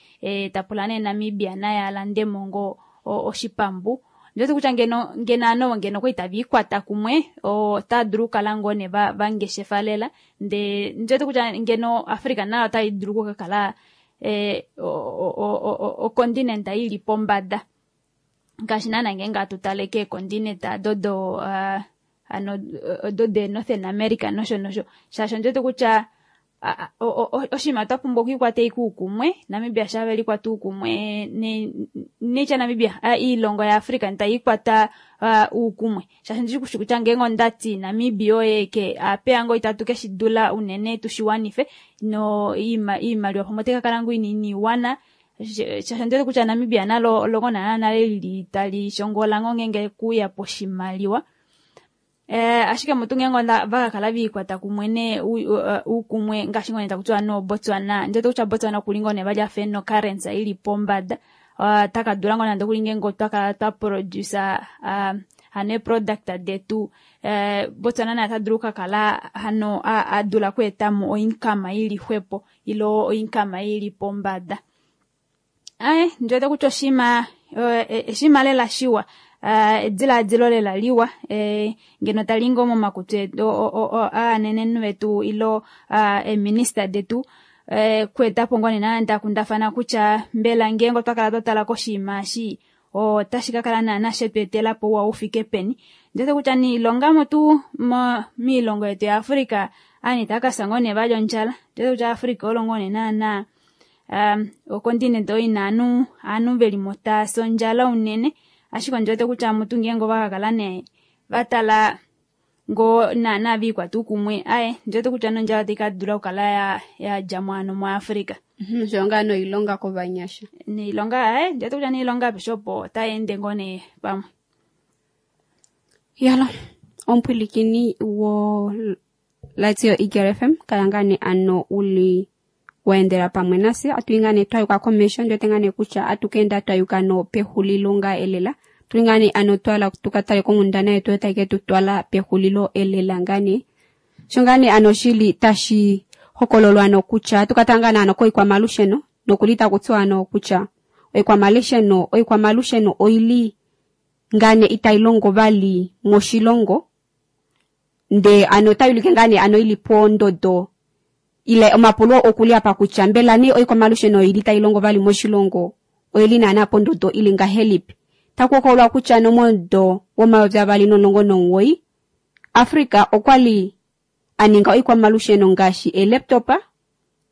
B: tapula nee Namibia naye alandemo ngoo oshipambu. Ndiwete kutya ngeno ngeno ano ngeno kwali tava ikwata kumwe otava dulu okukala ngoo nee vangeshefa lela, ndee ndiwete kutya ngeno Africa nayo otai dulu okukakala okontinent ili pombada ngaashi naana ngeenge hatu tale keekontinent dodo ano odo de Northern America nosho nosho, shaashi ondiwete kutya oshinima twa pumbwa okwiikwata ashike uukumwe. Namibia sha velikwata uukumwe netya Namibia iilongo yaAfrica taikwata uukumwe, shaashi ndishi kutya ngeenge ondati Namibia oye ke apeya ngoo itatu keshidula unene tushiwanife no iimaliwa pamwe otai kakala ngoo inini iwana, shaashi ondiwete kutya Namibia nalo olongo naana nale lili tali shongola ngoo ngeenge kuya poshimaliwa. Ashike mutu ngeenge vakakala viikwata kumwe nee uukumwe ngaashi ngoo nee takutiwa no Botswana, ndiwete kutya Botswana okuli ngoo nee vali afa ena ocurrency ili pombada, takadula ngoo nande okuli ngeenge otwakala twa produce hano eeproduct detu, Botswana naye ota dulu okukakala hano adula okweetamo oincome ili xwepo ilo oincome ili pombada. Aye ndiwete kutya oshinima lela shiwa, ediladilo lela liwa, ngeno tali ngoo momakutsi etu aanenenhu vetu ilo eeminista detu, kweetapo ngoo nee naana takundafana kutya mbela ngeenge otwa kala twatala koshinima eshi otashi kakala naana shetu etela po ouwa ufike peni. Ndiwete kutya niilongamo tuu miilongo yetu yaAfrica aanhu itaya kafya ngoo nee vali ondjala. Ndiwete kutya Africa olo ngoo nee naana okontinent oyo ina aanhu velimo taasi ondjala unene, ashike ondiwete kutya mutu ngeenge ovakakala nee vatala ngoo naana viikwata uukumwe, aye ndiwete kutya nondjala otai kadula okukala yadjamo hano muAfrica.
A: Osho ngaa noilonga kovanyasha.
B: Noilonga, aye ndiwete kutya noilonga apeshe opo otai ende ngoo nee pamwe.
A: Yalo, omupwilikini wo Radio Eagle FM kala ngaa nee ano uli Waendela pamwe nafye atu ngaa nee twayuka komesho ndiwete ngaa nee kutya atukeenda twayuka nopexulilo ngaa elela tuli ngaa nee ano twala tukatale konghundana yetu oyo tai ke tu twala pexulilo elela ngaa nee sho ngaa nee ano shili tashi hokololwa ano kutya atukatala ngaa nee ano koikwamalusheno nokuli takutiwa ano kutya oikwamalusheno oikwamalusheno oili ngaa nee itailongo vali moshilongo ndee ano otayulike ngaa nee ano ili pondodo ile omapulo okuli apa kutya mbela nee oikwamalusheno oili tailongo vali moshilongo oili naana pondodo ili ngahelipi takuhokololwa kutya nomomudo wo-2019 Africa okwali aninga oikwamalusheno ngaashi eelaptop,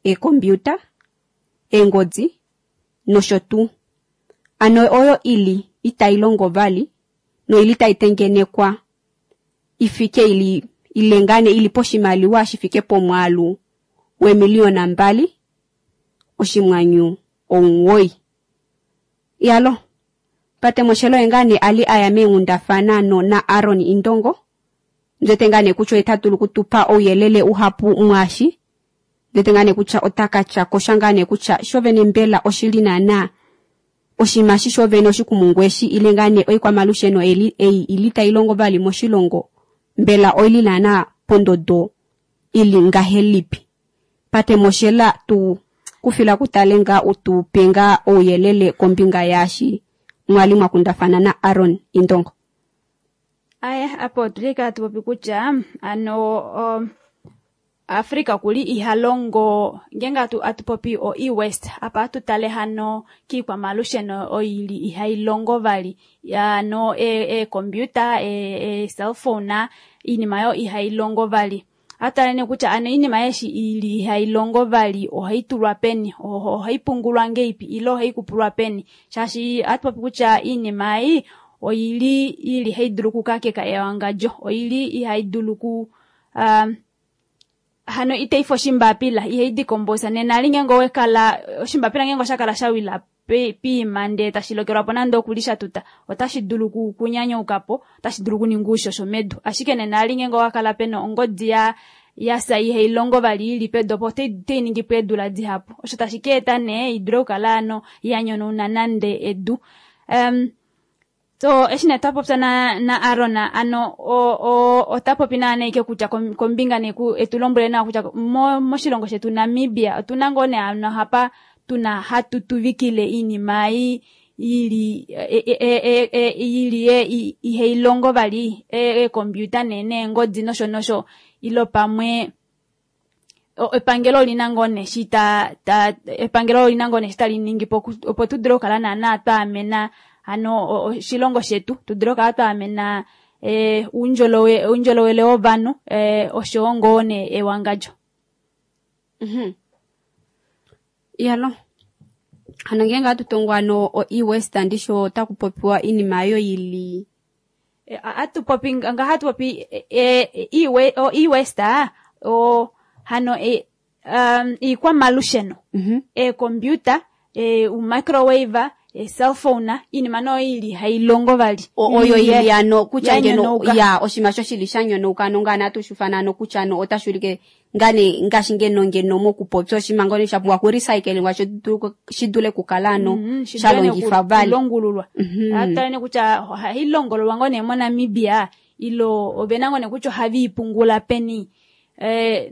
A: eekompiuta, eengodi nosho tuu. Ano oyo ili itailongo vali noili taitengenekwa ifike ili ile ngaa nee ili poshimaliwa shifike pomwaalu weemiliyona 2.9. Iyalo Patemoshelo oye ngaa nee ali aya meenghundafana no na Aron Indongo ndiwete ngaa nee kutya ota dulu okutupa ouyelele uhapu mwaashi ndiwete ngaa nee kutya ota katya kosha ngaa nee kutya shovene mbela oshili naana oshinima eshi shovene oshikumungu eshi ile ngaa nee oikwamalusheno ei ili tailongo vali moshilongo mbela oili naana pondodo ili ngahelipi Patemoshela tu kufila kutale ngaa utupe ngaa ouyelele kombinga yaashi mwali mwakundafana na Aron Indongo.
B: Aya, apo otuli kaa tupopi kutya ano Africa okuli ihalongo ngeenge atupopi o e-waste apa atutale hano kiikwamalusheno oili ihailongo vali ano eecomputer e-cellphone iinima oyo ihailongo vali atutale nee kutya ano iinima eshi ili ihailongo vali ohaitulwa peni ohaipungulwa ngeipi ile ohaikupulwa peni shaashi atupopi kutya iinima ei oili ili haidulu okukakeka ewangadjo oili ihaidulu ku hano itaifa oshimbapila ihaidikombosa nena ali ngeenge owekala oshimbapila ngeenge oshakala shawila piima ndee tashilokelwapo nande okuli shatuta otashi dulu kunyanyaukapo otashi dulu okuninga oushosho medu ashike nena ali ngeenge owakala pena ongodi yasa ihailongo vali ili pedu opo otainingipo eedula dihapu osho tashi ka eta nee idule okukala ano yanyonauna nande edu so eshi nee twapopya na Aron ano ota popi naana ike kutya kombinga nee etulombwele nawa kutya moshilongo shetu Namibia otuna ngoo nee ano hapa tuna hatu tuvikile iinima ei ili ili ihailongo vali eecomputer nee neengodi nosho nosho ilo pamwe epangelo olina ngoo nee shi epangelo olina ngoo nee shi tali ningipo opo tudule okukala naana twaamena ano oshilongo shetu tudule okukala twaamena oundjolowele wovanhu oshowo ngoo nee ewangadjo.
A: Iyalo hano ngeenge atutongo ano o e-waste ndisho otakupopiwa iinima oyo ili
B: atupopi nga hatupopi e-waste hano iikwamalusheno eecomputer umicrowave cellphone iinima noyo ili hailongo vali
A: oyo ili ano kutya ngeno ya oshinima sho shili shanyonauka ano ngaana atushifana ano kutya ano otashi ulike ngane ngaashi ngeno ngeno mokupopya oshinima ngono shapumbwa kurecyclingwa shidule okukala ano shalongifwa vali
B: longululwa atutale nee kutya ohailongololwa ngoo nee moNamibia ilo ovena ngoo nee kutya ohaviipungula peni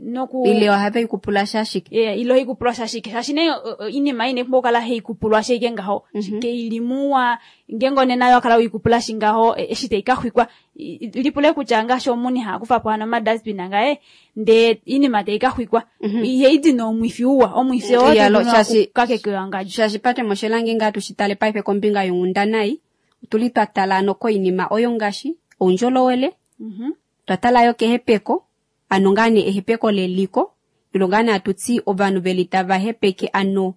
B: noku
A: ile ohaveikupula shashike
B: ile ohaikupulwa shashike shaashi nee iinima ei inepumbwa okukala haikupulwa ashike ngaho keili muwa ngeenge onena wakala uikupula shi ngaho eshi taikaxwikwa lipule kutya ngaashi omuni hakufapo hano omadustbin ngaye ndee iinima taikaxwikwa ihaidi nomwifi uwa omwifi oo kakeke ewangadjo
A: shaashi Patemoshela ngeenge atushitale paife kombinga yonghundana ei otuli twatala ano koinima oyo ngaashi oundjolowele twatala yo kehepeko ano ngaa nee ehepeko leliko ilo ngaa nee atuti ovanhu veli tava hepeke ano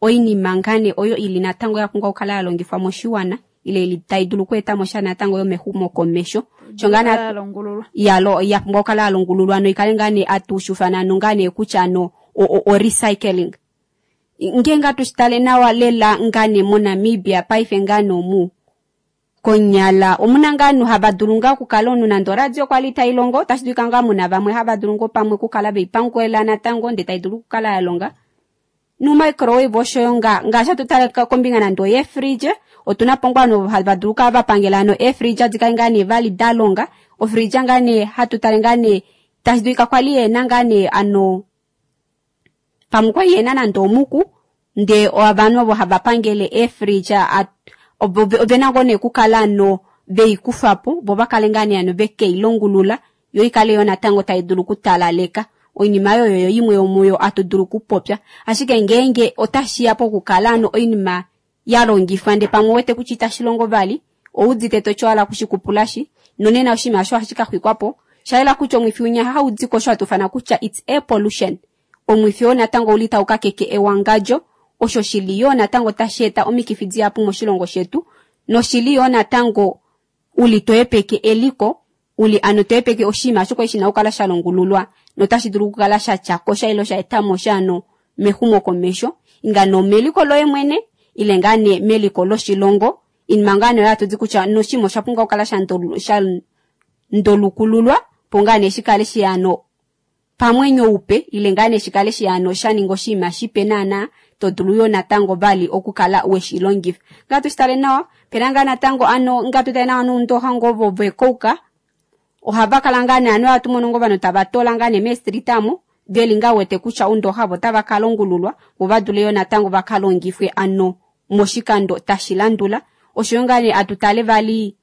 A: oinima ngaa nee oyo ili natango yapumbwa okukala yalongifwa moshiwana ile ili taidulu okweetamo sha natango yomexumokomesho sho ngaa nee yalo yapumbwa okukala yalongululwa noikale ngaa nee atushufana ano ngaa nee kutya ano o recycling ngeenge atushitale nawa lela ngaa nee moNamibia paife ngaa nee omu konyala omuna ngaa ovanhu hava dulu ngaa okukala omunhu nande oradio kwali tailongo otashi dulika ngaa muna vamwe hava dulu ngoo pamwe okukala veipangela natango ndee taidulu okukala yalonga Numicrowave oshoyo nga ngaashi hatu tale kombinga nande oyeefridge, otuna po ngoo ovanhu hava dulu okukala va pangela ano eefridge di kale ngaa nee vali da longa. Ofridge ngaa nee hatu tale ngaa nee tashi dulika kwali yena ngaa nee ano pamwe kwali yena nande omuku, ndee ovanhu ovo hava pangele eefridge ovena ngoo nee okukala ano veikufa po, vo va kale ngaa nee ano vekeilongulula, yo ikale yo natango tai dulu okutalaleka. Oinima oyo oyo imwe yomuyo atu dulu okupopya. Ashike ngeenge otashi ya pokukala ano oinima ya longifwa ndee pamwe wete kutya itashi longo vali, oudite toti owala kushikupulashi, nonena oshinima osho ohashi ka xwikwa po. Sha yela kutya omwifi winya hau di ko osho hatu ufana kutya it's air pollution. Omwifi oo natango ouli tau kakeke ewangadjo, osho shili yoo natango tashi eta omikifi dihapu moshilongo shetu, noshili yoo natango uli to hepeke eliko, uli ano to hepeke oshinima osho kwali shina okukala sha longululwa notashi dulu okukala sha tya ko sha ile sha eta mo sha ano mexumokomesho, inga nomeliko loye mwene ile ngaa nee meliko loshilongo. Inima ngaa nee oyo hatu ti kutya noshinima osha pumbwa okukala sha ndolukululwa po ngaa nee shi kale shi ano pamwenyo upe ile ngaa nee shi kale shi ano sha ninga oshinima shipe naana to dulu yo natango vali okukala we shi longifa. Ngaa tu shi tale nawa, pena ngaa natango ano ngaa tu tale nawa noundoxa ngoo ovo vekouka, ohava kala ngaa nee ano ohatu mono ngoo ovanhu tava toola ngaa nee meestrita amo, veli ngaa wete kutya oundoxa ovo otava ka longululwa, vo va dule yo natango va ka longifwe ano moshikando tashi landula. Oshoyo ngaa nee atu tale vali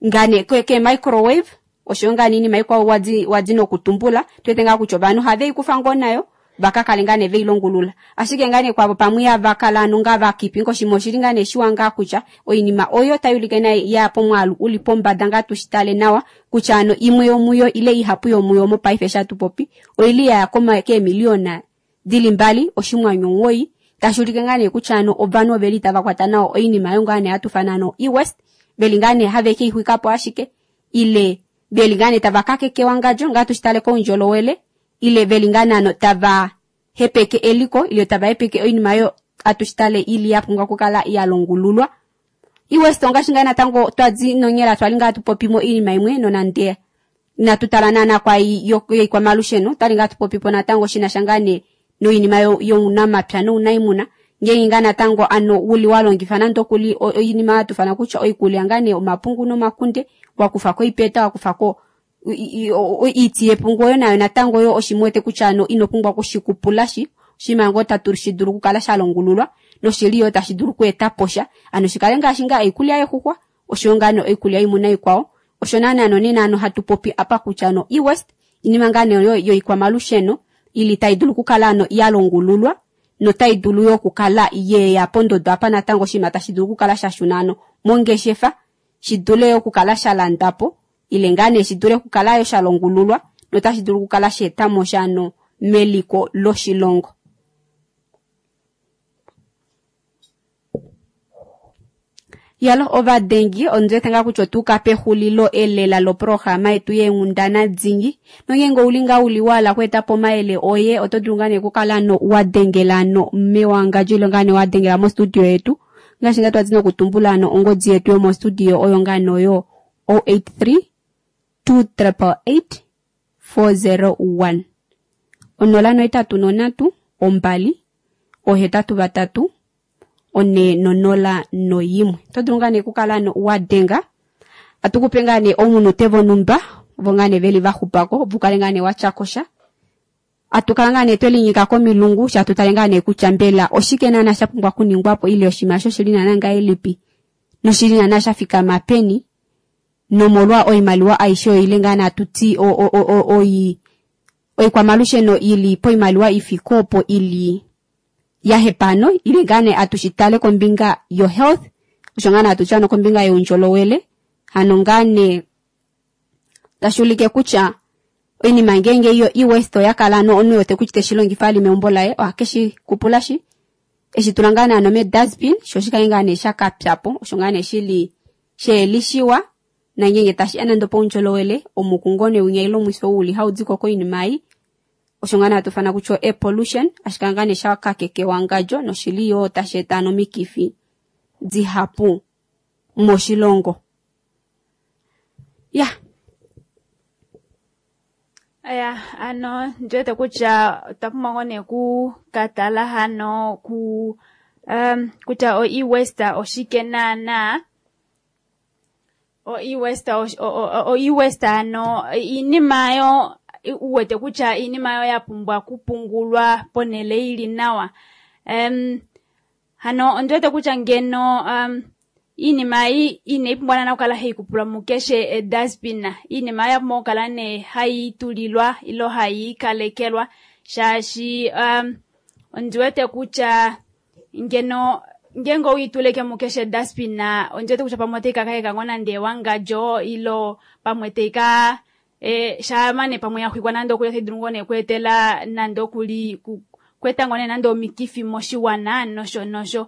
A: ngaa nee ke microwave, oshoyo ngaa nee iinima ikwao wadi nokutumbula, tu wete ngaa kutya ovanhu ohave i kufa ngoo nayo, va ka kale ngaa nee ve i longulula. Ashike ngaa nee kwavo pamwe ihava kala ano ngaa va kipinga oshinima oshili ngaa nee shiwa ngaa kutya oinima oyo tai ulike naye ya pomwaalu uli pombada ngaa tu shi tale nawa kutya ano imwe yomuyo ile ihapu yomuyo mopaife eshi hatu popi oili ya ya keemiliyona dili mbali oshimwanyu omuwoi, tashi ulike ngaa nee kutya ano ovanhu oveli tava kwata nawa oinima oyo ngaa nee hatu fana ano e-waste, veli ngaa nee have ke i xwika po ashike, ile veli ngaa nee tava kakekewa ngadjo ngaa tushi tale koundjolowele, ile veli ngaa nee ano tava hepeke eliko, ile tava hepeke oinima oyo atushi tale ili ya pumbwa okukala ya longululwa. E-waste ongaashi ngaa natango twadi nonyela twali ngaa tupopimo oinima imwe nonande inatu tala naana kwai yoikwamalusheno, twali ngaa tupopipo natango shina sha ngaa nee noinima younamapya nounaimuna, ngeenge ngaa natango ano uli wa longifa nande okuli oinima hatu fana kutya oikulya ngaa nee omapungu nomakunde, wa kufa ko oipeta, wa kufa ko oiti yepungu oyo nayo natango yo oshimwete kutya ano ino pumbwa okushikupulashi, oshinima ngoo tatu shi dulu okukala sha longululwa noshili yo tashi dulu okweeta po sha, ano shikale ngaashi ngaa oikulya yexuxwa oshoyo ngaa nee oikulya yoimuna ikwao. Osho naana nonena ano hatu popi apa kutya ano e-waste inima ngaa nee yoikwamalusheno ili tai dulu okukala ano ya longululwa notai dulu yo okukala yeya pondodo apa natango oshinima tashi dulu okukala sha shuna ano mongeshefa, shi dule yo okukala sha landwa po ile ngaa nee shi dule okukala yo sha longululwa notashi dulu okukala sha eta mo sha ano meliko loshilongo. Yalo ovadengi, ondiwete ngaa kutya otuuka pexulilo elela loprograma yetu yeenghundana dingi. Nongeenge ouli ngaa uli wahala okweeta po omayele oye, oto dulu ngaa nee okukala no wa dengela no mewangadjo ile ngaa nee wa dengela mostudio yetu. Ngaashi ngaa twadi nokutumbula ano ongodi yetu yomostudio oyo ngaa noyo 083 288 401. 083 2 83 4 01. Oto dulu ngaa nee okukala no wa denga, atukupe ngaa nee omunute vonhumba, vo ngaa nee veli va xupako, opo u kale ngaa nee wa tya ko sha. Atukala ngaa nee twelinyika komilungu, sha tutale ngaa nee kutya mbela oshike naana sha pumbwa okuningwa po, ile oshinima osho shili naana ngahelipi, noshili naana sha fikama peni, nomolwa oimaliwa aishe oyo ile ngaa nee atuti oikwamalusheno ili poimaliwa ifike opo ili ya hepano, ile ngaa nee atushi tale kombinga yo health, osho ngaa nee atuti ano kombinga youndjolowele, hano ngaa nee tashi ulike kutya oinima ngeenge yo e-waste oya kala ano omunhu wete kutya teshi longifa ali meumbo laye, oha shi kupulashi, eshi tula ngaa nee ano me-dustbin, sho shikale ngaa nee sha kapya po, osho ngaa nee shili sheelishiwa, nangenge tashi ya nande opoundjolowele, omuku ngoo nee winya ile omwifi ou uli hau diko koinima ei, osho ngaa nee hatu fana kutya air pollution, ashike ngaa nee sha kakekewa ngadjo, noshili yoo tashi eta ano omikifi dihapu moshilongo. Ya.
B: Aya, ano ndiwete kutya otwa pumbwa ngoo nee ku katala hano ku kutya o e-waste oshike naana. O e-waste o e-waste ano iinima yo uwete kutya iinima yo ya pumbwa kupungulwa ponele ili nawa. Hano ondiwete kutya ngeno iinima ei inayi pumbwa naana okukala hayi kupulwa mukeshe edustbin. Iinima ya pumbwa okukala nee hayi tulilwa ilo hayi ikalekelwa, shaashi ondiwete kutya ngeno ngenge owuituleke mukeshe dustbin, ondiwete kutya pamwe otayi ka kaheka ngoo nande ewangadjo ilo pamwe tayi ka shaamane pamwe ya xwikwa nande okuli otayi dulu ngoo nee okweetela nande okuli kweeta ngoo nee nande omikifi moshiwana nosho nosho.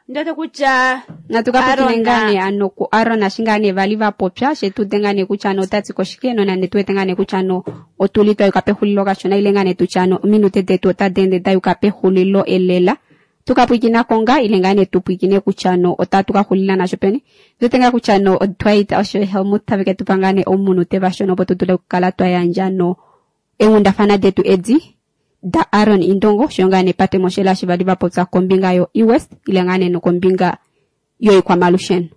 B: Ndiwete kutya
A: Natu ka pwikine
B: Aaron
A: ngaa nee ano ku Aaron ashi ngaa nee vali va popya she tu ude ngaa nee kutya ano ota ti ko shike, nonande tu wete ngaa nee kutya ano otuli twa yuka pexulilo kashona ile ngaa nee tutye ano ominute detu otadi ende da yuka pexulilo elela. Tu ka pwikinako ngaa ile ngaa nee tu pwikine kutya ano otatu ka xulila nasho peni. Ndi wete ngaa kutya ano Dwight osho Helmut tave ke tu pa ngaa nee omunute vashona opo tu dule okukala twa yandja no eenghundafana detu edi da Aaron Indongo osho ngaa nee Pate Moshela eshi vali va popya kombinga yo e-waste ile ngaa nee nokombinga yoikwamalusheno.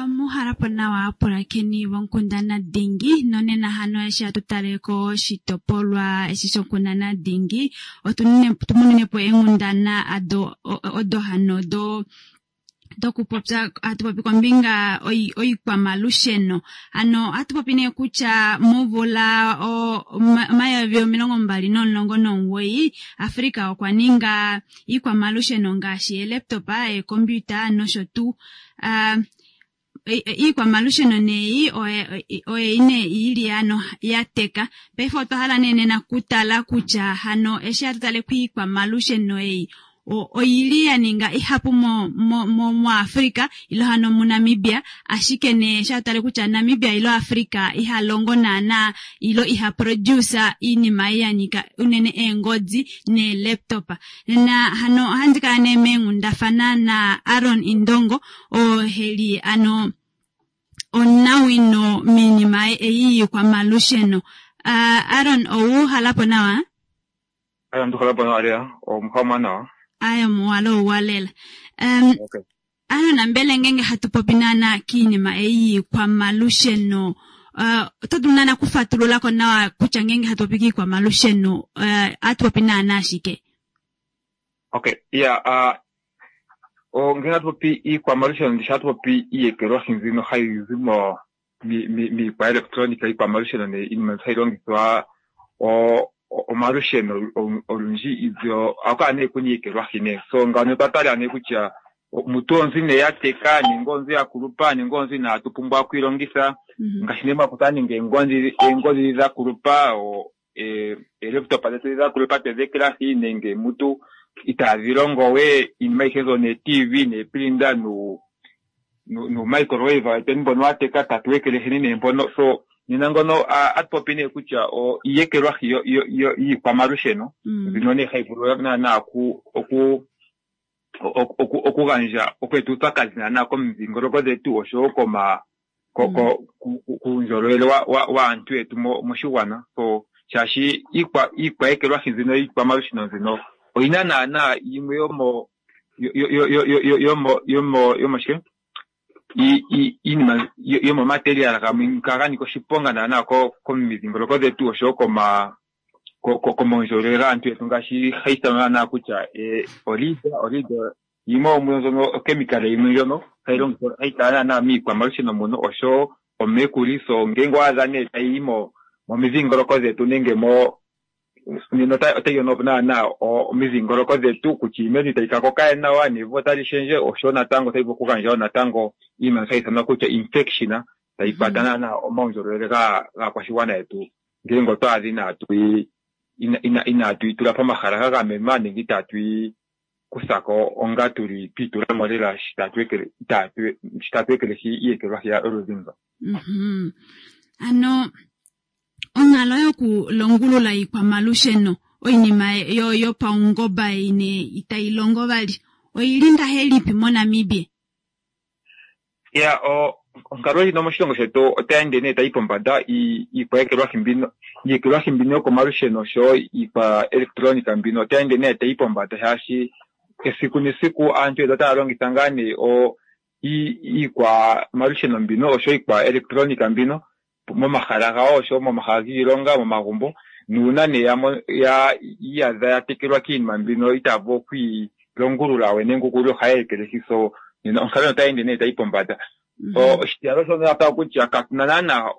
B: Muhalapo nawa apulakeni vonkundana dingi nonena hano eshi hatu tale koshitopolwa eshi shonkundana dingi otumunine po eenghundana odo hano do dokupopya hatu popi kombinga oikwamalusheno. Ano ohatu popi nee kutya momvula 2019 Africa okwa ninga iikwamalusheno ngaashi eelaptop, eekompiuta nosho tuu. Iikwamalusheno neyi oye nee ili ano ya teka. Paife otwa hala nee nena kutala kutya hano eshi hatu tale kwiikwamalusheno ei oili ya ninga ihapu muAfrica ilo hano muNamibia, ashike nee eshi hatu tale kutya Namibia ilo Africa iha longo naana ilo iha produce iinima ei ya nyika unene eengodi neelaptop. Nena hano ohandi kala nee meenghundafana na Aaron Indongo oo heli ano omunawino miinima ei yiikwamalusheno. Aaron, owuhalapo nawa?
Q: Aya, nduhalapo nawa lela, omuhama nawa.
B: Ayo muwalo ouwalela.
Q: Okay.
B: Aaron, mbele ngenge hatu popi naana kiinima ei yiikwamalusheno, oto dulu naana kufatululako nawa kutya ngenge hatu popi kiikwamalusheno, ohatu popi naana ashike?
Q: Okay, yeah, ngenge hatu popi iikwamalusheno, ndishi hatu popi iiyekelwahi mbino hayi zi miikwaelektronika, iikwamalusheno nee iinima hayi longithwa omalusheno olundji ibyo ohaku kala nee kuna iiyekelwahi nee. So ngano otwa tala nee kutya mutu onzi nee ya teka nenge onzi ya kulupa nenge onzi inaatu pumbwa okuilongitha, ngaashi nee mwakuta nenge eengodi dha kulupa, eelaptop dhetu dha kulupa twedhi ekelahi nenge mutu itaadhi longo we, iinima ayihe mbyono nee-TV neeprinta nu-microwave wetweni mbono wa teka tatu ekeleheni nee mpono. So nena ngono atu popi nee kutya iiyekelwahi yiikwamalusheno mbino nee hayi vulu naana okugandja okweeta uupyakadhi naana komidhingoloko dhetu oshowo kuundjolowele waantu yetu moshigwana. So shaashi iikwaekelwahi nzino iikwamalusheno nzino oyina naana yimwe yomo yomo yomoshike iinima yomomaterial gamwe nga ga nika oshiponga naana komidhingoloko dhetu oshowo komaundjolowele gaantu yetu, ngaashi hayi ithanwa naana kutya olead yimwe yomuyo ndjono okemikale yimwe ndjono hayi longithwa hayi kala naana miikwamalusheno muno oshowo omercury. So ngenge owa adha nee tayi yi momidhingoloko dhetu nenge nena otayi yono naana omidhingoloko dhetu kutya iimeno itayi ka koka nawa nevi otali shendje, oshowo natango otayi vulu okugandja wo natango iinima hayi ithanwa kutya infection tayi kwata naana omaundjolowele gaakwashigwana yetu ngele otwa adha inaatu yi tula pomahala ga gamenwa nenge itaatu yi kuthako onga tuli twiitulamo lela shi tatu ekelehi iiyekelwahi yoludhi ndo.
B: Ano onkalo yokulongulula iikwamalusheno oinima yopaungomba ine itayi longo vali oyili ngahelipi moNamibia?
Q: Ya, Onkalo ndjino moshilongo shetu otayi ende nee tayi pombanda iikwaekelwahi mbino iiyekelwahi mbino yokomalusheno oshowo iikwaelektronika mbino otayi ende nee tayi pombanda shaashi esiku nesiku aantu yetu otaya longitha ngaa nee o iikwamalusheno mbino oshowo iikwaelektronika mbino momahala gawo oshowo momahala giilonga momagumbo nuuna nee ya iyadha ya tekelwa kiinima mbino itaya vulu okwiilongulula we nenge okuli ohaya ekelehi so nena onkalo otayi ende nee tayi pombanda. Oshitiyali osho natango kutya katuna naana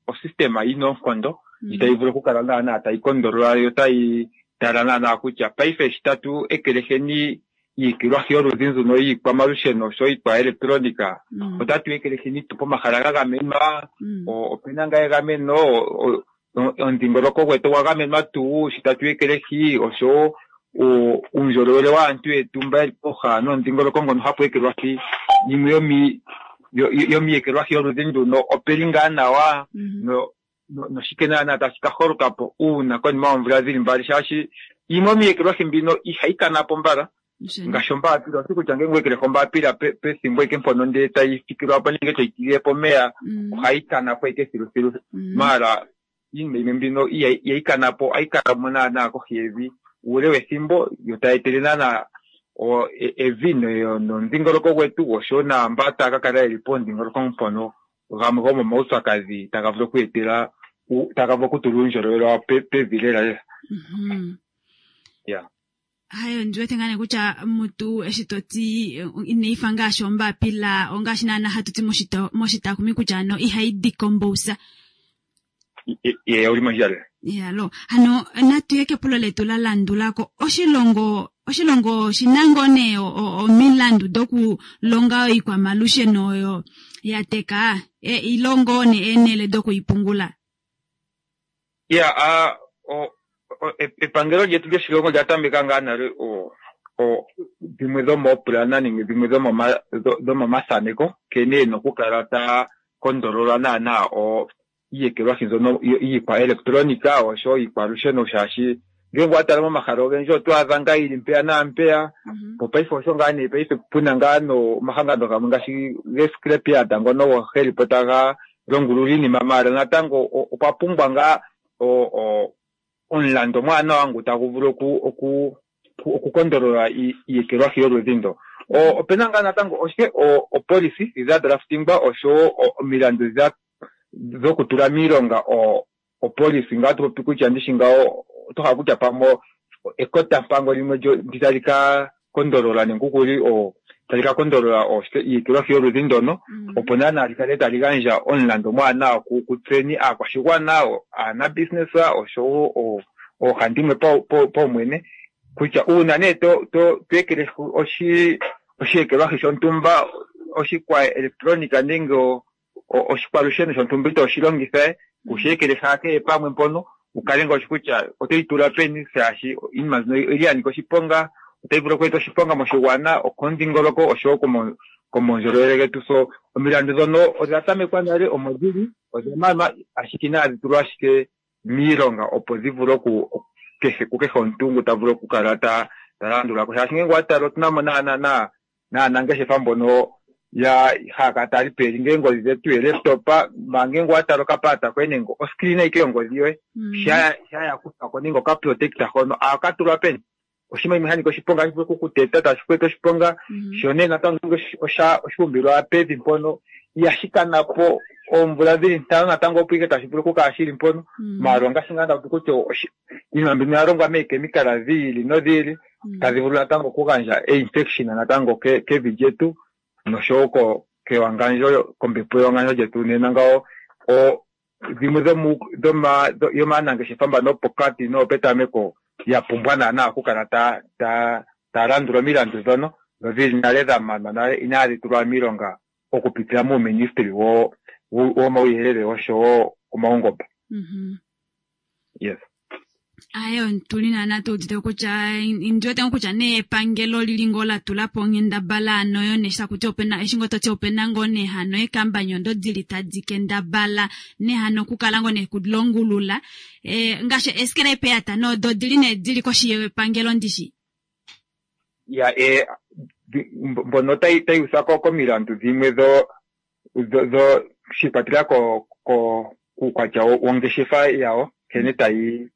Q: osystema yina oonkondo itayi vulu okukala naana tayi kondolola yo tayi tala naana kutya paife shi tatu ekeleheni iikelwahi yoludhi nzuno yiikwamalusheno oshowo iikwaelektronika otatu ekeleheni tu pomahala ga gamenwa opena ngaa egameno omudhingoloko gwetu ogwa gamenwa tuu shi tatu ekelehi oshowo uundjolowele waantu yetu mba yeli pooha nomudhingoloko ngono hapu ekelwahi yimwe yomi yomiiyekelwahi yoludhi nduno opeli ngaa nawa noshike naana tashi ka holoka po uuna konima yoomvula dhili mbali shaashi yimwe yomiiyekelwahi mbino ihayi kana po mbala ngaashi ombaapila oshi kutya ngele weekelehi ombaapila pethimbo ike mpono ndele tayi fikilwa po nenge toyi tilile po omeya ohayi kana po ike thiluthilu maala iinima yimwe mbino ihayi kana po ohayi kala mo naana kohi yevi uule wethimbo yo tayi etele naana evi nomudhingoloko gwetu oshowo naamba taya ka kala yeli pomudhingoloko mpono gamwe gomomaupyakadhi taga vulu okweetela taga vulu okutula uundjolowele wawo pevi lela lela. Ya.
B: Hayo ndi wete ngaa nee kutya mutu eshi to ti inai fa ngaashi ombapila ongaashi naana hatu ti moshitakumi kutya ano ihayi decompose.
Q: Ye uli mondjila lela.
B: Yalo hano natu ye kepulo letu la landulako oshilongo oshilongo oshina ngoo nee omilandu dokulonga oikwamalusheno oyo ya teka ilongo nee eenhele dokuipungula.
Q: Ya epangelo lyetu lyoshilongo olya tameka ngaa nale dhimwe dhomoopulana nenge dhimwe dhomomathaneko nkene yena okukala ta kondolola naana iiyekelwahi mbyono iikwaelektronika oshowo iikwalusheno shaashi ngele wa tala momahala ogendji oto adha ngaa yili mpeya naampeya po paife osho ngaa nee paife puna ngaa nomahangano gamwe ngaashi gescrapyard ngono geli po taga longulula iinima maala natango okwa pumbwa ngaa omulandu omwaanawa ngu tagu vulu okukondolola iiyekelwahi yoludhi ndo. Opena ngaa natango oshike opolisi dha draftingwa oshowo omilandu dhokutula miilonga opolisi ngaa topopi kutya ndishi ngawo oto hala kutya pamwe ekotampango limwe ndi tali ka kondolola nenge okuli tali ka kondolola iiyekelwahi yoludhi ndono opo naana li kale tali gandja omulandu omwaanawa kutseni aakwashigwana aanabusiness oshowo oohandimwe paumwene kutya uuna nee to ekelehi oshiyekelwahi shontumba oshikwaelektronika nenge oshikwalusheno shontumba ito shi longitha kushi ekelehi kehe pamwe mpono ukale ngaashi kutya otoyi tula peni shaashi iinima mbino oyili ya nika oshiponga otayi vulu okweeta oshiponga moshigwana okomudhingoloko oshowo komaundjolowele getu so omilandu dhono odha tamekwa nale omo dhili odha manwa ashike inadhi tulwa ashike miilonga opo dhi vule oku kehe kukehe omuntu ngu ta vulu okukala ta landula ko shaashi ngele wa tala otuna mo naanangeshefa mbono ya haya kala taya lipeli ngele ongodhi dhetu yeelaptop manga ngele wa tala okapalata koye nenge oscreen ayike yongodhi yoye sha ya kuthwa ko nenge okaprotector hono ohaka tulwa peni oshinima shimwe sha nika oshiponga hashi vulu okukuteta tashi ku eta oshiponga sho nee natango oshuumbilwa pevi mpono ihashi kana po oomvula dhili ntano natango opo ike tashi vulu okukala shili mpono maala ongaashi ngaa ndapopi kutya iinima mbino oya longwa meekemikala dhi ili nodhi ili tadhi vulu natango okugandja einfection natango kevi lyetu noshowo kewangandjo kombepo yewangandjo lyetu nena ngawo dhimwe yomaanangeshefa mbano yopokati noyopetameko ya pumbwa naana okukala ta landula omilandu ndhono dhili nale dha manwa nale inaadhi tulwa miilonga okupitila muuministili womauyelele oshowo omaungomba. Yes.
B: Ayo tuli naana tu udite kutya ndi wete kutya nee epangelo lili ngoo la tula po onghendabala ano yo nee shakuti opena eshi ngoo toti opena ngoo nee hano eekambanyi odo dili tadi kendabala nee hano okukala ngoo nee kulongulula ngaashi escrapyard nodo odili nee dili koshi yepangelo ndishi.
Q: Ya mbono tayi utha komilandu dhimwe dho shi ikwatelela ko ko kuukwatya wongeshefa yawo nkene tayi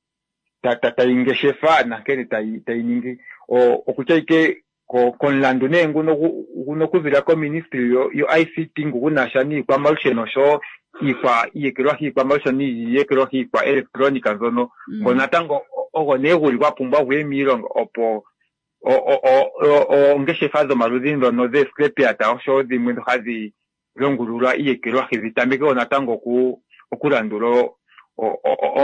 Q: tayi ngeshefa nankene tayi tayi ningi okutya ike komulandu nee nguno guno okuzila koministry yo ICT ngu guna sha niikwamalusheno oshowo iikwa iiyekelwahi iikwamalusheno niiyekelwahi iikwa electronica mbyono ngo natango ogo nee guli gwa pumbwa guye miilonga opo oongeshefa dhomaludhi ndhono zeescrapyard oshowo dhimwe ndho hadhi longulula iiyekelwahi dhi tameke wo natango okulandula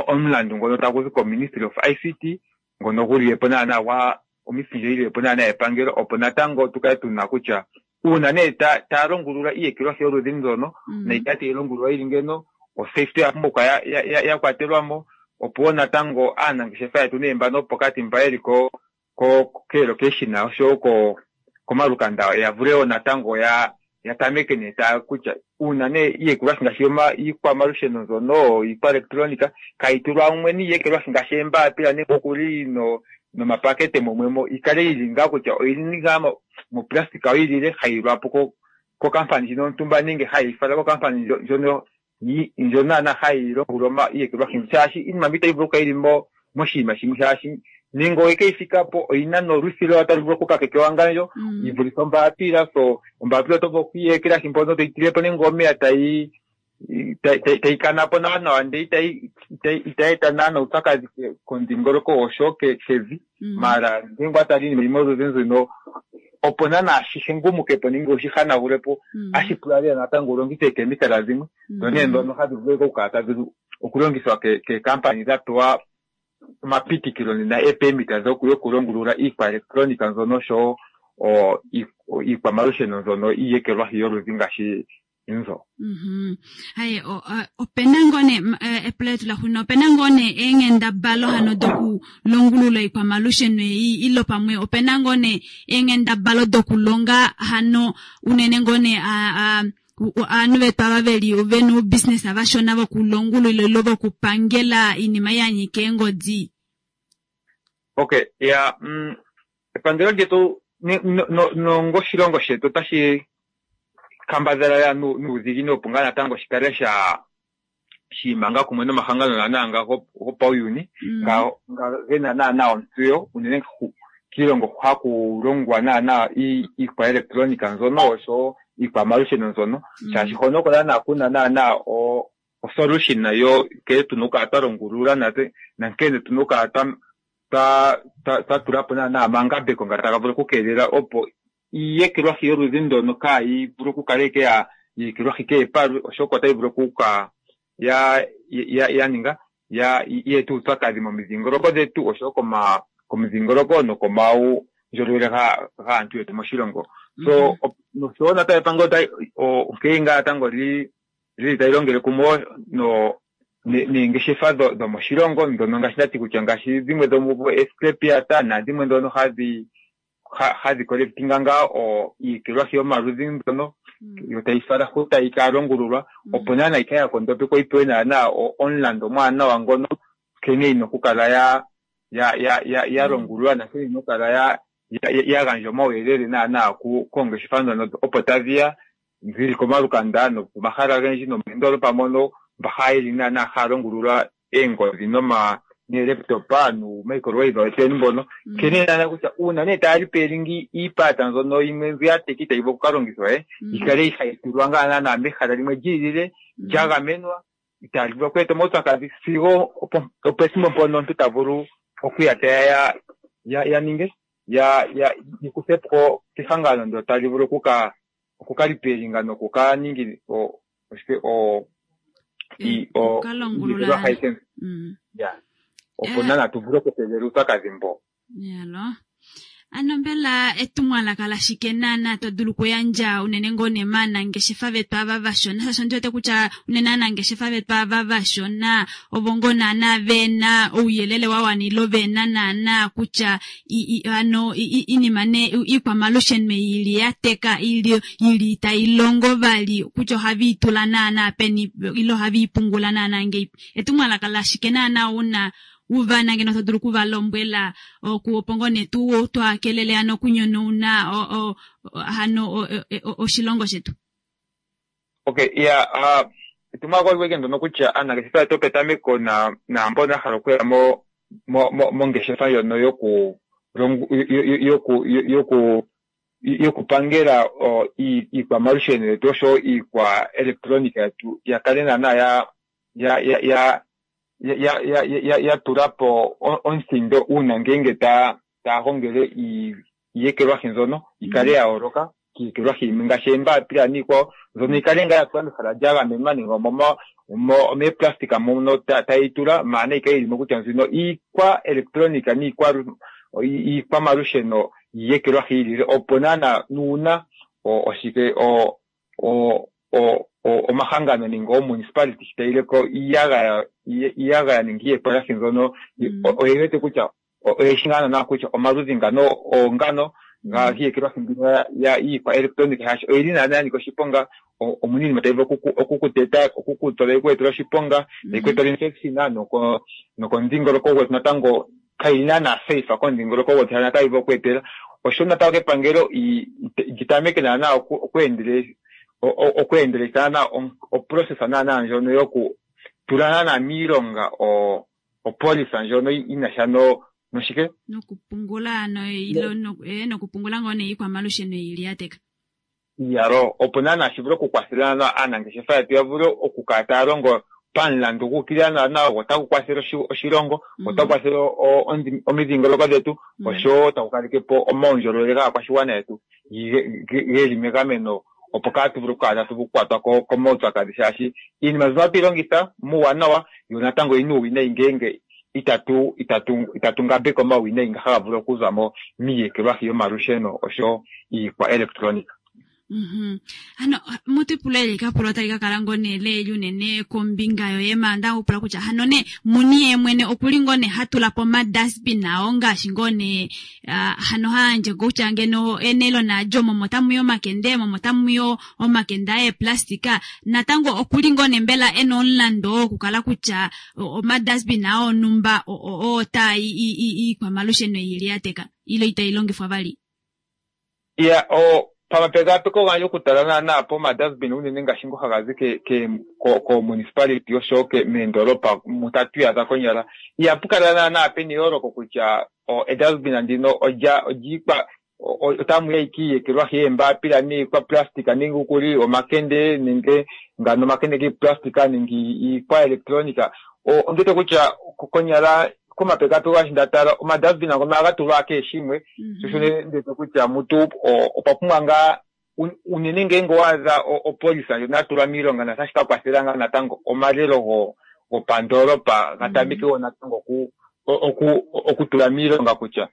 Q: omulandu ngono tagu zi koministry of ICT ngono gulilepo naana gwa oministry ndjo yililepo naana yepangelo opo natango tukale tuna kutya uuna nee taya longulula iiyekelwahi yoludhi ndono nayi kale tayi longululwa yili ngeno osafety oya pumbwa okukala ya kwatelwa mo opo wo natango aanangeshefa yetu nee mbano pokati mba yeli ko keelocation oshowo komalukanda ya vule wo natango ya ya tameke nee taya kutya uuna nee iiyekelwahi ngaashi iikwamalusheno mbyono iikwaelektronika kayi tulwa mumwe niiyekelwahi ngaashi eembaapila nenge okuli nomapakete mumwe mo ikale yili ngaa kutya oyili ngaa moplastika oyilile hayi lwapo kokampani ndjino yontumba nenge hayi fala kokampani ndjono ndjono naana hayi longulula iiyekelwahi shaashi iinima mbi itayi vulu okukala yili moshinima shimwe shaashi nenge oye keyi fika po oyina nolwithi talu vulu okukakeka ewangandjo yi vulithe ombaapila so ombaapila oto vulu okuyi mpono toyi tilepo nenge omeya tayi tayi kana po nawa nawa ndele itayi eta naana uupyakadhi komudhingoloko oshowo kevi. Maala ngele watala iinima yimwe yoludhi nduno opo naana shi hengumukepo nenge ushi hanagulepo otashi pula lela natango ulongithe eekemikala dhimwe dho nee ndhono hadhi vulu okukala tadhi okulongithwa keekampani dha pewa omapitikilo nena eepemita yokulongulula iikwaelektronika mbyono oshowo iikwamalusheno mbyono iiyekelwahi yoludhi ngaashi nzo.
B: Haye opena ngoo nee epulo letu laxuuninwa opena ngoo nee eenghendabalo hano dokulongulula iikwamalusheno ei ilo pamwe opena ngoo nee eenghendabalo dokulonga hano unene ngoo nee ovanhu vetu ava veli vena oubusiness vashona vokulongulula ilo vokupangela iinima yanyika eengodi.
Q: Okay, ya epangelo lyetu nongoshilongo shetu otashi kambadhala ya nuudhiginini opo ngaa natango shikale sha shiimanga kumwe nomahangano naana nga gopauyuni nga gena naana ontseyo unene kiilongo haku longwa naana iikwaelektronika mbyono oshowo iikwamalusheno mbyono shaashi hono oko naana kuna naana osolution yo nkene tuna okukala twa longulula natse nankene tuna okukala twa tulapo naana omangambeko nga taga vulu okukeelela opo iiyekelwahi yoludhi ndono kaayi vulu okukala ike ya yekelwahi kehe palwe oshoka otayi vulu okuka ya ya ninga ya yeeta uupyakadhi momidhingoloko dhetu oshowo komudhingoloko nokomaundjolowele gaantu yetu moshilongo. So noshowo natango epangelo onkene ngaa natango lili tali longele kumwe neengeshefa dhomoshilongo ndhono ngaashi ndati kutya ngaashi dhimwe dhomuvo escrapyard nadhimwe ndhono hadhi hadhi collectinga ngaa iiyekelwahi yomaludhi mbyono yo tayi fala hu tayi ka longululwa opo naana yikale ya kondopekwa yi pewe naana omulandu omwaanawa ngono nkene yina okukala ya ya ya longululwa nankene yina okukala ya ya gandja omauyelele naana koongeshefa ndhono opo tadhiya dhili komalukanda nopomahala ogendji nomoondoolopa mono mba hayeli naana haya longulula eengodhi noma neelaptop nuumicrowave wetweni mbono nkene naana kutya uuna nee taya repairingi iipata mbyono yimwe mbi ya teka itayi vulu okukalongithwa yikale hayi tulwa ngaa naana mehala limwe lyiilile lya gamenwa itaali vulu okweeta omaupyakadhi sigo opethimbo mpono omuntu ta vulu okuya teya ya ninge ya yikuthe po kehangano ndyono tali vulu okuka okuka nokuka ningi oshike
B: okukalongulula
Q: ya opo naana tu vule okukeelela uupyakadhi mbo.
B: Yalo. Ano mbela etumwalaka lashike naana to dulu okuyandja unene ngoo nee maanangeshefa vetu ava vashona shaashi ondi wete kutya unene aanangeshefa vetu ava vashona ovo ngoo naana vena ouyelele wa wana ilo vena naana kutya ano iinima nee iikwamalusheno ili ya teka ili itayi longo vali kutya ohavi itula naana peni ilo ohavi ipungula naana ngeipi etumwalaka lashike naana una uvana ngeno to dulu okuva lombwela opo ngoo nee tu twakelele ano okunyonauna hano oshilongo shetu.
Q: Okay, yeah, etumwalaka oli weke ndono kutya aanangeshefa yetu yopetameko na naambono ya hala okuya mo mo mo mongeshefa ndjono yoku longo yoku yoku yokupangela iikwamalusheno yetu oshowo iikwa electronica yetu ya kale naana ya ya ya ya ya ya ya ya tula po omuthindo uuna ngeenge ta taya gongele iiyekelwahi mbyono yi kale ya yooloka kiiyekelwahi yimwe ngaashi eembapila niikwawo mbyono yi kale ngaa ya tulwa mehala lya gamenwa nenge omeeplastika mono taye yi tula maana nayi kale yili mo kutya mbino iikwa electronica niikwa iikwamalusheno yiiyekelwahi yi ilile opo naana nuuna oshike omahangano nenge oomunicipality shi tayi leko iiyagaya iiyagaya nenge iiyekelwahi mbyono oye wete kutya oyeshi ngaa naana kutya omaludhi ngano oongano giiyekelwahi mbino ya iikwa electronic shaashi oyili naana ya nika oshiponga omuna iinima tayi vulu okukuteta okukutola yi ku etele oshiponga tayi ku etele infection nokomudhingoloko gwetu natango kayili naana safe komudhingoloko gwetu shaashi otayi vulu oku etela osho natango kepangelo li tameke naana okweendele okweendeleka naana oprocess naana ndjono yoku tula naana miilonga opolisa ndjono yinasha noshike
B: nokupungula nokupungula ngoo nee iikwamalusheno ili ya teka.
Q: Iyalo, opo naana shi vule okukwathela naana aanangeshefa yetu ya vule okukala taya longo pamulandu gu ukilila naana go otagu kwathele oshilongo, otagu kwathele omidhingoloko dhetu oshowo tagu kaleke po omaundjolowele gaakwashigwana yetu geli megameno opo kaatu vule okukala tatu vulu okukwatwa komaupyakadhi shaashi iinima mbyono ohatu yi longitha muuwanawa yo natango oyina uuwinayi ngeenge itatu itatu itatu ngambeke omauwinayi nga haga vulu okuza mo miiyekelwahi yomalusheno oshowo iikwa electronic.
B: Hano mutu ipula eli kapulo tali ka kala ngoo nee leeli unene kombinga yoye maanda ndakupula kutya hano nee muni ye mwene okuli ngoo nee hatula po omadustbin ao ngaashi ngoo nee hano hayandje kutya ngeno enelo naalyo momo tamu yi omakende momo tamu yi omakende eeplastika natango okuli ngoo nee mbela ena omulandu wokukala kutya omadustbin ao onumba oo taa iikwamalusheno ili ya teka ile itai longifwa vali.
Q: Ya, pamapekapeko gandje okutala naana pomadustbin unene ngaashi ngo haga zi koomunicipality oshowo meendolopa mu tatu iyadha konyala ihapu kala naana pena eyooloko kutya edustbin ndino olya olyiikwa otamu ya ikiiyekelwahi yeembapila niikwaplastika nenge okuli omakende nenge ngano omakende giiplastika nenge iikwa electronica ondiwete kutya konyala komapekapeko gandje nda tala omadustbin ngono ohaga tulwa kehe shimwe sho sho ndiwete kutya mutu opwa pumbwa ngaa unene ngeenge owa adha opolisa ndjono ya tulwa miilonga notashi ka kwathela ngaa natango omalelo gopandoolopa ga tameke wo natango okutula miilonga kutya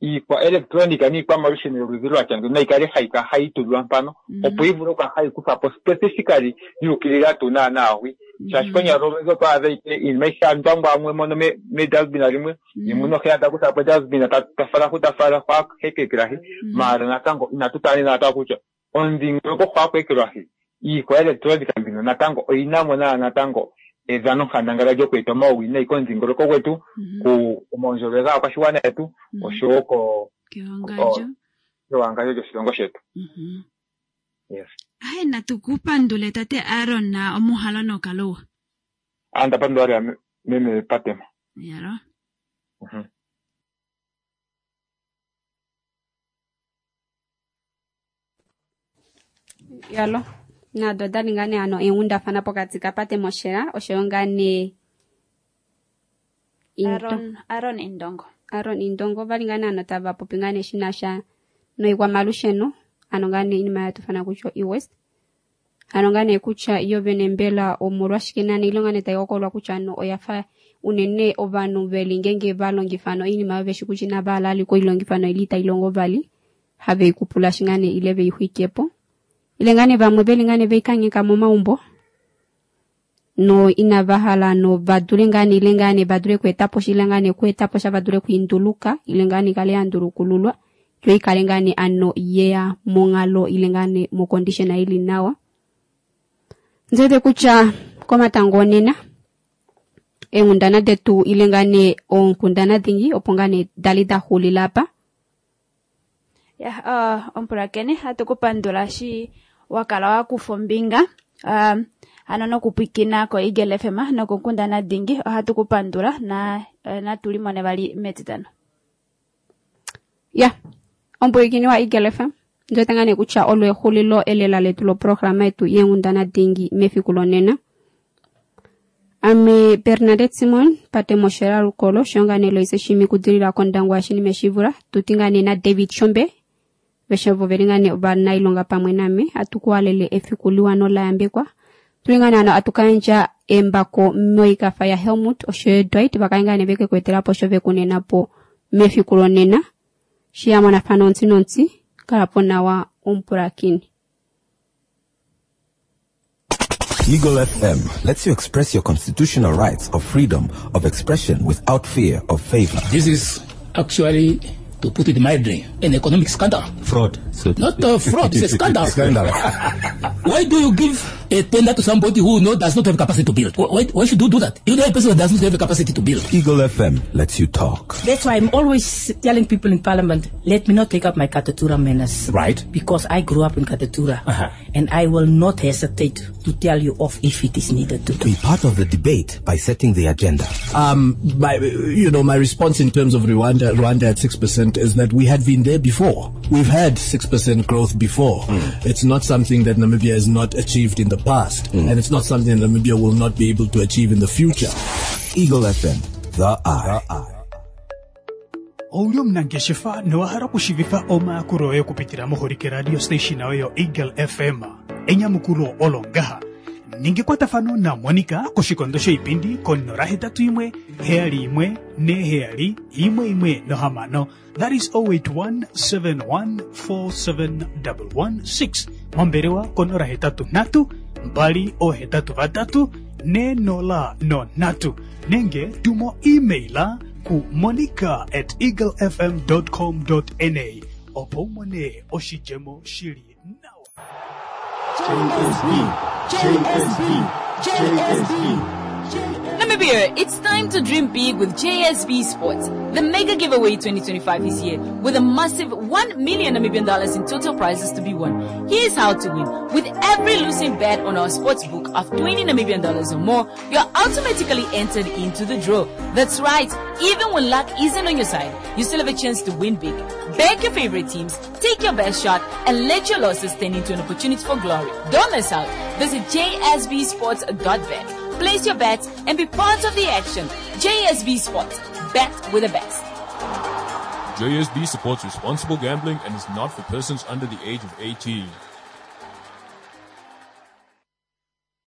Q: iikwa electronica niikwamalusheno yoludhi lwatya ngeyi nayi kale hayi kala hayi tulwa mpano opo yi vule okukala hayi kuthwa po specifically yuukilila tuu naana hwi shaashi konyala olundji oto adha ike iinima ayihe ya ndwangwa mumwe mono medustbin limwe yimwe nohe ta kutha po edustbin ta fala hu ta fala hu hekeekelahi maala natango inatu tala natango kutya omudhingoloko hu haku ekelwahi iikwa electronica mbino natango oyina mo naa natango edhanonkandangala lyokweeta omauwinayi komudhingoloko gwetu komaundjolowele gaakwashigwana yetu oshowo kewangandjo lyoshilongo shetu. Yes.
B: Aye natu ku pandule tate Aaron omuhalo nokaluwa.
Q: Anda pandula lela meme Patema.
B: Yalo.
A: Yalo. Nado odali ngaa nee hano eenghundafana pokati kaPate Moshela oshoyo ngaa nee
B: Aaron, Aaron Indongo.
A: Aaron Indongo vali ngaa nee hano tava popi ngaa nee shinasha noikwamalusheno ano ngaa nee iinima yatufana kutya e-waste ano ngaa nee kutya yo vene mbela omolwashike nane ilonga nee tai hokolwa kutya ano oyafa unene ovanhu veli ngenge va longifa ano oinima oyo veshi kutya inava hala vali okuilongifa noili itai longo vali have ikupulashi ngaa nee ile veixwikepo ile ngaa nee vamwe veli ngaa nee veikangheka momaumbo no inava hala no vadule ngaa nee ile ngaa nee vadule okweetapo sha ile ngaa nee okweetapo sha vadule okwiinduluka ile ngaa nee ikale yandulukululwa yo ikale ngaa nee ano yeya monghalo ile ngaa nee mocondition ili nawa. Ndiwete kutya komatango onena eenghundana detu ile ngaa nee oonkundana dhingi opo ngaa nee dali da xulila apa.
B: Ya, omupulakeni hatu ku pandula shi wa kala wa kufa ombinga hano nokupwikina koEagle FM nokonkundana dingi. Ohatu ku pandula na natu limone vali metitano.
A: Ya, omupwilikini wa Eagle FM, ndiwete ngaa nee kutya olo exulilo elela letu loprograma yetu yenghundana dingi mefiku lonena. Ame Bernadette Simon pate Moshera Lukolo shonga nee Loise Shimi kudilila kOndangwa Shinime Shivula tuti ngaa nee na David Shombe veshe ovo veli ngaa nee ovanailonga pamwe name atu kuhalele efiku liwa nola yambekwa. Tuli ngaa nee hano atu kayandja embako moikafa ya Helmut oshoyo Dwight vakale ngaa nee veke kuetelapo osho vekunena po mefiku lonena. Shiyamonafana ontsi nontsi kalapo nawa omupulakini.
D: Eagle FM lets you express your constitutional rights of freedom of expression without fear of favor.
E: This is actually, to put it mildly, an economic scandal.
D: Fraud. So
E: Not a fraud, it's a scandal.
D: Scandal.
E: Why do you give a tender to somebody who does not have capacity to build? Why should you do that? You know a person who does not have the capacity to build.
D: Eagle FM lets you talk.
G: That's why I'm always telling people in Parliament, let me not take up my Katutura manners.
D: Right.
G: Because I grew up in Katutura. And I will not hesitate to tell you off if it is needed to do.
D: Be part of the debate by setting the agenda.
H: My response in terms of Rwanda at 6% is that we had been there before. We've had 6% growth before. It's not something that Namibia has not achieved in the past, and it's not something that Namibia will not be able to achieve in the future.
D: Eagle FM, the eye.
I: Ouli omunangeshefa nowa hala okushivifa omayakulo oye okupitila moholike radio station oyo Eagle FM. Enyamukulo olo ngaha. Ninga ekwatafano na Monica koshikondo shoipindi ko 081 71 47 116. That is 081 71 47 116. Mombelewa ko 083 2 83 4 0 3 nenge tumo emaila ku monica@eaglefm.com.na opo umone oshidjemo shili nawa.
R: JSB, JSB, JSB.
C: Namibia, it's time to dream big with JSB Sports. The mega giveaway 2025 is here with a massive 1 million Namibian dollars in total prizes to be won. Here's how to win. With every losing bet on our sports book of 20 Namibian dollars or more, you're automatically entered into the draw. That's right. Even when luck isn't on your side, you still have a chance to win big. Back your favorite teams, take your best shot, and let your losses turn into an opportunity for glory. Don't miss out. Visit jsbsports.bet. Place your bets and be part of the action. JSB Sports. Bet with the best.
S: JSB supports responsible gambling and is not for persons under the age of 18.